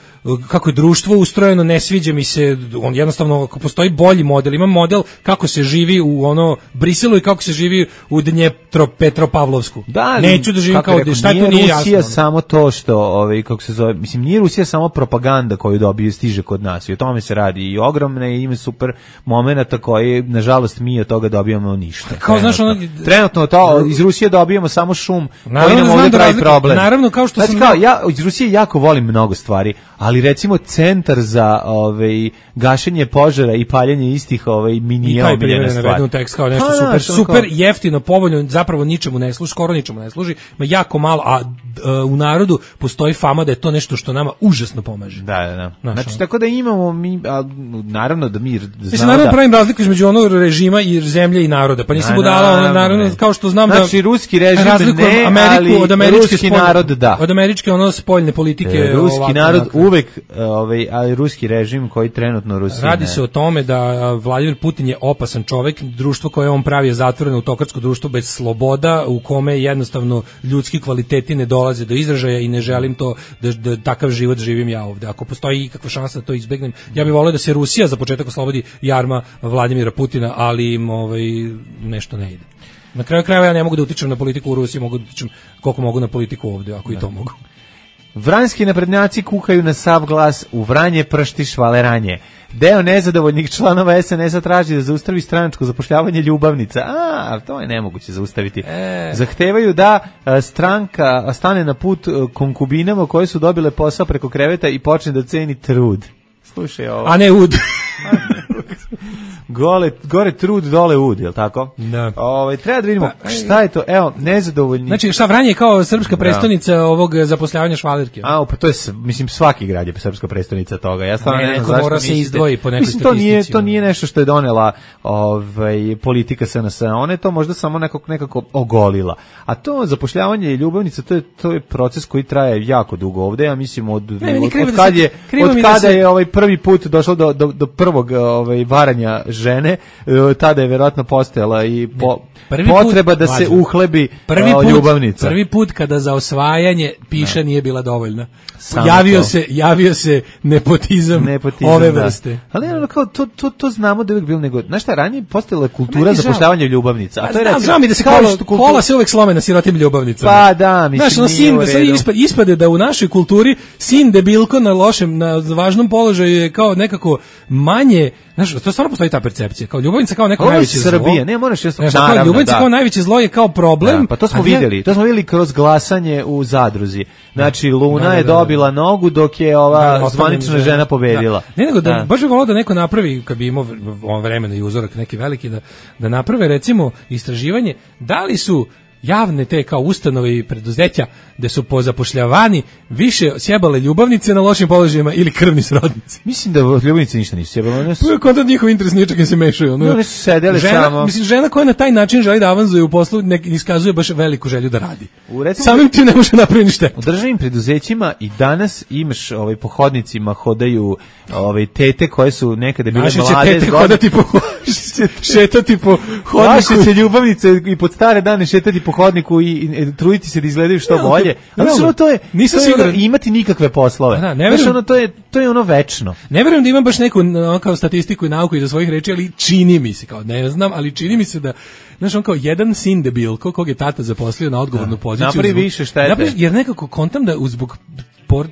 kako je društvo ustrojeno, ne sviđa mi se, on jednostavno ako postoji bolji model, ima model kako se živi u ono Briselu i kako se živi u Dnjepro Petropavlovsku. Da, neću da živim kao rekao, šta nije tu nije Rusija jasno. samo to što, ovaj kako se zove, mislim nije Rusija samo propaganda koju dobije stiže kod nas. I o tome se radi i ogromne i ima super momenata koje nažalost mi od toga dobijamo ništa. Kao znaš ono, trenutno to iz Rusije dobijamo samo šum koji nam ovdje da pravi razlika, problem. Naravno kao što znači, sam kao, ja iz Rusije jako volim mnogo stvari, ali recimo centar za ovaj gašenje požara i paljenje istih ovaj minija omiljena stvar. Navedeno tekst kao nešto ha, super, naš, super kao... jeftino, povoljno, zapravo ničemu ne služi, skoro ničemu ne služi, ma jako malo, a uh, u narodu postoji fama da je to nešto što nama užasno pomaže. Da, da, da. Naš, znači on. tako da imamo mi, a, naravno da mi znamo Mislim, naravno da... pravim razliku između onog režima i zemlje i naroda, pa nisam budala, ono, naravno, kao što znam znači, da... Znači, ruski režim ne, Ameriku, ali od američke ruski spoljne, narod da. Od američke ono spoljne politike... E, ruski ovako, narod ovako. uvek, ovaj, ali ruski režim koji trenutno Rusija Radi ne. se o tome da Vladimir Putin je opasan čovek, društvo koje on pravi je zatvoreno autokratsko društvo bez sloboda, u kome jednostavno ljudski kvaliteti ne dolaze do izražaja i ne želim to da, da takav život živim ja ovde. Ako postoji ikakva šansa da to izbegnem, ja bih voleo da se Rusija za početak oslobodi jarma Vladimira Putina, ali im ovaj, nešto ne ide. Na kraju krajeva ja ne mogu da utičem na politiku u Rusiji, mogu da utičem koliko mogu na politiku ovde, ako i to mogu. Vranjski naprednjaci kukaju na sav glas, u Vranje pršti švaleranje. Deo nezadovoljnih članova es en es a traži da zaustavi stranačko zapošljavanje ljubavnica. A, to je nemoguće zaustaviti. E. Zahtevaju da a, stranka stane na put a, konkubinama koje su dobile posao preko kreveta i počne da ceni trud. Slušaj ovo. A ne ud. Gole, gore trud, dole ud, je li tako? Da. Ove, treba da vidimo pa, šta je to, evo, nezadovoljni. Znači, šta Vranje je kao srpska prestonica da. ovog zapošljavanja švalerke? A, pa to je, mislim, svaki grad je srpska prestonica toga. Ja stvarno ne, ne znam zašto mora se izdvoji po nekoj mislim, to nije, to nije nešto što je donela ovaj, politika es en es a. Ona je to možda samo nekako, nekako ogolila. A to zapošljavanje i ljubavnica, to je, to je proces koji traje jako dugo ovde. Ja mislim, od, ne, od, od, od kad je, od kada se... je ovaj prvi put došlo do, do, do prvog ovaj, varanja žene, tada je verovatno postojala i po, potreba put, da se vađu. uhlebi prvi put, ljubavnica. Prvi put kada za osvajanje piša ne. nije bila dovoljna. Samo javio to. se, javio se nepotizam, nepotizam ove da. vrste. Ali ono kao to, to, to znamo da je uvijek bilo nego, znaš šta, ranije postojala kultura zapošljavanja ljubavica. A to je recimo, mi da se kola, kultura... kola se uvek slome na sirotim ljubavnicama. Pa da, mislim, znaš, no, sin, ispade, ispade da u našoj kulturi sin debilko na lošem, na važnom položaju je kao nekako manje. Znaš, to stvarno postoji ta percepcija, kao ljubavnica kao neko najveće zlo. Srbija, ne moraš jasno, znaš, naravno, ljubavnica da. kao najveće zlo je kao problem. Da, pa to smo vidjeli, ja... to smo vidjeli kroz glasanje u Zadruzi. Znači, Luna da, da, je dobila da, da. nogu dok je ova da, zvanična žena pobedila. Da. Ne nego da, da. baš bi volao da neko napravi, kad bi imao vremena i uzorak neki veliki, da, da naprave recimo istraživanje, da li su javne te kao ustanove i preduzeća da su pozapošljavani više sjebale ljubavnice na lošim položajima ili krvni srodnici. Mislim da ljubavnice ništa nisu sjebale. To je kontent njihov interes, ničak im se mešaju. No, one su sedele žena, samo. Mislim, žena koja na taj način želi da avanzuje u poslu, ne iskazuje baš veliku želju da radi. U, recimo, samim tim ne može napraviti ništa. U državnim preduzećima i danas imaš ovaj, po hodnicima hodaju ovaj, tete koje su nekada bile naše mlade. Naše će tete hodati po šetati po hodniku. Naše će ljubavnice i pod stare dane šetati po hodniku i, i, i truditi se da izgledaju što no, bolje. Ali no, ono, to je, nisam to je ono, imati nikakve poslove. Da, ne verujem, ono, to, je, to je ono večno. Ne verujem da imam baš neku no, kao statistiku i nauku iza svojih reči, ali čini mi se, kao ne znam, ali čini mi se da znaš, on kao jedan sin debil, kog je tata zaposlio na odgovornu poziciju. Napravi više štete. Napravi, jer nekako kontam da zbog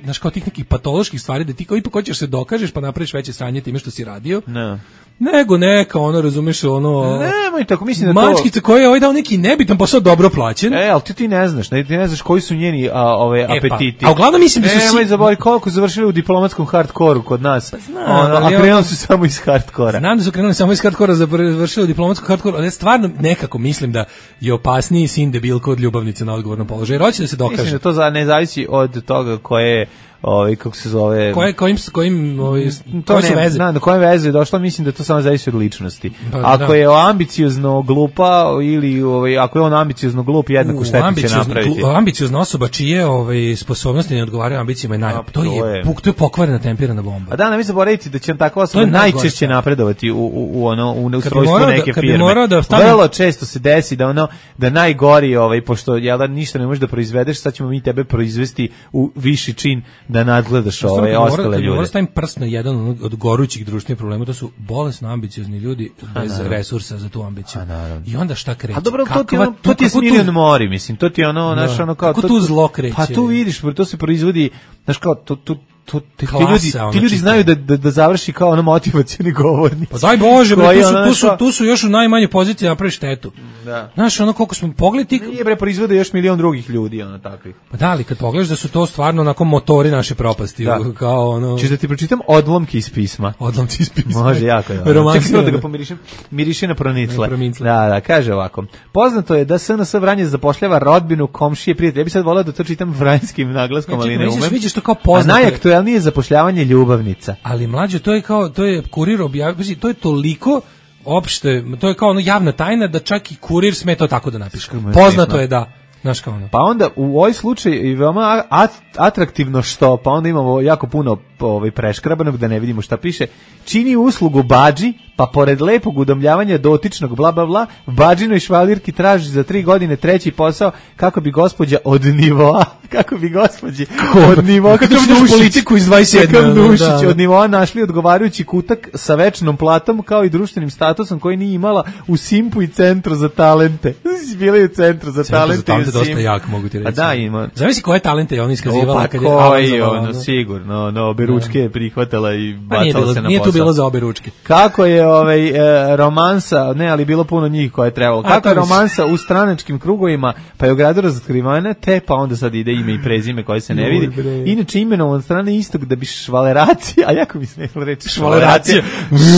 znaš, kao tih nekih patoloških stvari, da ti kao ipak hoćeš se dokažeš pa napraviš veće sranje time što si radio. Ne. Nego neka, ono, razumeš, ono... Nemoj tako, mislim da to... Mačkica koja je ovaj dao neki nebitan posao dobro plaćen. E, ali ti ti ne znaš, ne, ti ne znaš koji su njeni a, ove, e, apetiti. Pa, a uglavnom mislim da su... Nemoj si... zabori koliko su završili u diplomatskom hardkoru kod nas. Pa znam, ono, a krenuli ono... su samo iz hardkora. Znam da su krenuli samo iz hardkora, završili u diplomatskom hardkoru, ali stvarno nekako mislim da je opasniji sin debilko od ljubavnice na odgovornom položaju. Jer hoće da se dokaže. Mislim da to za, ne zavisi od toga koje ovaj kako se zove koje kojim kojim ovaj to ne veze na koje veze je došlo, mislim da to samo zavisi od ličnosti. Pa, ako da. je ambiciozno glupa ili ovaj ako je on ambiciozno glup, jednako šta će napraviti. Ambiciozna osoba čije ovaj sposobnosti ne odgovaraju ambicijama je naj A, to, to je, je. Puk, to je pokvarena temperana bomba. A da, ne mi zaboraviti da će takva osoba najčešće napredovati u u, u ono u ustrojstvu neke da, firme. Da stavim... Vrlo često se desi da ono da najgori ovaj pošto jel da ništa ne možeš da proizvedeš, sad ćemo mi tebe proizvesti u viši čin da nadgledaš ove ovaj, ostale ljude. Mora stavim prst na jedan od gorućih društvenih problema, to su bolesno ambiciozni ljudi bez A, resursa za tu ambiciju. A, I onda šta kreće? A dobro, to ti, ono, to ti je Smiljan tu... Mori, mislim, to ti je ono, znaš, ono kao... Kako tu zlo kreće? Pa tu vidiš, to se proizvodi, znaš kao, to, to, to, ti, ti ljudi, ti ljudi znaju da, da, da završi kao ono motivacioni govornici. Pa daj Bože, bre, tu, su, tu, su, tu su još u najmanje poziciji napravi štetu. Da. Znaš, ono koliko smo pogledali... Nije bre, proizvode još milion drugih ljudi, ono takvih. Pa da, ali kad pogledaš da su to stvarno onako motori naše propasti. Da. Kao ono... Čiš da ti pročitam odlomke iz pisma. Odlomke iz pisma. Može, jako je. Čekaj da ga pomirišem. Miriši na pronicle. Da, da, kaže ovako. Poznato je da S N S Vranje zapošljava rodbinu, komšije, prijatelje. Ja bih sad voleo da to čitam vranjskim naglaskom, ali ne umem. Vidiš to kao poznato. A najaktuelnije zapošljavanje ljubavnica. Ali mlađe, to je kao, to je kurir objavio, to je toliko opšte, to je kao ono javna tajna da čak i kurir sme to tako da napiše. Poznato je da, znaš kao ono. Pa onda u ovoj slučaju je veoma at, atraktivno što, pa onda imamo jako puno ovaj, preškrabanog da ne vidimo šta piše, čini uslugu badži, pa pored lepog udomljavanja dotičnog bla bla bla, badžinoj švalirki traži za tri godine treći posao kako bi gospođa od nivoa, kako bi gospođi od nivoa, kako bi politiku iz dvadeset sedme Nušić da, da. od nivoa našli odgovarajući kutak sa večnom platom kao i društvenim statusom koji nije imala u Simpu i Centru za talente. Bila je u Centru za Centru talente. Centru za talente dosta jak, mogu ti reći. A da, ima. Zavisi koje talente je on iskazivala. O, pa kad je koji, ono, sigurno, no, obe ručke je prihvatala i bacala se na posao. Nije tu bilo za obe ručke. Kako je ovaj, e, romansa, ne, ali bilo puno njih koje je trebalo. Kako je romansa u stranačkim krugovima, pa je u gradu razotkrivana, te pa onda sad ide ime i prezime koje se ne vidi. Inače imenovan od strane istog da bi švaleracija, a jako mi se ne reći švaleracija.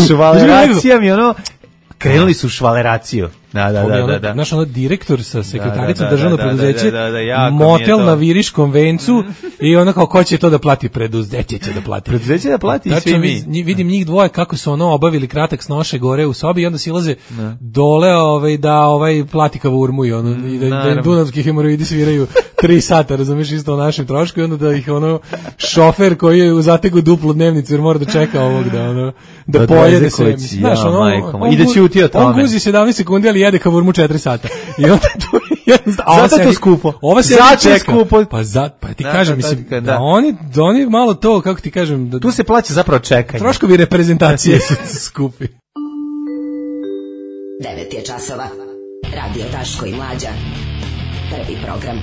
Švaleracija mi ono, krenuli su švaleraciju. Da, da, da, da, da. Znaš, ono direktor sa sekretaricom državnog preduzeća, motel na Viriškom vencu i ono kao ko će to da plati, preduzeće će da plati. Preduzeće da plati i svi mi. Vidim njih dvoje kako su ono obavili kratak snoše gore u sobi i onda silaze dole ovaj, da ovaj plati kavurmu i ono, i da, da dunavski hemoroidi sviraju tri sata, razumiješ, isto o našem trošku i onda da ih ono šofer koji je u zategu duplu dnevnicu jer mora da čeka ovog da ono, da pojede sve. Znaš, ono, i da ćuti o tome. On guzi sedamnaest sekundi, ali jede kavurmu četiri sata. I onda to je zato je to skupo. Ova se čeka. Skupo. Pa za pa ti da, kažem da, mislim da, da oni da oni malo to kako ti kažem da tu se plaća zapravo čekanje. Troškovi reprezentacije su skupi. devet je časova. Radio Daško i Mlađa. Prvi program.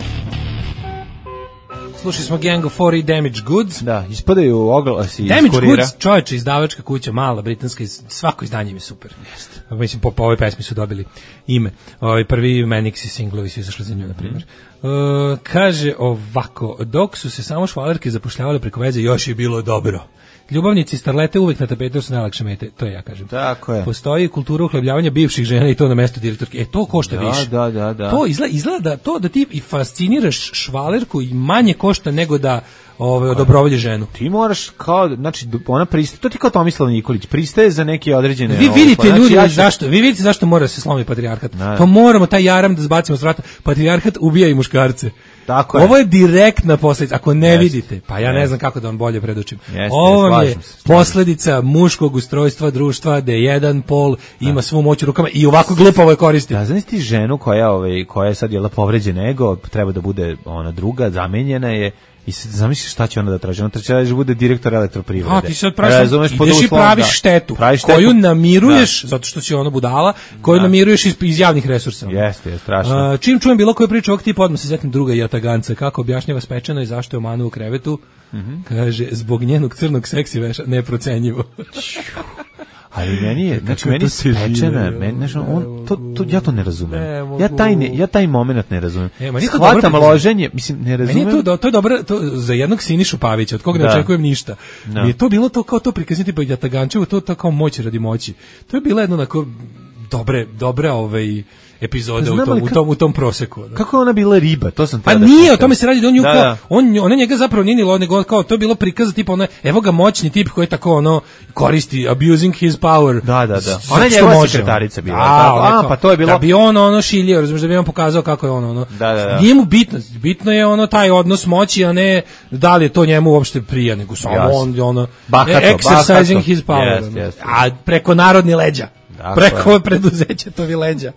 Slušali smo Gang of Four i Damage Goods. Da, ispadaju oglasi iz Damage kurira. Goods, čovječe, izdavačka kuća, mala, britanska, svako izdanje im je super. Jeste. Mislim, po, po ovoj pesmi su dobili ime. Ovaj prvi Manixi singlovi su izašli za nju, na primjer. Uh, kaže ovako, dok su se samo švalerke zapošljavale preko veze, još je bilo dobro. Ljubavnici starlete uvek na tapetu su najlakše mete, to ja kažem. Tako je. Postoji kultura uhlebljavanja bivših žena i to na mesto direktorke. E, to košta da, više. Da, da, da. To izgleda, izgleda to da ti i fasciniraš švalerku i manje košta nego da ove odobrovolji ženu. Ti moraš kao, znači ona pristaje, to ti kao Tomislav Nikolić, pristaje za neke određene. Vi vidite znači, ljudi ja ću... zašto? Vi vidite zašto mora se slomiti patrijarhat. Da. To moramo taj jaram da zbacimo s vrata. Patrijarhat ubija i muškarce. Tako je. Ovo je direktna posledica. Ako ne Jest. vidite, pa ja Jest. ne znam kako da vam bolje predočim. Jest, Ovo vam je jest, posledica muškog ustrojstva društva da jedan pol ima da. svu moć u rukama i ovako glupavo je koristi. Da, znaš ti ženu koja, ovaj, koja je sad jela povređen ego, treba da bude ona druga, zamenjena je. I sad zamisli šta će ona da traži. Ona traži da bude direktor elektroprivrede. A ti sad praviš, ideš i praviš da, štetu, praviš štetu koju namiruješ, da. zato što si ono budala, koju da. namiruješ iz, iz javnih resursa. Jeste, je strašno. Uh, čim čujem bilo koju priču ovog tipa, odmah se sjetim druga Jataganca, kako objašnjava Spečana i zašto je omanu u krevetu. Mm-hmm. Kaže, zbog njenog crnog seksi veša, neprocenjivo. Ali meni je, znači meni Spečana, meni, znači, on, to, to, ja to ne razumem. Ne, ja, taj ne, ja taj moment ne razumem. E, shvatam loženje, mislim, ne razumem. Meni je to, to je dobro, to, za jednog Sinišu Pavića, od koga ne da. očekujem ništa. Da. Mi je to bilo to kao to prikazati pa Jatagančevo, to, to kao moć radi moći. To je bilo jedno onako dobre, dobre ovaj epizode u tom, ka, u tom u tom proseku. Da. Kako je ona bila riba? To sam pa da nije, o tome se radi da on nju da, kao, da. on ona njega zapravo nije ni lo, nego kao to je bilo prikaz tipa ona evo ga moćni tip koji je tako ono koristi abusing his power. Da, da, da. Ona je njegova sekretarica bila. A, tako. A, pa to je bilo. Da bi on ono šilio, razumiješ, da bi on pokazao kako je on ono. Da, da, da. Nije mu bitno, bitno je ono taj odnos moći, a ne da li je to njemu uopšte prija, nego samo yes. on ono bahato, exercising bahato. his power. Yes, yes. A preko narodni leđa. Dakle. Preko preduzeća to vi leđa.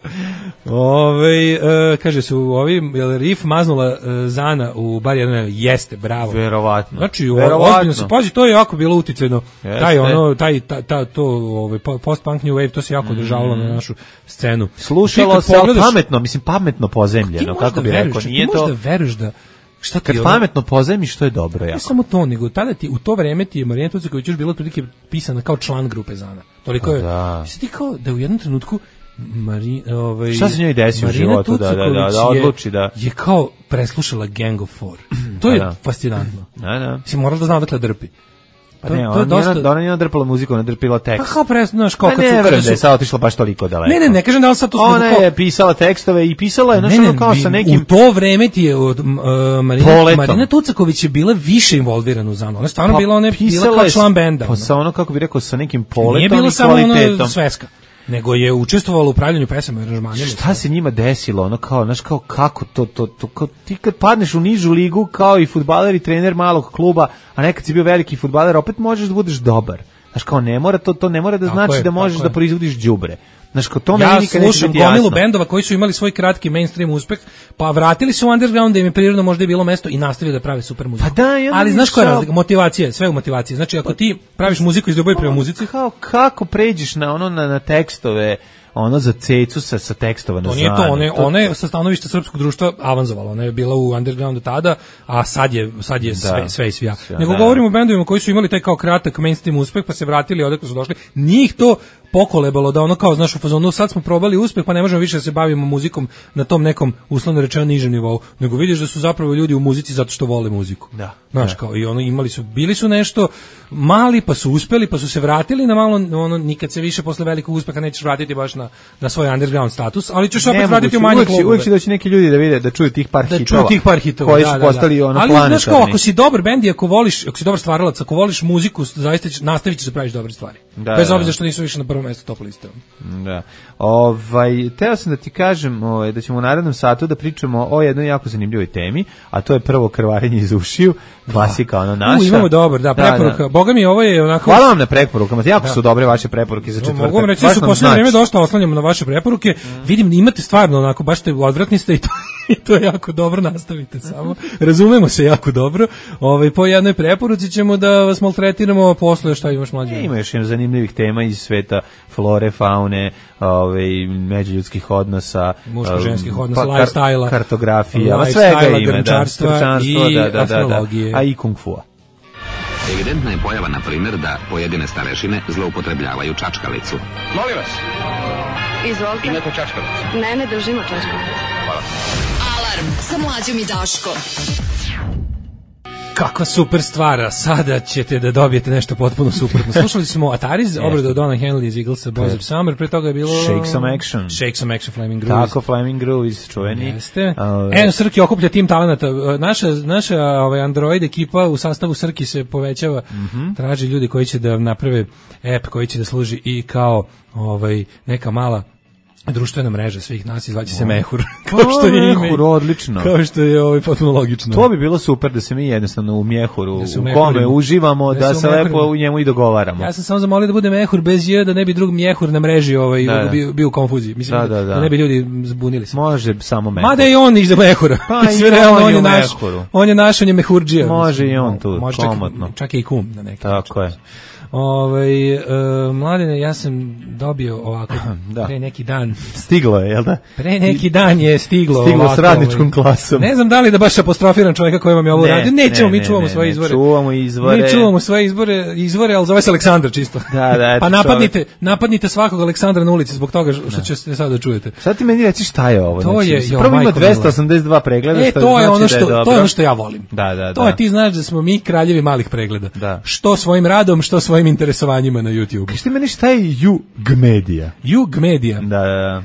Ove, e, kaže su ovi, jel Rif maznula e, Zana u bar jedan, jeste, bravo. Verovatno. Znači, ozbiljno se, pazi, to je jako bilo uticajno. Jeste. Taj ono, taj, ta, ta, to, ovaj, post-punk new wave, to se jako održavalo mm. na našu scenu. Slušalo se pogledaš, pametno, mislim, pametno pozemljeno, kako bi rekao, nije to... Ti možda veruješ da šta ti kad ono, pametno pozajmiš, što je dobro jako. Ne samo to, nego tada ti, u to vreme ti je Marina Tucaković još bila otprilike pisana kao član grupe Zana. Toliko je, da. Ti kao da u jednom trenutku Mari, ovaj, šta se njoj desi u životu da, da, da, da odluči da... Je, je kao preslušala Gang of Four. To je da. fascinantno. Da, da. Si morala da zna odakle drpi. Pa to, ne, ona, to dosta... ona nije drpala muziku, ona drpila tekst. Pa kao pres, znaš, kao pa kad ne, su... Ne, da je sad otišla baš toliko daleko. Ne, ne, ne kažem da li sad to... Ona kao... je pisala tekstove i pisala je, znaš, ono kao sa nekim... U to vreme ti je od uh, Marina, Marina Tucaković je bila više involvirana u Zanu. Ona je stvarno pa, bila, ona je bila kao član benda. Pa sa ono, kako bi rekao, sa nekim poletom nije bilo i samo kvalitetom. Ono sveska. Nego je učestvovalo u upravljanju pesama i aranžmanima. Šta se njima desilo? Ono kao, znaš, kao kako to, to, to, kao, ti kad padneš u nižu ligu kao i fudbaler i trener malog kluba, a nekad si bio veliki fudbaler, opet možeš da budeš dobar. Znaš, kao ne mora, to, to ne mora da znači je, da možeš da proizvodiš đubre. Znaš, kao to ja meni nikad neće biti jasno. Ja slušam gomilu bendova koji su imali svoj kratki mainstream uspeh, pa vratili se u underground da im je prirodno možda je bilo mesto i nastavili da prave super muziku. Pa da, ja ali znaš koja je razlika? Motivacija, sve u motivaciji. Znači, ako ti praviš muziku iz ljubavi prema muzici, kao kako pređeš na ono na, na tekstove, ono za cecu sa, sa tekstova na Zanu. To nije to, one, one je sa stanovišta srpskog društva avanzovala, ona je bila u undergroundu tada, a sad je, sad je da. sve, sve i svija. Nego da. Govorimo o bendovima koji su imali taj kao kratak mainstream uspeh, pa se vratili odakle su došli. Njih to pokolebalo da ono kao, znaš, u fazonu, sad smo probali uspeh, pa ne možemo više da se bavimo muzikom na tom nekom, uslovno rečeno, nižem nivou, nego vidiš da su zapravo ljudi u muzici zato što vole muziku. Da. Znaš, da. kao, i ono, imali su, bili su nešto mali, pa su uspeli, pa su se vratili na malo, ono, nikad se više posle velikog uspeha nećeš vratiti baš na, na svoj underground status, ali ćeš opet vratiti u manje klubove. Uvijek će doći neki ljudi da vide, da čuju tih par da hitova. Da čuju tih par hitova, koji da, su da, postali da. ono ali, planetarni. Znaš kao, ako si dobar bend i ako voliš, ako si dobar stvaralac, ako voliš muziku, zaista će, nastavit ćeš da praviš dobre stvari. Da, bez obzira što nisu više na prvom mjestu top liste. Da. Ovaj, teo sam da ti kažem ovaj, da ćemo u narednom satu da pričamo o jednoj jako zanimljivoj temi, a to je prvo krvarenje iz ušiju, klasika ono naša. U, imamo dobar, da, preporuka. Da, da. Boga mi, ovo je onako... Hvala vam na preporukama, jako da. su dobre vaše preporuke za četvrtak. Mogu vam reći da su u poslednje vreme dosta oslanjamo na vaše preporuke. Mm. Vidim, imate stvarno onako, baš ste odvratni ste i to, i to je jako dobro, nastavite samo. Razumemo se jako dobro. Ovaj, po jednoj preporuci ćemo da vas maltretiramo, posle šta imaš mlađe. Ima još jedno zanimljivih tema iz sveta flore, faune, ovaj, međuljudskih odnosa, muško-ženskih odnosa, pa, lifestyle-a, kartografija, svega ima, grnčarstva i da, da, astrologije. Da, da, a i kung fu-a. Evidentna je pojava, na primjer, da pojedine starešine zloupotrebljavaju čačkalicu. Molim vas. Izvolite. Imate čačkalicu? Ne, ne držimo čačkalicu. Hvala. Alarm Alarm sa Mlađom i Daškom. Kakva super stvara, sada ćete da dobijete nešto potpuno suprotno. Slušali smo Atariz, obradu od Donna Henley iz Eaglesa, Boys of Summer, pre toga je bilo... Shake Some Action. Shake Some Action, Flaming Grooves. Tako, Flaming Grooves, čuveni. Jeste. Uh, Eno, Srki okuplja tim talenata. Naša, naša ovaj, Android ekipa u sastavu Srki se povećava, mm-hmm. traži ljudi koji će da naprave app koji će da služi i kao ovaj, neka mala društvena mreža svih nas, izvaće se Mehur. Kao što je ime. Mehur, odlično. Kao što je ovaj potpuno logično. To bi bilo super da se mi jednostavno u Mehuru, da u kome uživamo, da, da se lepo u njemu i dogovaramo. Ja sam samo zamolio da bude Mehur bez j, da ne bi drug Mehur na mreži ovaj, da, da. Bio, bio u konfuziji. Mislim da, da, da. da ne bi ljudi zbunili se. Može samo Mehur. Mada i on iza Mehura. Pa sve realno, on je naš. On je naš, on je Mehurdžija. Može i on tu, može komotno. Čak, čak i kum na neki Tako način. je. Ovaj uh, Mladene, ja sam dobio ovako da. pre neki dan. Stiglo je, jel da? Pre neki dan je stiglo. Stiglo ovako, s radničkom klasom. Ne znam da li da baš apostrofiram čovjeka koji vam je ovo ne, radio. Nećemo, ne, mi čuvamo ne, svoje ne, izvore. Čuvamo izvore. Mi čuvamo svoje izvore, izvore, al zove se Aleksandar čisto. Da, da. Pa napadnite, čovjek. napadnite svakog Aleksandra na ulici zbog toga što ćete sada da čujete. Sad ti meni reci šta je ovo? To znači, je, jo, prvo ima dvesta osamdeset dva pregleda, e, što to je znači ono što da je to je ono što ja volim. Da, da, to da. je ti znaš da smo mi kraljevi malih pregleda. Da. Što svojim radom, što svojim interesovanjima na YouTube. Kaži ti meni šta je Jug Media? Jug Media. Da, da, da.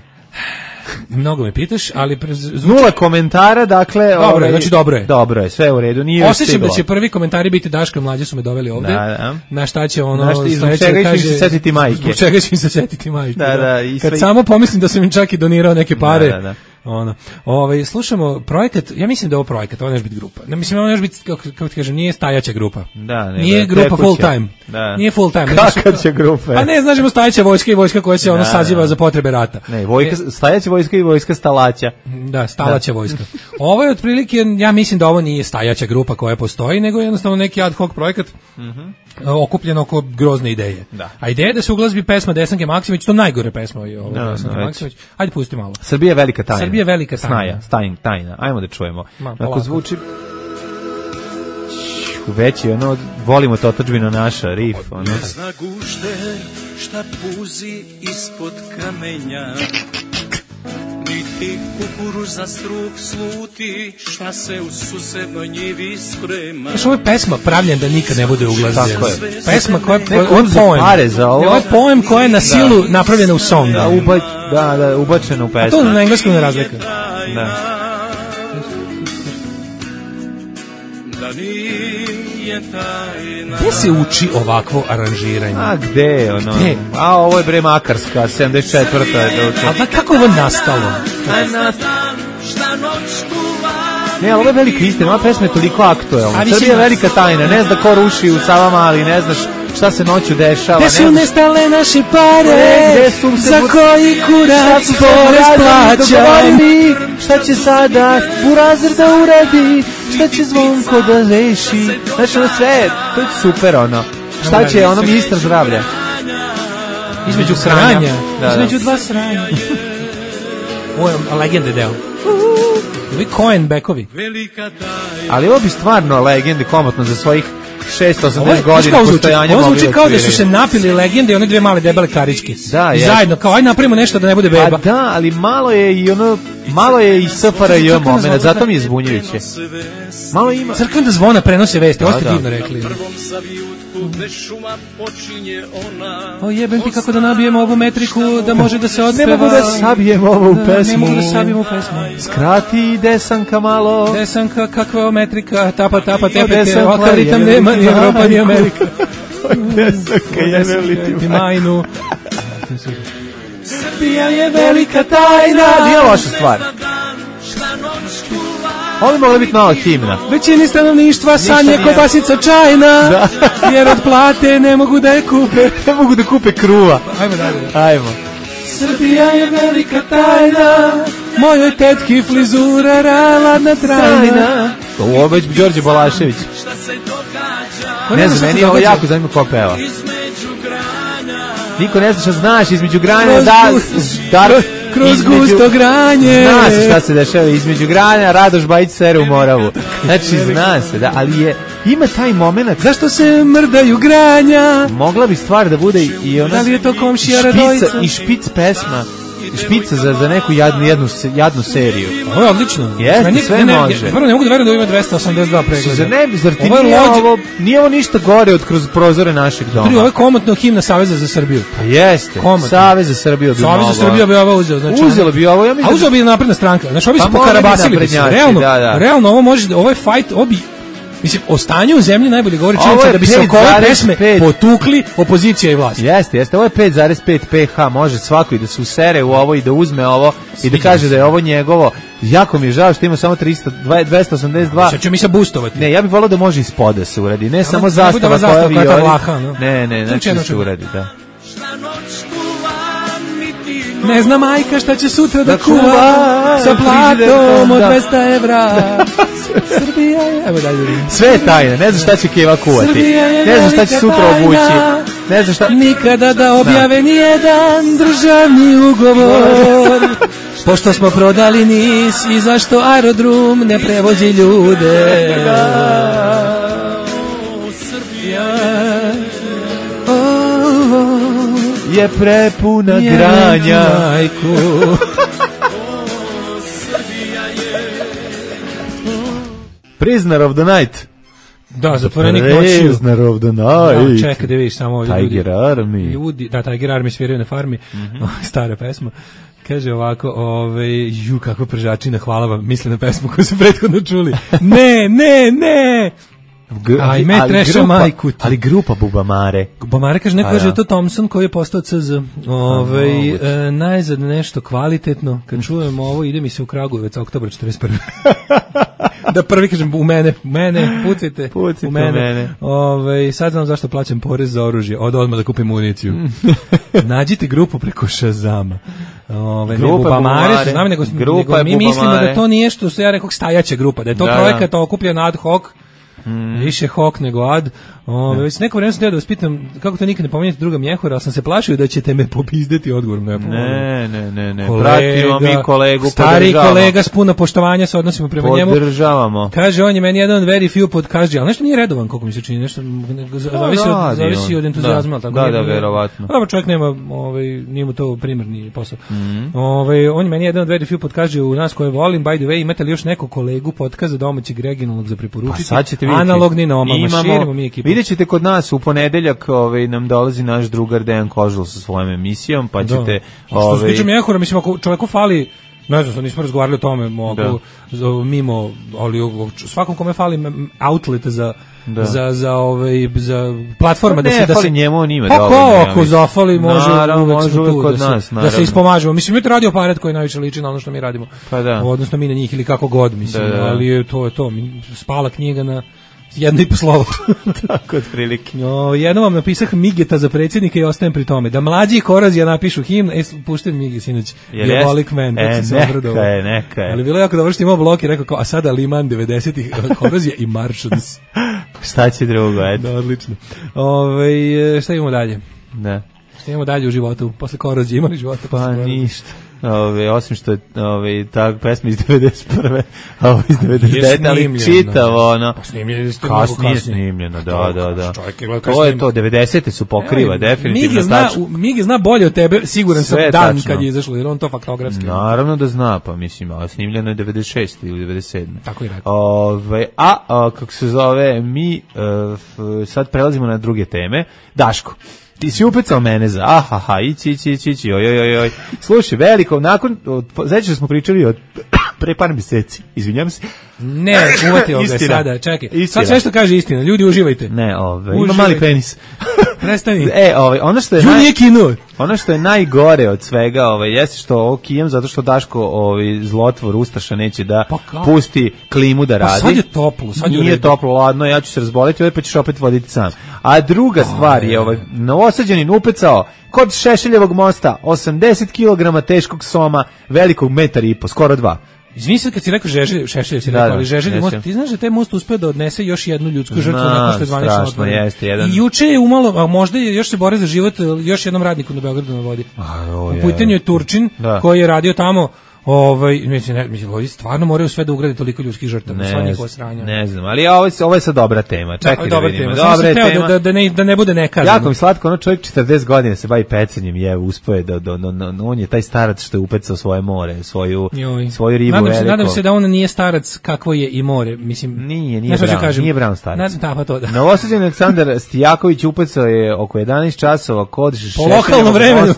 Mnogo me pitaš, ali zvuči... nula komentara, dakle, dobro ovaj, je, znači dobro je. Dobro je, sve u redu, nije još osjećam da će prvi komentari biti Daško i Mlađe su me doveli ovde. Da, da. Na šta će ono, na šta, zbog čega će se setiti majke. Zbog čega će im se setiti majke. Da, da, da. I kad sve... samo pomislim da sam im čak i donirao neke pare. Da, da, da. Ono. Ovaj slušamo projekat, ja mislim da je ovo projekat, ovo ne može biti grupa. Ne mislim, ovo ne može biti kako kako ti kažem, nije stajaća grupa. Da, ne, nije da, grupa full time. Da. Nije full time. Kakva će grupa? Pa ne, znaš, stajaća vojska i vojska koja se da, ono saziva da. za potrebe rata. Ne, vojska, stajaća vojska i vojska stalaća. Da, stalaća da. vojska. Ovo je otprilike, ja mislim da ovo nije stajaća grupa koja postoji, nego jednostavno neki ad hoc projekat. Mhm. okupljen oko grozne ideje. Da. A ideja je da se uglazbi pesma Desanke Maksimović, to najgore pesma je ovo no, Desanke no, Maksimović. Ajde pusti malo. Srbija je velika tajna. Srbija je velika tajna. Snaja, tajna, tajna. Ajmo da čujemo. Ma, ako zvuči veći, ono, volimo to otadžbina naša, rif, ono. Ne zna gušter šta puzi ispod kamenja, niti kukuruz za struk sluti, šta se u susednoj njivi sprema. Znaš, ovo je pesma pravljen da nikad ne bude uglazljena. Tako je. Pesma koja je poem. Pare za ovo. Ovo je poem koja je na silu da. napravljena u song. Da, uba, da, da, ubačena u pesmu. A to na engleskom ne razlika. Da. Da nije tajna. Gde se uči ovakvo aranžiranje? A gde, ono? Gde? A ovo je bre Makarska, sedamdeset četvrta A da kako ovo nastalo? Ne, ali ovo je velika istina, ova pesma je toliko aktuelna. Srbija je velika tajna, ne zna ko ruši u Savamali, ne znaš šta se noću dešava. Gde su nestale naše pare? Gde su se za koji kurac porez plaća? Šta će sada Burazir da uradi? Šta će Zvonko da reši? Znaš, ono sve, to je super, ono. Šta će ono ministar zdravlja? Između sranja. Između dva sranja. Ovo je legende deo. Ovi Coen bekovi. Ali ovo bi stvarno legende komotno za svojih šesto osamdeset godina postojanja. Ovo zvuči kao da su se napili legende i one dve male debele karičke. Da, I zajedno, kao aj napravimo nešto da ne bude beba. A da, ali malo je i ono, malo je i S F R J moment, zato mi je zbunjujuće. Malo ima. Crkvena zvona prenose vesti, ovo ste divno rekli. O jebem ti kako da nabijemo ovu metriku da može da se odpeva. Ne mogu da sabijemo ovu pesmu. Ne mogu da sabijemo pesmu. Skrati Desanka malo. Desanka, kakva je metrika, tapa, tapa, tepeke, ovakav ritam nema ni Evropa ni Amerika. Desanka je veliki majnu. Srbija je velika tajna. Nije loša stvar. Ovo bi mogla biti nova himna. Većini stanovništva sanje kobasica čajna, da. Jer od plate ne mogu da je kupe. Ne mogu da kupe kruva. Ajmo dalje. Ajmo. Srbija je velika tajna, mojoj tetki flizura raladna trajna. Ovo već Đorđe Balašević. Ne znam, meni je ovo jako zanimljivo ko peva. Niko ne zna šta znaš između granja, da, dar, kroz između, gusto granje. Zna se šta se dešava između granja, Radoš Bajić sere u Moravu. Znači, zna se, da, ali je, ima taj moment. Zašto se mrdaju granja? Mogla bi stvar da bude i ona da li je to komšija Radojica Radojica? I špic pesma špica za, za neku jadnu, jednu, jadnu seriju. Ovo je odlično. Jeste, ne, sve ne, ne, može. Prvo ne mogu da verujem da ima dvesta osamdeset dva pregleda. Zar ne, zar ti ovo nije, lođe... ovo, nije ovo ništa gore od kroz prozore našeg doma? Ovo je komotno himna Saveza za Srbiju. Pa jeste, komotno. Savez za Srbiju bi Savez za Srbiju bi ovo uzeo. Znači, uzelo bi ovo, ja mislim. A uzeo bi napredna stranka. Znači, ovi pa su pokarabasili bi se. Realno, da, da. realno, ovo može, ovo je fight, obi... Mislim, o stanju u zemlji najbolje govori činjenica da bi se oko ove pesme potukli opozicija i vlast. Jeste, jeste, ovo je pet zarez pet pH, može svako i da se usere u ovo i da uzme ovo i da kaže da je ovo njegovo. Jako mi je žao što ima samo trista, dvesta osamdeset dva. Sad ću mi se boostovati. Ne, ja bih volao da može ispod da se uradi, ne ja, samo zastava koja vi je vlaha, no? Ne, ne, znači da se uradi, da. Ne zna majka šta će sutra da, da kuva sa platom od dvesta evra. Srbija je... Evo dalje. Sve je tajna, ne znaš šta će Keva kuvati. Ne znaš šta će sutra obući. Ne znaš šta... Nikada da objave nijedan državni ugovor. Pošto smo prodali Nis i zašto aerodrom ne prevozi ljude. Je prepuna je granja. Prisoner of the Night. Da, zatvorenik noću. Prisoner of the Night. Da, čekaj da vidiš samo ovdje. Tiger ljudi, Army. Ljudi, da, Tiger Army sviraju na farmi. Mm-hmm. Stara pesma. Kaže ovako, ovaj, ju, kakva pržačina, hvala vam, misle na pesmu koju su prethodno čuli. Ne, ne, ne! Ajme, treša majku. Ali grupa Bubamare. Bubamare kaže, neko kaže da to Thompson koji je postao C Z. Ovaj, e, najzad nešto kvalitetno. Kad čujem ovo, ide mi se u Kragujevac, oktobar četrdeset prve. Da prvi kažem, u mene, u mene, pucajte, pucajte u mene. mene. Ove, sad znam zašto plaćam porez za oružje, od odmah da kupim municiju. Nađite grupu preko Shazama. Ove, grupa ne Bubamare, znam, nego, nego mi mislimo da to nije što se ja rekao stajaća grupa, da je to da, projekat okupljen ad hoc, Mm. više hok nego ad. Ove, već neko vreme sam teo da vas pitam kako to nikad ne pominjete druga Mjehura, ali sam se plašio da ćete me popizdeti odgovorom. Ne, ne, ne, ne, ne. Pratimo mi kolegu, stari kolega s puno poštovanja se odnosimo prema njemu. Podržavamo. Kaže, on je meni jedan very few podkaži, ali nešto nije redovan, koliko mi se čini, nešto zavisi od, zavisi od entuzijazma. Da, da, da, verovatno. Dobro, čovjek nema, ovaj, nije mu to primarni posao. Mm. Ovaj, on je meni jedan very few podkaži u nas koje volim, by the way, imate li još neko kolegu podkaza domaćeg regionalnog za preporučiti? Pa sad ćete vidjeti. Analogni na omama, širimo mi ekipu. Vidjet ćete kod nas u ponedeljak, ovaj, nam dolazi naš drugar Dejan Kožul sa svojom emisijom, pa ćete... Ovaj... Što se tiče Mjehura, mislim, ako čovjeku fali, ne znam, nismo razgovarali o tome, mogu, mimo, ali svakom kome fali outlet za... Da. za za ovaj za platforma da se da se njemu on ima pa dovoljno. Ako zafali može naravno, može uvek kod da nas, se, da se ispomažemo. Mislim mi to radio aparat koji najviše liči na ono što mi radimo. Pa da. Odnosno mi na njih ili kako god, mislim, da, da. ali je to je to. Spala knjiga na jedno i po slovo. Tako otprilike. No, jedno vam napisah Migeta za predsjednika i ostajem pri tome. Da mlađi i Korozija napišu himn, e, pušten Migi sinoć. Diabolik Man. E, neka je, neka je. Ali bilo je jako dobro što imao blok i rekao kao, a sada Liman devedesetih Korozija i Martians. Šta će drugo, eto. Da, odlično. Ove, šta imamo dalje? Da. Šta imamo dalje u životu? Posle Korozije imali života? Pa ništa. Ove, osim što je ove, ta pesma iz devedeset prve a ovo iz devedeset devete ali čitavo ono kasnije snimljeno, da, da, da to je to, devedesete su pokriva definitivno. Migi zna bolje od tebe, siguran sam dan kad je izašlo, jer on to faktografski naravno da zna, pa mislim, a snimljeno je devedeset šeste ili devedeset sedme tako je rekao. Ove, a, a kako se zove, mi uh, sad prelazimo na druge teme. Daško, ti si upecao mene za ahaha, ići, ići, ići, ići, oj, oj, oj, oj. Slušaj, veliko, nakon, znači da smo pričali od pre par mjeseci, izvinjam se. Ne, uvatio ga sada, čekaj. Istina. Sad sve što kaže istina, ljudi uživajte. Ne, ove, ima mali penis. Prestani. E, ove, ono što je naj, nije kino. Ono što je najgore od svega, ove, jeste što ovo kijem zato što Daško, ovaj zlotvor Ustaša neće da pa pusti klimu da radi. Pa sad je toplo, sad je nije toplo, ladno, ja ću se razboleti, ovaj pa ćeš opet voditi sam. A druga stvar je, ovaj Novosađanin upecao kod Šešeljevog mosta osamdeset kilograma teškog soma, velikog metar i po, skoro dva. Izvini se kad si rekao Žeželj, Šešelj si rekao, da, ali Žeželj most, ti znaš da taj most uspeo da odnese još jednu ljudsku žrtvu nakon što je zvanično otvoren. I juče je umalo, a možda je još se bore za život još jednom radniku na Beogradu na vodi. U pitanju je Turčin, da, koji je radio tamo Ovaj, mislim, ne, mislim, ovi stvarno moraju sve da ugrade toliko ljudskih žrtava, sva njihova sranja. Ne znam, ali ovo je, ovo je sad dobra tema. Čekaj da, da vidimo. Tema. Dobra tema. tema. Da, da, ne, da ne bude nekada. Jako mi slatko, ono čovjek četrdeset godina se bavi pecanjem, je, uspoje da, da, da, da, on je taj starac što je upecao svoje more, svoju, svoju ribu nadam veliko. Se, nadam se da on nije starac kakvo je i more, mislim. Nije, nije Brown, kažem, nije Brown starac. Da, pa to da. Novosađen Aleksandar Stijaković upecao je oko jedanaest časova kod lokalnom vremenu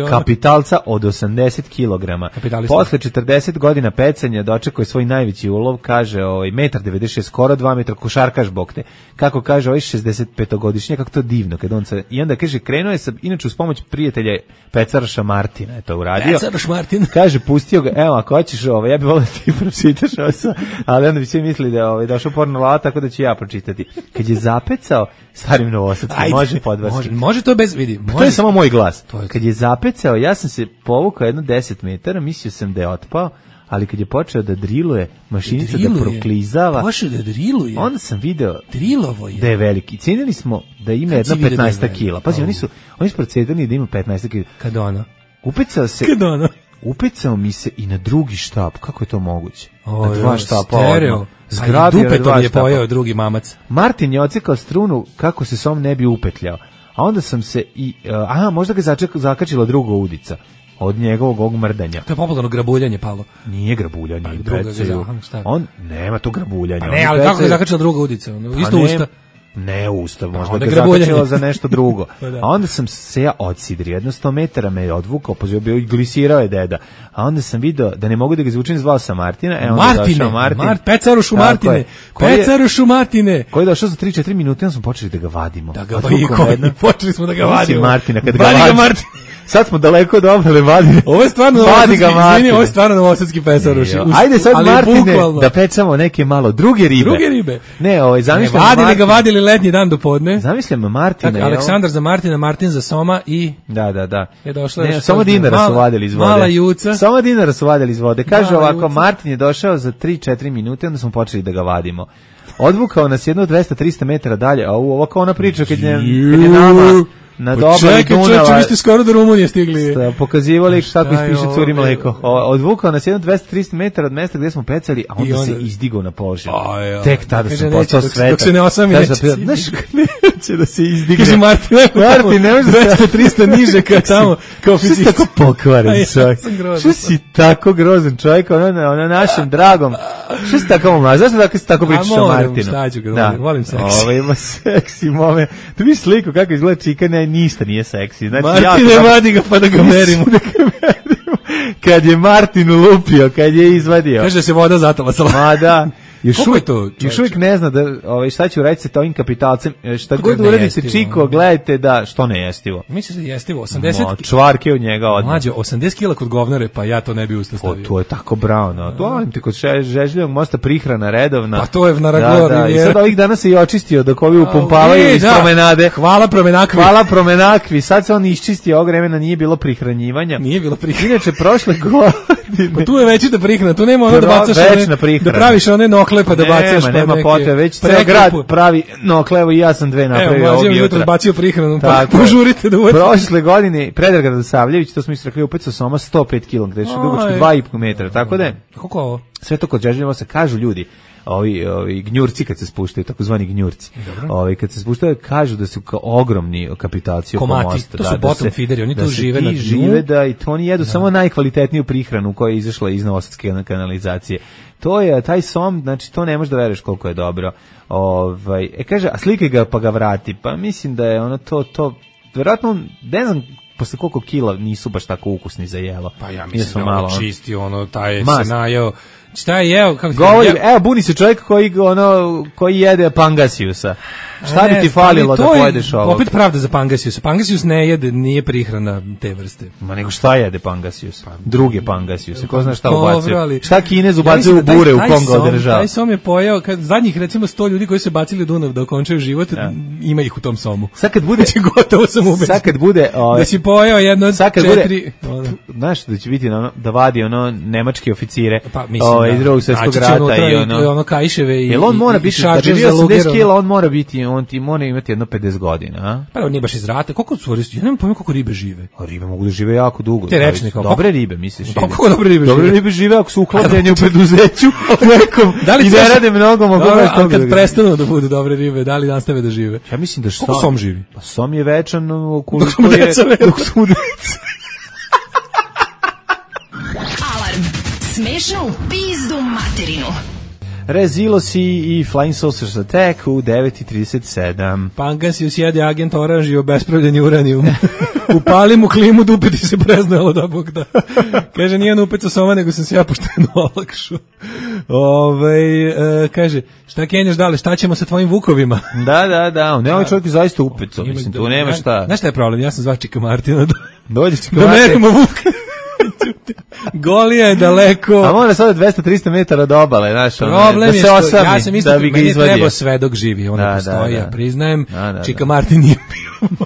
kapitalca od osamdeset kilograma. Posle četrdeset godina pecanja dočekao je svoj najveći ulov, kaže ovaj metar devedeset šest, skoro dva metra, košarkaš bokte. Kako kaže ovaj šezdesetpetogodišnjak, kako to divno kad on se, i onda kaže krenuo je sa, inače uz pomoć prijatelja Pecaraša Martina je to uradio. Pecaraš Martin. Kaže pustio ga, evo ako hoćeš ovaj, ja bih volio da ti pročitaš ovo, ali onda bi svi mislili da je ovaj došao porno lava, tako da ću ja pročitati. Kad je zapecao starim Novosadskim, može podvarski. Može, može to bez, vidi. Može. To je samo moj glas. Je... Kad je zapecao, ja sam se povukao jedno deset metara, mislio sam da je otpao, ali kad je počeo da driluje, mašinica da, da proklizava, počeo da driluje. Onda sam video Drilovo je. Da je veliki. Cijenili smo da ima jedno petnaest kila. Pazi, oni su oni su procedili da ima petnaest kila. Kad ona? Upecao se. Kad ona? Upecao mi se i na drugi štap. Kako je to moguće? O, na dva štapa. Stereo. Zgrabio dupe to je pojeo drugi mamac. Martin je ocekao strunu kako se som ne bi upetljao. A onda sam se i aha, možda ga začekao, zakačila druga udica od njegovog ovog mrdanja. To je popularno grabuljanje palo. Nije grabuljanje, pa, druga ga, on nema to grabuljanje. Pa ne, ali kako je zakačila druga udica? Ono, isto pa usta. Ne usta, možda ga zakačila za nešto drugo. Pa da. A onda sam se ja odsidrio, jedno sto metara me je odvukao, pozivio bio i glisirao je deda. A onda sam video da ne mogu da ga izvučem, zvao sam Martina. E, onda Martine, Martin. Mart, Pecarušu Martine, Pecarušu Martine. Koji je došao za tri četiri minute, onda smo počeli da ga vadimo. Da ga vadimo, počeli smo da ga vadimo. Martina, kad ga vadimo. Sad smo daleko od obale vadine. Ovo je stvarno novosadski, izvini, ovo je stvarno novosadski pecaruši. Ajde sad, Martine, bukvalno da pecamo neke malo druge ribe. Druge ribe. Ne, ovaj, zamišljam ne, vadili ga vadili letnji dan do podne. Zamišljam Martina. Tako, Aleksandar za Martina, Martin za Soma i... Da, da, da. Je došla ne, Soma dinara mala, su vadili iz vode. Mala juca. Soma dinara su vadili iz vode. Kaže mala ovako, juca. Martin je došao za tri četiri minute, onda smo počeli da ga vadimo. Odvukao nas jedno dvesta trista metara dalje, a ovako ona priča kad je, kad je nama... Na dobro Dunava. Čekaj, vi ste skoro do Rumunije stigli. Ste pokazivali kako ispiše curi mleko. Odvukao nas jedno dvesta trista metara od mesta gde smo pecali, a onda, onda... se izdigao na površinu. Tek tada sam postao svetak. Dok se ne osami, neće se neće da se izdigne. Kaže Martin, Martin, ne može dvesta trista niže kao tamo. Kao što si tako pokvaren čovjek? Što si tako grozan čovjek, ono na našem dragom? Što si tako mlad? Zašto tako si tako pričaš o Martinu? Šta ću ga, volim seksi. Ovo ima seksi moment. Tu vidiš sliku kako izgleda čika, ne, ništa nije seksi. Znači, Martine, ja vadi ga pa da ga merimo. Da ga merimo. Kad je Martin ulupio, kad je izvadio. Kaže da se voda zatalasala. Ma da. Još uvijek, to, još uvijek ne zna da, ovaj, šta će uraditi sa ovim kapitalcem. Šta god uradite, Čiko, gledajte da, što ne jestivo. Misliš da je jestivo? osamdeset No, čvarke od njega odmah. Mlađe, osamdeset kila kod govnare, pa ja to ne bi usta stavio. O, to je tako brano. To volim ti kod Žežljivog mosta prihrana redovna. Pa to je na Ragora. Da, da. I sad ovih dana se i očistio dok ovi upumpavaju iz da. promenade. Hvala promenakvi. Hvala promenakvi. Sad se on iščistio, ovog vremena nije bilo prihranjivanja. Nije bilo prihranjivanja. Inače, prošle godine... Pa tu je veći da prihrana, tu nema ono da bacaš one, da praviš one nokle pa da bacaš. Nema, nema potrebe, već ceo grad pravi noklevo i ja sam dve napravio ovdje jutra. Evo, mlađe bacio prihranu, pa požurite da uvodite. Prošle godine Predrag Radosavljević, to smo isto rekli, upecao Soma sto pet kilograma, gde je dugačko dva i po metra, tako da je. Kako ovo? Sve to kod Žežljeva se kažu ljudi, ovi, ovi gnjurci kad se spuštaju, takozvani gnjurci. Ovi kad se spuštaju kažu da su kao ogromni kapitaci oko mosta. To su da, bottom da se, feederi, oni tu žive na dnu. Žive da i to oni jedu da. samo najkvalitetniju prihranu koja je izašla iz novosadske kanalizacije. To je taj som, znači to ne možeš da veruješ koliko je dobro. Ovaj, e kaže, a slikaj ga pa ga vrati. Pa mislim da je ono to to verovatno ne znam posle koliko kila nisu baš tako ukusni za jelo. Pa ja mislim da malo čisti ono taj se najeo. Šta je jeo? Kako Govori, je... evo buni se čovjek koji ono koji jede pangasiusa. Šta bi ti falilo da pojedeš ovo? Opet pravda za pangasius. Pangasius ne jede, nije prihrana te vrste. Ma nego šta jede pangasius? Druge pangasiuse. Ko zna šta ubacuje? Šta Kinez ubacuje u bure u Kongo održava? Taj som je pojeo kad zadnjih recimo sto ljudi koji su bacili u Dunav da okončaju život, ja. ima ih u tom somu. Sad kad bude gotovo sam ubeđen. Sad kad bude ovaj, da si pojeo jedno četiri, znaš da će biti ono, da vadi ono nemačke oficire. Pa mislim ovaj, da. drugog svjetskog Naći će rata unutra i ono. ono kajševe i Jel on mora i- i biti, da šarđer bi za bio osamdeset luger, kila, on mora biti, on ti mora imati jedno pedeset godina, a? Pa on nije baš iz rata. Koliko su, ja nemam pojma koliko ribe žive. A ribe mogu da žive jako dugo. Te rečne kao- Dobre ribe, misliš? Pa kako dobre ribe Dobre žive? ribe žive ako su uhlapljene u preduzeću nekom Da li i se- ne rade mnogo, mogu Dobro, baš ali toga kad da ga- prestanu da budu dobre ribe, da li nastave da žive? Ja mislim da Koliko som živi? Pa som je večan Dok ukoliko smo je... deca velika. Dok smo deca. Alarm. Smešno u pizdu materinu. Rezilosi i Flying Saucers Attack u devet i trideset sedam. Pangas usjede agent oranž i obespravljeni uranijum. Upali mu klimu, dupe ti se preznalo da Bog da. Kaže, nije nupeca soma, nego sam se ja pošteno olakšao. Ove, e, kaže, šta kenjaš dale, šta ćemo sa tvojim vukovima? Da, da, da, ne, ovaj čovjek je zaista upeco, Ima- mislim, tu nema šta. Znaš šta je problem? Ja sam zvao Čika Martina da, Dođe Čika da Martin. merimo vuka. Golija je daleko. A mora sada dvesta trista metara do obale, znaš, ono, Problem da je se što osami, ja sam isto da bi ga meni je izvadio. trebao svedok živi, on Da, ne postoji, da, ja da. priznajem. Da, da, Čika da. Martin nije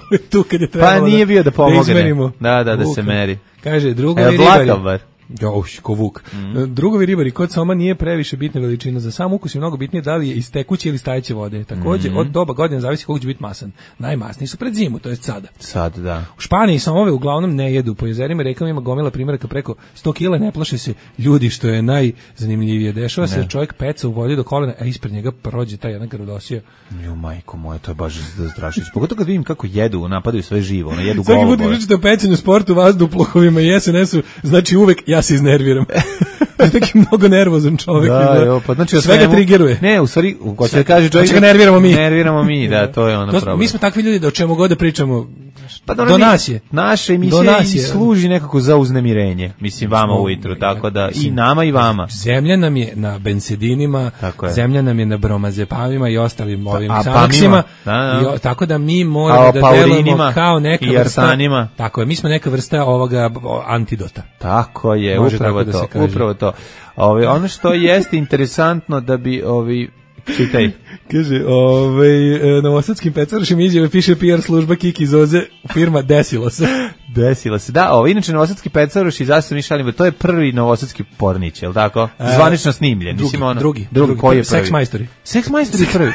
bio tu kad je Pa trebalo. nije bio da pomogne. izmerimo Da, da, da vuka. se meri. Kaže, drugovi Evo, ribari. dlakav bar. Jauš, ko vuk. Mm. Drugovi ribari, kod soma nije previše bitna veličina. Za sam ukus je mnogo bitnije da li je iz tekuće ili stajeće vode. Također, Mm. od doba godine zavisi koliko će biti masan. Najmasniji su pred zimu, to je sada. Sad, da. U Španiji somove uglavnom ne jedu. Po jezerima i rekama ima gomila primjeraka preko sto kila, ne plaše se ljudi, što je najzanimljivije. Dešava se Ne. da čovjek peca u vodi do kolena, a ispred njega prođe taj jedan grdosija. Jo, majko moja, to je baš zastrašujuće. Pogotovo kad vidim kako jedu, napadaju sve živo, ono, jedu Svaki put golubove. kad pričate o pecanju, sportu, vazduhoplovima i es en esu, znači uvek ja se iznerviram. To je taki mnogo nervozan čovjek. Da, izgleda. jo, pa znači o Sve ga svemu- trigeruje. Ne, u stvari, hoće da kaže čovjek. Hoće ga nerviramo mi. Nerviramo mi, da, to je ono To smo- problem. Mi smo takvi ljudi da o čemu god da pričamo, Pa do dobro, mi- nas je. Naša Do emisija nas i je. služi nekako za uznemirenje. Mislim, vama Smo- ujutru, tako da, i Mislim, nama i vama. Zemlja nam je na bensedinima, Tako je. zemlja nam je na bromazepamima i ostalim ovim a sanaksima, pamima, da, da. i o- tako da mi moramo A da paurinima delujemo kao neka i vrsta, arsanima. tako je, mi smo neka vrsta ovoga o, antidota. Tako je, Može upravo tako da to, se kaže. upravo to. Ove, ono što jeste interesantno da bi ovi čitaj. Kaže, ovaj, e, novosadskim pecarošim izjave piše P R služba Kiki Zoze, firma desilo se. Desilo se. Da, ovo inače novosadski pecaroš i zašto mi šalimo, to je prvi novosadski pornić, je l' tako? E, Zvanično snimljen. drugi, Mislim, ono, drugi, drugi, drugi, koji je Sex prvi? Majstori. Sex Majstori prvi.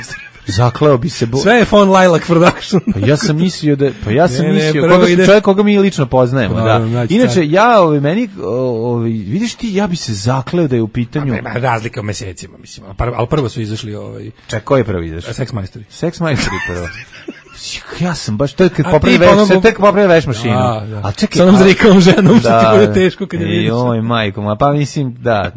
Zakleo bi se. Bo... Sve je von Lilac Production. Pa ja sam mislio da pa ja sam Ne, ne, mislio prvo koga, ide- čovjek koga mi lično poznajemo, Pa, da. znači, Inače sad- ja ovaj meni ovaj vidiš ti ja bi se zakleo da je u pitanju. Nema razlika u mesecima, mislim, ali prvo, ali prvo su izašli ovaj Čekaj, ko je prvi izašao? Sex Majstori. Sex Majstori prvo. Ja sam baš to je kad A popravi ti veš, ponovo- tek popravi veš mašinu. A, da. A čekaj, Sa onom a- zrikavom ženom, što ti bude teško kad je E, vidiš. Joj, majko, ma pa mislim da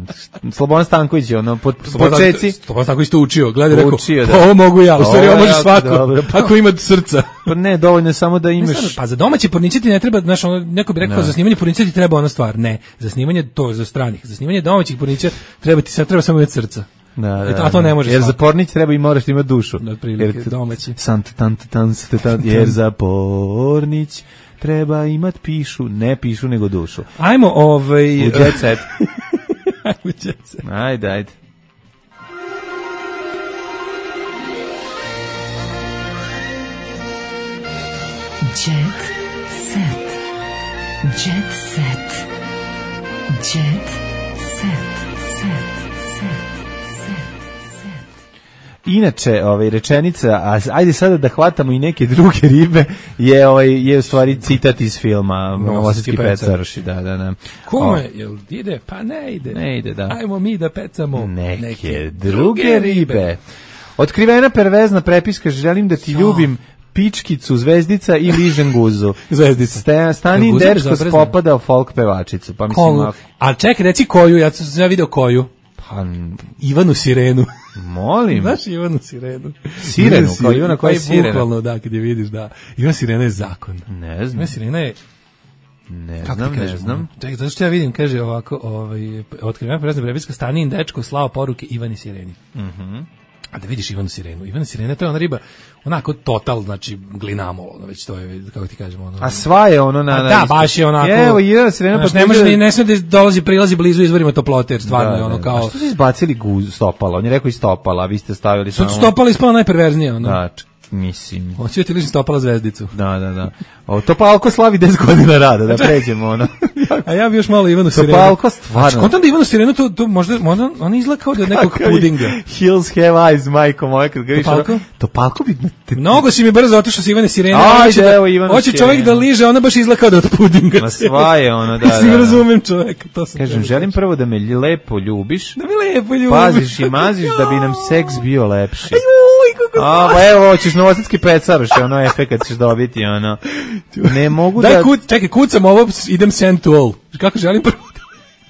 Slobodan Stanković je ono po počeci. To tako isto učio, gledaj rekao, Učio, da. pa ovo mogu ja, u stvari Ovo ovo je može jako svako, dobro. ako ima srca. Pa ne, dovoljno je samo da Ne, imaš. stvarno, pa za domaće pornice ti ne treba, znaš, ono, neko bi rekao, Da. za snimanje pornice ti treba ona stvar. Ne, za snimanje to za stranih, za snimanje domaćih pornića treba ti sad treba samo imati srca. Da, da, E, a to ne može jer za svako. pornić treba i moraš imati dušu. Da, otprilike, Jer t- domaći. Sant, tant, tant, tant, tant, jer za pornić treba imat pišu, ne pišu nego dušu. Ajmo, ovaj... U jet set. Ajmo, jet set. Ajde, ajde. Jet set. Jet set. Jet set. Set. Set. Inače, ovaj rečenica, a ajde sada da hvatamo i neke druge ribe, je ovaj je u stvari citat iz filma Novosadski pecaroši, da, da, da. Kome, jel ide? Pa ne ide. Ne ide, da. Ajmo mi da pecamo Neke, druge ribe. Otkrivena pervezna prepiska, želim da ti ljubim pičkicu, zvezdica i ližen guzu. Zvezdica. Ste, Stanin Guza bi dečko zabrezna. spopadao folk pevačicu. Pa mislim, Koju? ako- A čekaj, reci koju, ja sam ja video koju. pa, Ivanu Sirenu. molim. Znaš Ivanu Sirenu? Sirenu, kao Ivana koja je Pa sirena. Bukvalno, da, kad je vidiš, da. Ivana Sirena je zakon. Ne Ivana znam, Sirena je, ne kako znam, ti ne kažem, znam. čekaj, zato što ja vidim, kaže ovako, ovaj, otkrivena prezna prepiska, Stanin dečko slao poruke Ivani Sireni. Mhm. A da vidiš Ivanu Sirenu. Ivana Sirena, to je ona riba, onako total, znači, glinamol, ono, već to je, kako ti kažemo, ono. A sva je ono na... A na da, isto- baš je onako. Evo, Ivana Sirena Znaš, pa ne može ni ne sme da dolazi prilazi blizu izvorima toplote, jer stvarno je ono A kao što su izbacili guz stopala? On je rekao i stopala, a vi ste stavili Sad samo... stopali ispalo najperverznije, ono. Da, mislim. Hoće ti lični stopala zvezdicu. Da, da, da. O, Topalko slavi deset godina rada, da pređemo ono. A ja bi još malo Ivanu Sirenu. Topalko stvarno. Znači, kontam da Ivanu Sirenu, to, to možda, možda on izgleda kao da je nekog pudinga. Hills have eyes, majko moja, kad ga viš. Topalko? Topalko bi... Te... Mnogo si mi brzo otišao sa Ivane Sirene. Ajde, da, evo Ivanu hoće Sirenu. čovjek da liže, ona baš izgleda kao da je od pudinga. Ma sva je ono, da, da. Mislim, razumem čovjeka, to sam. Kažem, želim prvo da me lepo ljubiš. Da me lepo ljubiš. Paziš i maziš da bi nam seks bio lepši. Ajuj, kako A, pa evo, ćeš novosadski pecaroš, ono efekat ćeš dobiti, ono. Ne mogu Daj, da... Kuc, čekaj, kucam ovo, idem send to all. Kako želim prvo?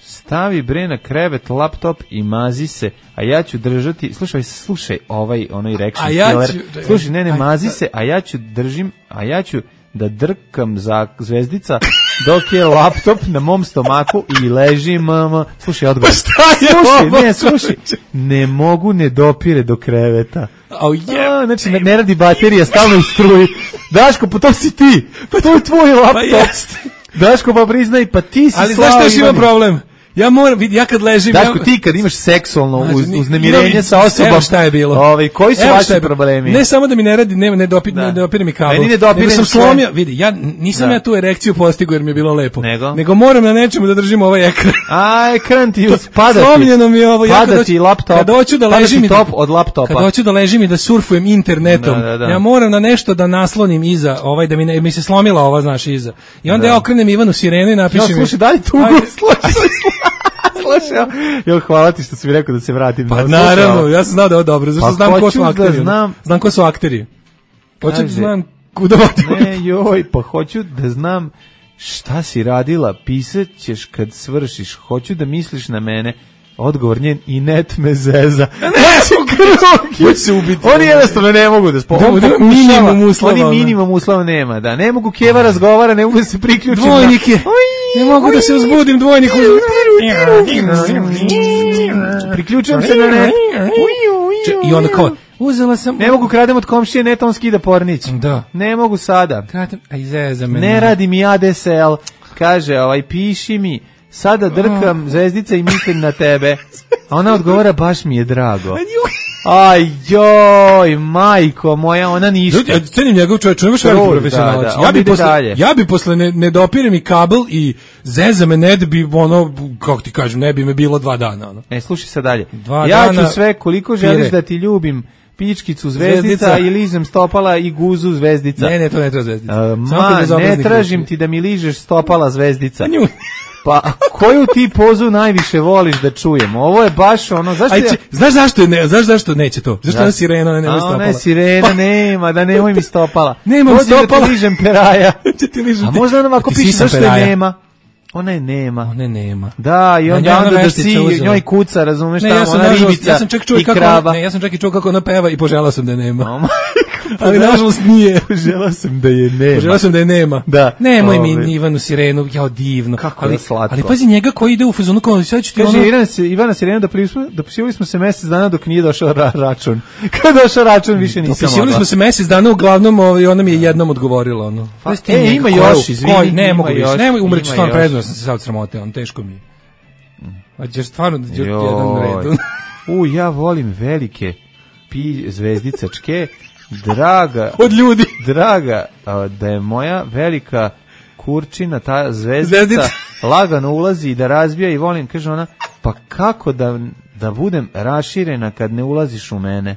Stavi bre na krevet laptop i mazi se, a ja ću držati, slušaj, slušaj, ovaj, onaj reaction ja killer, ću, slušaj, ne, ne, aj, mazi aj, se, a ja ću držim, a ja ću da drkam za zvezdica dok je laptop na mom stomaku i leži mama. Slušaj, odgovor. Slušaj, ne, slušaj, ne mogu, ne dopire do kreveta. Oh, yeah. A, znači, ne, ne radi baterija, stalno u struji. Daško, pa to si ti, pa to je tvoj laptop. Pa jeste. Daško, pa priznaj, pa ti si ali Slava znaš što ima Ivanić. problem? Ja moram, vidi, ja kad ležim... Daško, ja... ti kad imaš seksualno znači, uz, uznemirenje sa osobom... Evo šta je bilo. Ovaj, koji su Evo vaši je, problemi? Ne samo da mi ne radi, ne, ne, dopi, da. ne dopire mi kabel. Meni ne dopire nego sam sve. slomio, vidi, ja nisam Da. ja tu erekciju postigao jer mi je bilo lepo. Nego? Nego moram na nečemu da držim ovaj ekran. A, ekran ti spada ti. Slomljeno mi je ovo. Ja Pada kad ti hoću- laptop. Kad hoću da pada ležim ti i top da, od laptopa. kad hoću da ležim i da surfujem internetom, Da, da, da. ja moram na nešto da naslonim iza, ovaj da mi ne, mi se slomila ova, znaš, iza. I onda Da. ja okrenem Ivanu Sirenu i napišem. Ja, mi- slušaj, daj tu Ajde. slušaj, slušaj. Jo, hvala ti što si mi rekao da se vratim. Pa Da, naravno, slušaj. ja sam znao da je ovo dobro, zašto Pa znam ko hoću su da akteri. znam- Znam ko su akteri. Hoću da Kaže- znam kuda vodi. Ne, joj, pa hoću da znam šta si radila, pisat ćeš kad svršiš, hoću da misliš na mene. Odgovor njen i net me zeza. Ne, su krug. Hoće se ubiti. Oni jednostavno ne mogu da spoju. Da, da, minimum uslova, Oni ono. minimum uslova nema, da. Ne mogu Keva razgovara, ne mogu da se priključim. na- Dvojnik je. Ne mogu da se uzbudim, dvojnik uz... Priključujem se na net. I onda kao, uzela sam... Ne mogu kradem od komšije, net on skida pornić. Da. Ne mogu sada. Kratem, aj zeza me. Ne radi mi A D S L. Kaže, ovaj, piši mi. Sada drkam zvezdice i mislim na tebe. A ona odgovara, baš mi je drago. Aj, joj, majko moja, ona ništa. Ljudi, ja cenim njegov čovječ, on je baš veliki Trud, profesionalac. da, da, Ja on bi ide posle, dalje. ja bi posle ne, ne dopire mi kabel i zeza me net bi ono, kako ti kažem, ne bi me bilo dva dana. Ono. E, slušaj sad dalje. Dva ja dana ću sve, koliko želiš pire. da ti ljubim, pičkicu zvezdica, Zvezdica. i ližem stopala i guzu zvezdica. Ne, ne, to ne treba zvezdica. A, Samo kad ma, bezobraznik ne tražim liči. ti da mi ližeš stopala zvezdica. Nju. Pa, koju ti pozu najviše voliš da čujem? Ovo je baš ono, zašto Aj, ja... če, znaš zašto je ne, znaš zašto neće to? Zašto Da. ona sirena ne nema A ona stopala? je sirena, nema, da nemoj mi stopala. Nemam Dođi stopala. da ti ližem peraja. Će ti ližem A ti- možda ona ovako ti piše sisam zašto je peraja. nema. Ona je nema. Ona nema. Da, i Na onda, njoj ona onda da veštica si uzela. njoj kuca, razumeš, Ne, tamo, ja sam, ona nažalost, ribica ja sam čak čuo i kako, krava. ne, ja sam čak i čuo kako ona peva i poželao sam da je nema. O, majko, Ali nažalost nije. Želao sam da je nema. Poželao sam da je nema. Da. Nemoj Ove. mi Ivanu Sirenu, jao divno. Kako ali, je slatko. ali pazi njega koji ide u fazonu kao sad ću ti Kaže ono... Ivana, se, Ivana Sirena, dopisivali dopisivali smo se mjesec dana dok nije došao ra, račun. Kad došao račun, više nisam Dopisivali mogla. smo se mjesec dana, uglavnom ovaj, ona mi je jednom odgovorila. Ono. Pa, Pazi ti e, njega, ima koju- još, izvini, koju- Ne ima mogu više, još, nemoj umreću, ima stvarno još. predno sam se sad sramote, on teško mi je. A ćeš stvarno da ću jedan Joj. red. U, ja volim velike pi zvezdicačke. Draga, Od ljudi. draga, a, da je moja velika kurčina, ta zvezdica, Zvezdica. lagano ulazi i da razbija i volim, kaže ona, pa kako da, da budem raširena kad ne ulaziš u mene?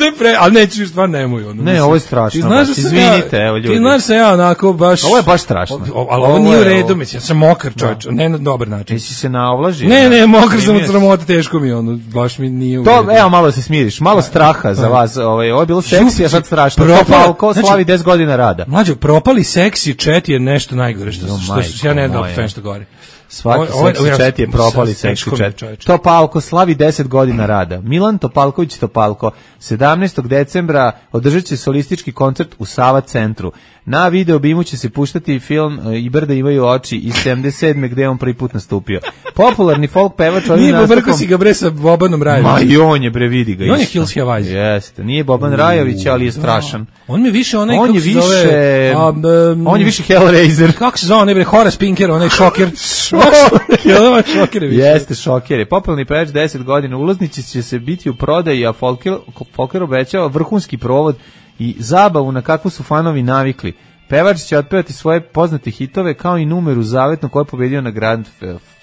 Ne pre, ali neću stvarno nemoj ono. Ne, ovo je strašno, Ti znaš baš, da sam izvinite, ja, evo, ljudi. Ti znaš da sam ja onako baš. Ovo je baš strašno. O, o, ali ovo, Ovo nije u je redu, ovo. mislim, ja sam mokar čovječ, ne na dobar način. Jesi se naovlažio? Ne, ne, mokar sam od Primio si. sramote, teško mi je ono, baš mi nije u To, redu. evo malo se smiriš, malo straha za vas, ovaj, ovo je bilo seksi, a sad strašno. Propala- Propalko znači- slavi deset godina rada. Mlađo, propali seksi chat je nešto najgore što, Jo, što, majko što ja ne znam moja. sve što govori. Svaki Ovo- ovo je- seksi ovo chat je propali sad seksi teško mi je, chat. čoveče. Topalko slavi deset godina rada. Milan Topalković Topalko sedamnaestog decembra održat će solistički koncert u Sava centru. Na video bimu će se puštati film e, I brda imaju oči iz sedamdeset sedme gde je on prvi put nastupio. Popularni folk pevač ovim Nije nastupom... pobrko si ga bre sa Bobanom Rajovićem. Ma i on je bre, vidi ga I on je isto. Hills Have Eyes. Jeste, nije Boban Rajović, ali je strašan. On mi je više onaj, On kako je se više, zove, a, um, on je više Hellraiser. kako se zove, onaj bre, Horace Pinker, onaj šoker. Šoker. Ovaj šoker je više. Jeste, šoker je. Popularni pevač deset godina, ulaznici će se biti u prodaji, a Folker, Folker obećava vrhunski provod i zabavu na kakvu su fanovi navikli. Pevač će otpevati svoje poznate hitove kao i numeru zavetnu koju je pobedio na Grand.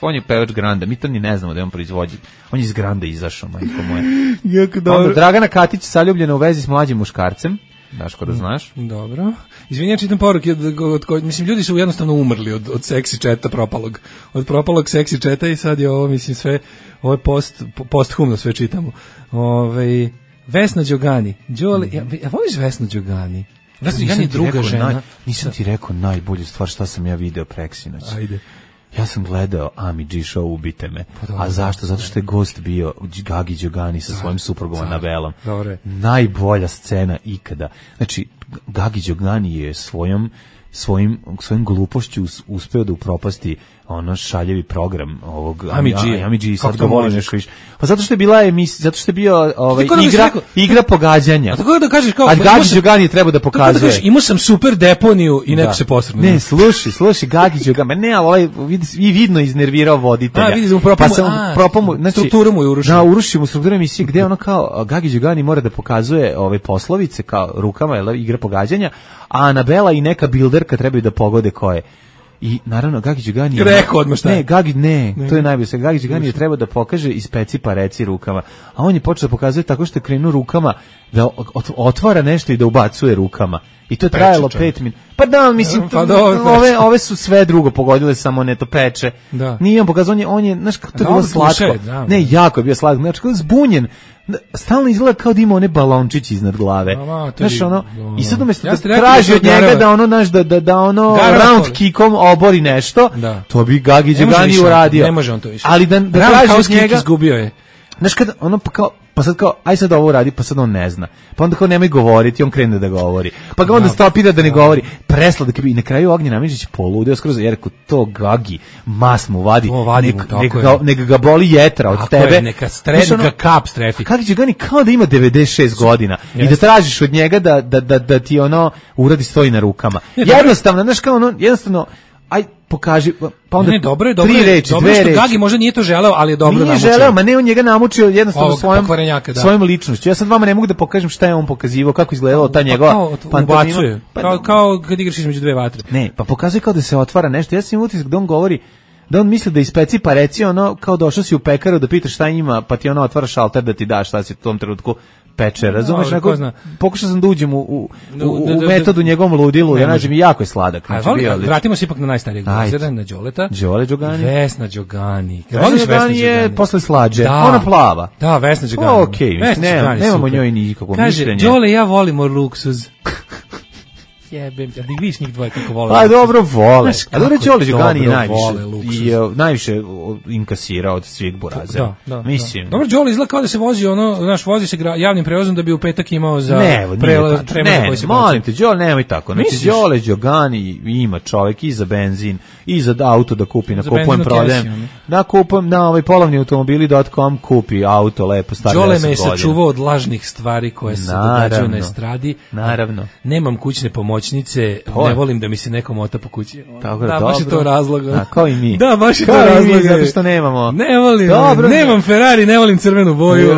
On je pevač Granda, mi to ni ne znamo da je on proizvođač. On je iz Granda izašao, majko moje. Onda Dragana Katić zaljubljena u vezi s mlađim muškarcem. Daško da znaš. Dobro. Izvini, ja čitam poruke od, od, od, mislim, ljudi su jednostavno umrli od, od seksi četa propalog. Od propalog seksi četa i sad je ovo, mislim, sve, ovo je post, posthumno sve čitamo. Ove, Vesna Đogani. Đole, ja, ja voliš Vesnu Đogani? Vesna Đogani je druga žena. Naj, nisam ti rekao najbolju stvar šta sam ja video preksinoć. Ajde. Ja sam gledao Ami G show Ubite me. A zašto? Zato što je gost bio Gagi Đogani sa svojim suprugom Anabelom. Najbolja scena ikada. Znači, Gagi Đogani je svojom svojim svojim glupošću uspeo da upropasti ono šaljevi program ovog Ami G. Ami G sad govori nešto više. Pa zato što je bila emisija, zato što je bio ovaj igra igra pogađanja. A tako da kažeš kao a Gagi Đogani treba da pokazuje. Da imao sam super deponiju i neko da se posrnuo. Ne, slušaj, slušaj Gagi Đogani, ne, ali ovaj vidi vidno iznervirao voditelja. A vidi, pa sam propamu, znači strukturu mu je urušio. Da, urušio mu strukturu emisije gde ono kao Gagi Đogani mora da pokazuje ove poslovice kao rukama, je igra pogađanja, a Anabela i neka bilderka trebaju da pogode ko je. I naravno Gagi Đogani je rekao odmah šta. Ne, Gagi ne, ne, to je najbolje. Gagi Đogani je treba da pokaže ispeci pa reci rukama. A on je počeo da pokazuje tako što je krenuo rukama da otvara nešto i da ubacuje rukama. I to je trajalo pet minuta. Pa da, mislim, pa to, ove, ove su sve drugo pogodile, samo ne to peče. Da. Nije on pokazao, on je, on je znaš kako to je bilo slatko. Da, ne, jako je bio slatko. Znači, kako je zbunjen. Stalno izgleda kao da ima one balončići iznad glave. Znaš, ono, i sad umjesto ja da traži od njega da ono, znaš, da, da, da ono round kickom obori nešto, da. To bi Gagi Đogani uradio. Ne može on to više. Ali da, da traži od njega... izgubio je. Znaš, kada ono, pa kao, pa sad kao, aj sad ovo radi, pa sad on ne zna. Pa onda kao nemoj govoriti, on krene da govori. Pa ga onda stopira da ne govori. Presladak i na kraju Ognjen Amidžić poludeo skroz, jer ko to Gagi mas mu vadi, neka nek ga, nek ga boli jetra od tako tebe. Je, neka strednika kap strefi. Gagi Đogani kao da ima devedeset šest godina i da tražiš od njega da, da, da, da ti ono uradi stoji na rukama. Jednostavno, znaš kao ono, jednostavno, aj pokaži, pa onda ne, dobro je, dobro tri je, reči, dobro dve što reči. Gagi možda nije to želeo, ali je dobro nije namučio. Nije želeo, ma ne, on njega namučio jednostavno Ovog svojom, da. svojom ličnošću. Ja sad vama ne mogu da pokažem šta je on pokazivao, kako izgledalo ta njegova pa ubacuje, pa, kao, kao kad igraš između dve vatre. Ne, pa pokazuje kao da se otvara nešto. Ja sam imao utisak da on govori, da on misli da ispeci pa reci ono, kao došao si u pekaru da pitaš šta ima, pa ti ono otvara šalter da ti daš šta si u tom trenutku peče, razumeš? No, pokušao sam da uđem u, u, u, u metodu njegovom ludilu, ja nađem i jako je sladak. Znači, voli, vratimo se ipak na najstarijeg glazera, na Đoleta. Đole Đogani. Vesna Đogani. Vesna Đogani je posle slađe, da, ona plava. Da, Vesna Đogani. O, okej, okay, ne, nemamo njoj nikakvo mišljenje. Kaže, Đole, ja volimo luksuz. Jebem, ja da vidiš njih dvoje kako vole. Pa dobro vole. A dobro Đole Đogani je najviše i uh, najviše inkasira od svih burazera. Da, da, mislim. Da. Dobro Đole izgleda kao da se vozi ono, naš vozi se javnim prevozom da bi u petak imao za ne, prelaz ne, koji se molim te, Đole nemoj tako. Znači Đole Đogani ima čovjek i za benzin i za auto da kupi, na kupujem prodajem. Da kupujem na ovaj polovni automobili dot com kupi auto lepo stari deset godina. Đole me je sačuvao od lažnih stvari koje se događaju na estradi. Naravno. Nemam kućne pomoćnice, to ne volim da mi se neko mota po kući. Tako da, dobro. baš je to razlog. A kao i mi. Da, baš je kao to razlog. Zato što nemamo. Ne volim, dobro, nemam Ferrari, ne volim crvenu boju.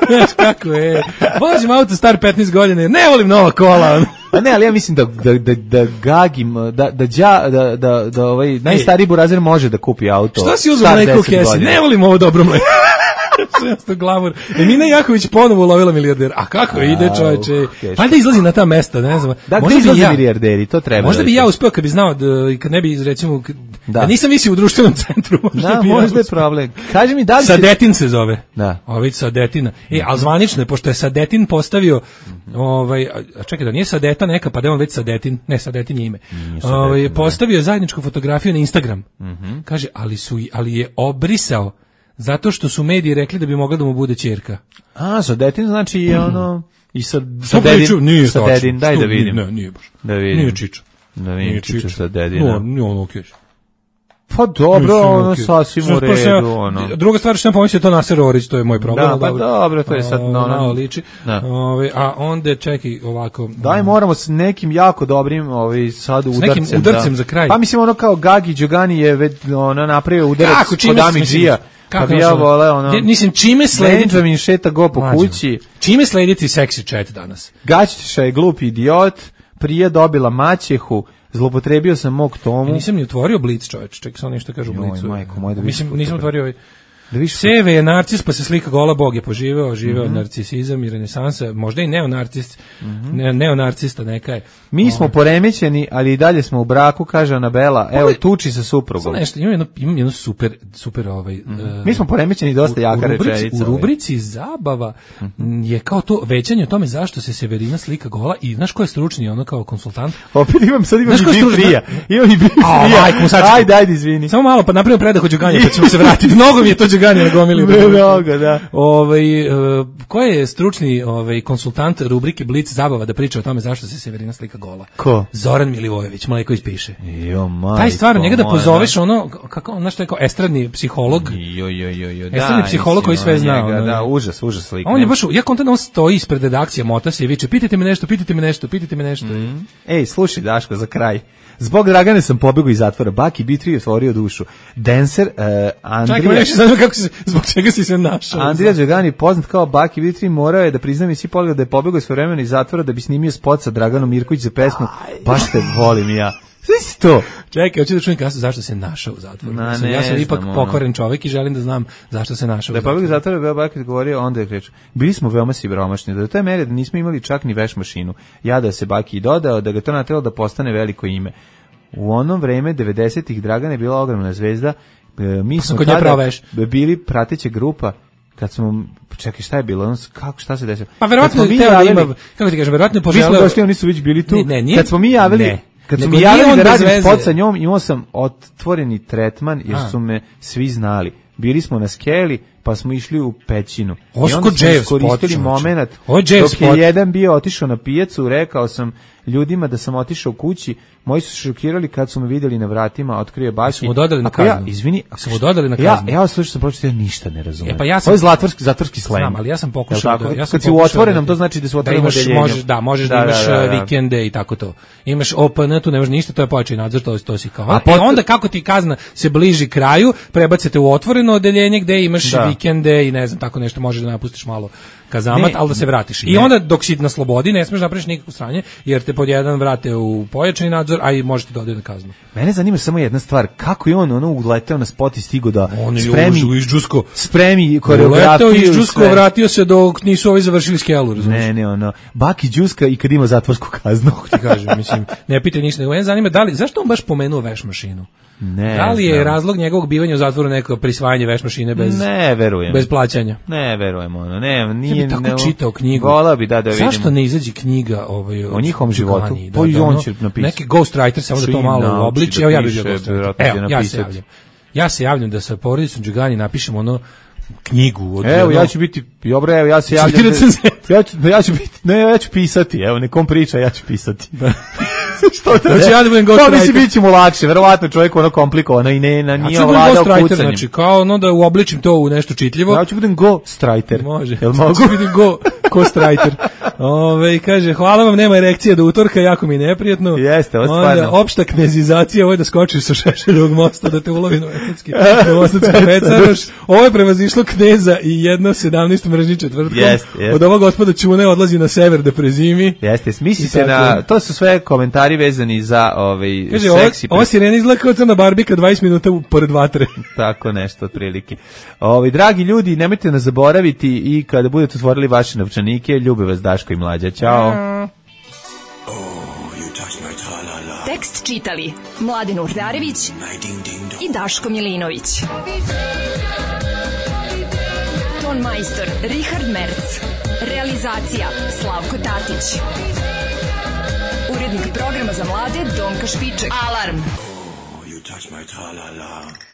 Znaš kako je. Vozim auto star petnaest godina, ne volim nova kola. A ne, ali ja mislim da da da da Gagim da da đa da da da ovaj najstariji burazer može da kupi auto. Šta si uzeo mleko u kesi? Ne volim ovo dobro mleko. šesto glavor. Emina Jaković ponovo ulovila milijarder. A kako a, ide, čoveče? Valjda izlazi na ta mesta, ne znam. Da, možda bi ja milijarderi, to treba. Možda bi ja uspeo kad bi znao da kad ne bi recimo da, da nisam mislio u društvenom centru, možda da, bi. Ja možda je problem. Kaži mi da li Sadetin se zove. Da. Ović Sadetina. E, al zvanično je pošto je Sadetin postavio ovaj a čekaj da nije Sadeta neka, pa da je on već Sadetin, ne Sadetin je ime. Ovaj postavio zajedničku fotografiju na Instagram. Mm-hmm. Kaže, ali su ali je obrisao zato što su mediji rekli da bi mogla da mu bude ćerka. A, Sadetin znači je ono i sa Sadedin, Sadedin, daj da vidim. Ne, nije baš. Da vidim. Nije Čičo. Da vidim Čičo Sadedina. No, nije ono okej. Pa dobro, ono sasvim u redu, ono. Druga stvar što sam pomislio to Naser Orić, to je moj problem. Da, pa dobro, to je sad no, no, liči. Ove, a onda čekaj ovako. Daj, moramo s nekim jako dobrim, ovaj sad udarcem. S nekim udarcem da. za kraj. Pa mislim ono kao Gagi Đogani je već ono napravio udarac kod Amidžija. Pa bi ja voleo ono... Mislim, čime slediti... Benjamin šeta go po kući. Čime slediti seksi chat danas? Gaćiša je glup idiot, prije dobila maćehu, zlopotrebio sam mog tomu. Ja nisam ni otvorio Blic, čoveč, čekaj samo nešto kažu u Blicu. Majko, moj, da mislim, nisam otvorio ovaj... Da viš Seve je narcis, pa se slika gola, Bog je poživeo, živeo mm-hmm. narcisizam i renesansa, možda i neonarcist, mm-hmm. ne, neonarcista neka je. Mi smo poremećeni, ali i dalje smo u braku, kaže Anabela, evo, Ove, tuči sa suprugom. Nešto, imam jedno, imam jedno super, super ovaj... Mm-hmm. Uh, Mi smo poremećeni dosta u, jaka rečenica. U rubrici zabava mm-hmm. je kao to većanje o tome zašto se Severina slika gola i znaš ko je stručni, ono kao konsultant? Opet imam, sad imam i bifrija. Imam i bifrija. Ajde, ajde, izvini. Samo malo, pa napravimo predah od Đuganja, pa ćemo se vratiti. Mnogo mi je to Đuganja nagomili. Mnogo, da. Ovaj, uh, ko je stručni ovaj, konsultant rubrike Blic zabava da priča o tome zašto se Severina slika gola? Ko? Zoran Milivojević, Mleko ispiše. Jo, majko. Taj stvarno, njega da pozoveš ono, kako, znaš što je kao estradni psiholog. Jo, jo, jo, jo. Estradni psiholog koji sve zna. Njega, da, užas, užas slika. On je baš, ja kontent on stoji ispred redakcije, mota se i viče, pitajte me nešto, pitajte me nešto, pitajte me nešto. Mm. Ej, slušaj, Daško, za kraj. Zbog Dragane sam pobegao iz zatvora. Baki B tri je otvorio dušu. Dancer, uh, Andrija... Čekaj, nešto zanima kako si, zbog čega si se našao. Andrija Đogani, poznat kao Baki B tri, morao je da priznam i svi pogleda da je pobegao svojevremeno iz zatvora da bi snimio spot sa Draganom Mirković za pesmu Baš te volim ja. Sve to. Čekaj, hoću da čujem kasu zašto se našao u zatvoru. Na, ne, ja sam ipak znam, pokvaren čovjek i želim da znam zašto se našao da u zatvoru. Da je pobegao iz zatvora, Beo Baki govorio, onda je kreću. Bili smo veoma siromašni, do te mere da nismo imali čak ni veš mašinu. Ja da se Baki dodao, da ga to natelo da postane veliko ime. U onom vreme devedesetih Dragana je bila ogromna zvezda. E, mi smo tada bili prateća grupa. Kad smo, čekaj, šta je bilo? On, kako, šta se desilo? Pa verovatno je teo da ima, kako ti kažem, verovatno je poželeo... Mi smo došli, oni su već bili tu. Ne, ne, nije, kad smo mi javili, ne, kad smo mi javili da radim spot sa njom, imao sam otvoreni tretman, jer su me svi znali. Bili smo na skeli, pa smo išli u pećinu. I onda smo iskoristili moment, dok je jedan bio otišao na pijacu, rekao sam ljudima da sam otišao kući, moji su šokirali kad su me vidjeli na vratima, otkrio Baki. Smo dodali na kaznu. Ja, izvini, smo dodali na kaznu. Ja, ja slušaj, sam pročitao, ja ništa ne razumijem. E, pa ja sam, ovo je zatvorski, zatvorski slang. Znam, ali ja sam pokušao da... Ja sam kad si u otvorenom, to znači da su otvoreno odeljenje. Možeš, da, možeš da, da imaš da, da, da. vikende i tako to. Imaš O P N, tu nemaš ništa, to je pojačaj nadzor, to, to si kao. A pot... onda kako ti kazna se bliži kraju, prebacite u otvoreno odeljenje gde imaš da. vikende i ne znam, tako nešto, možeš da napustiš malo kazamat, ali da se vratiš. I onda dok si na slobodi ne smeš napraviš nikakvo sranje, jer te pod jedan vrate u pojačani nadzor, a i možete dodati na kaznu. Mene zanima samo jedna stvar, kako je on ono uleteo na spot i stigo da on spremi iz Džusko, spremi koreografiju. Uleteo iz Džusko, vratio se dok nisu ovi završili skelu, razumiješ? Ne, ne, ono, Baki Đuska i kad ima zatvorsku kaznu. Ti kažem, mislim, ne pitaj ništa, nego mene zanima da li, zašto on baš pomenuo veš mašinu? Ne, da li je znam. razlog njegovog bivanja u zatvoru neko prisvajanje veš mašine bez ne verujem bez plaćanja? Ne verujem ono. Ne, nije tako ne, čitao knjigu. Volao bi da da vidim. Zašto ne izađe knjiga ovaj o njihovom životu? Da, pa i on će napisati. Neki ghostwriter samo da to malo obliči. Evo ja bih bio ghostwriter. Evo ja se javljam. Ja se javljam da sa porodicom Đugani napišemo ono knjigu od evo ja ću biti dobro evo ja se javljam da, ja ću ja ću biti ne ja ću pisati evo nekom priča ja ću pisati da. Što to znači ja da budem ghostwriter. Pa mislim biće mu lakše verovatno čovjek ono komplikovano i ne na nije vladao kucanjem znači kao ono da uobličim to u nešto čitljivo ja ću budem ghostwriter može jel mogu biti go ghostwriter ove kaže hvala vam nema erekcije do utorka jako mi je neprijatno jeste ovo stvarno opšta knezizacija ovo je da skočiš sa Šešeljevog mosta da te ulovi novosadski novosadski pecaroš ovo je prevazišlo kneza i jedno sedamnaest mržnji četvrtkom jest, jest. Od ovog gospoda Čune odlazi na sever da prezimi jeste misli se na to su sve komentari vezani za ovaj kaže, seksi ovo, ovo sirena izgleda kao crna barbika dvadeset minuta pored vatre tako nešto otprilike ovaj dragi ljudi nemojte nas zaboraviti i kada budete otvorili vaše novčanike ljube vas Daško i Mlađa ćao tekst čitali Mladen Urdarević i Daško Milinović ton majstor Richard Merc realizacija Slavko Tatić urednik programa za mlade Donka Špiček. Alarm! Oh, you touch my tra-la-la.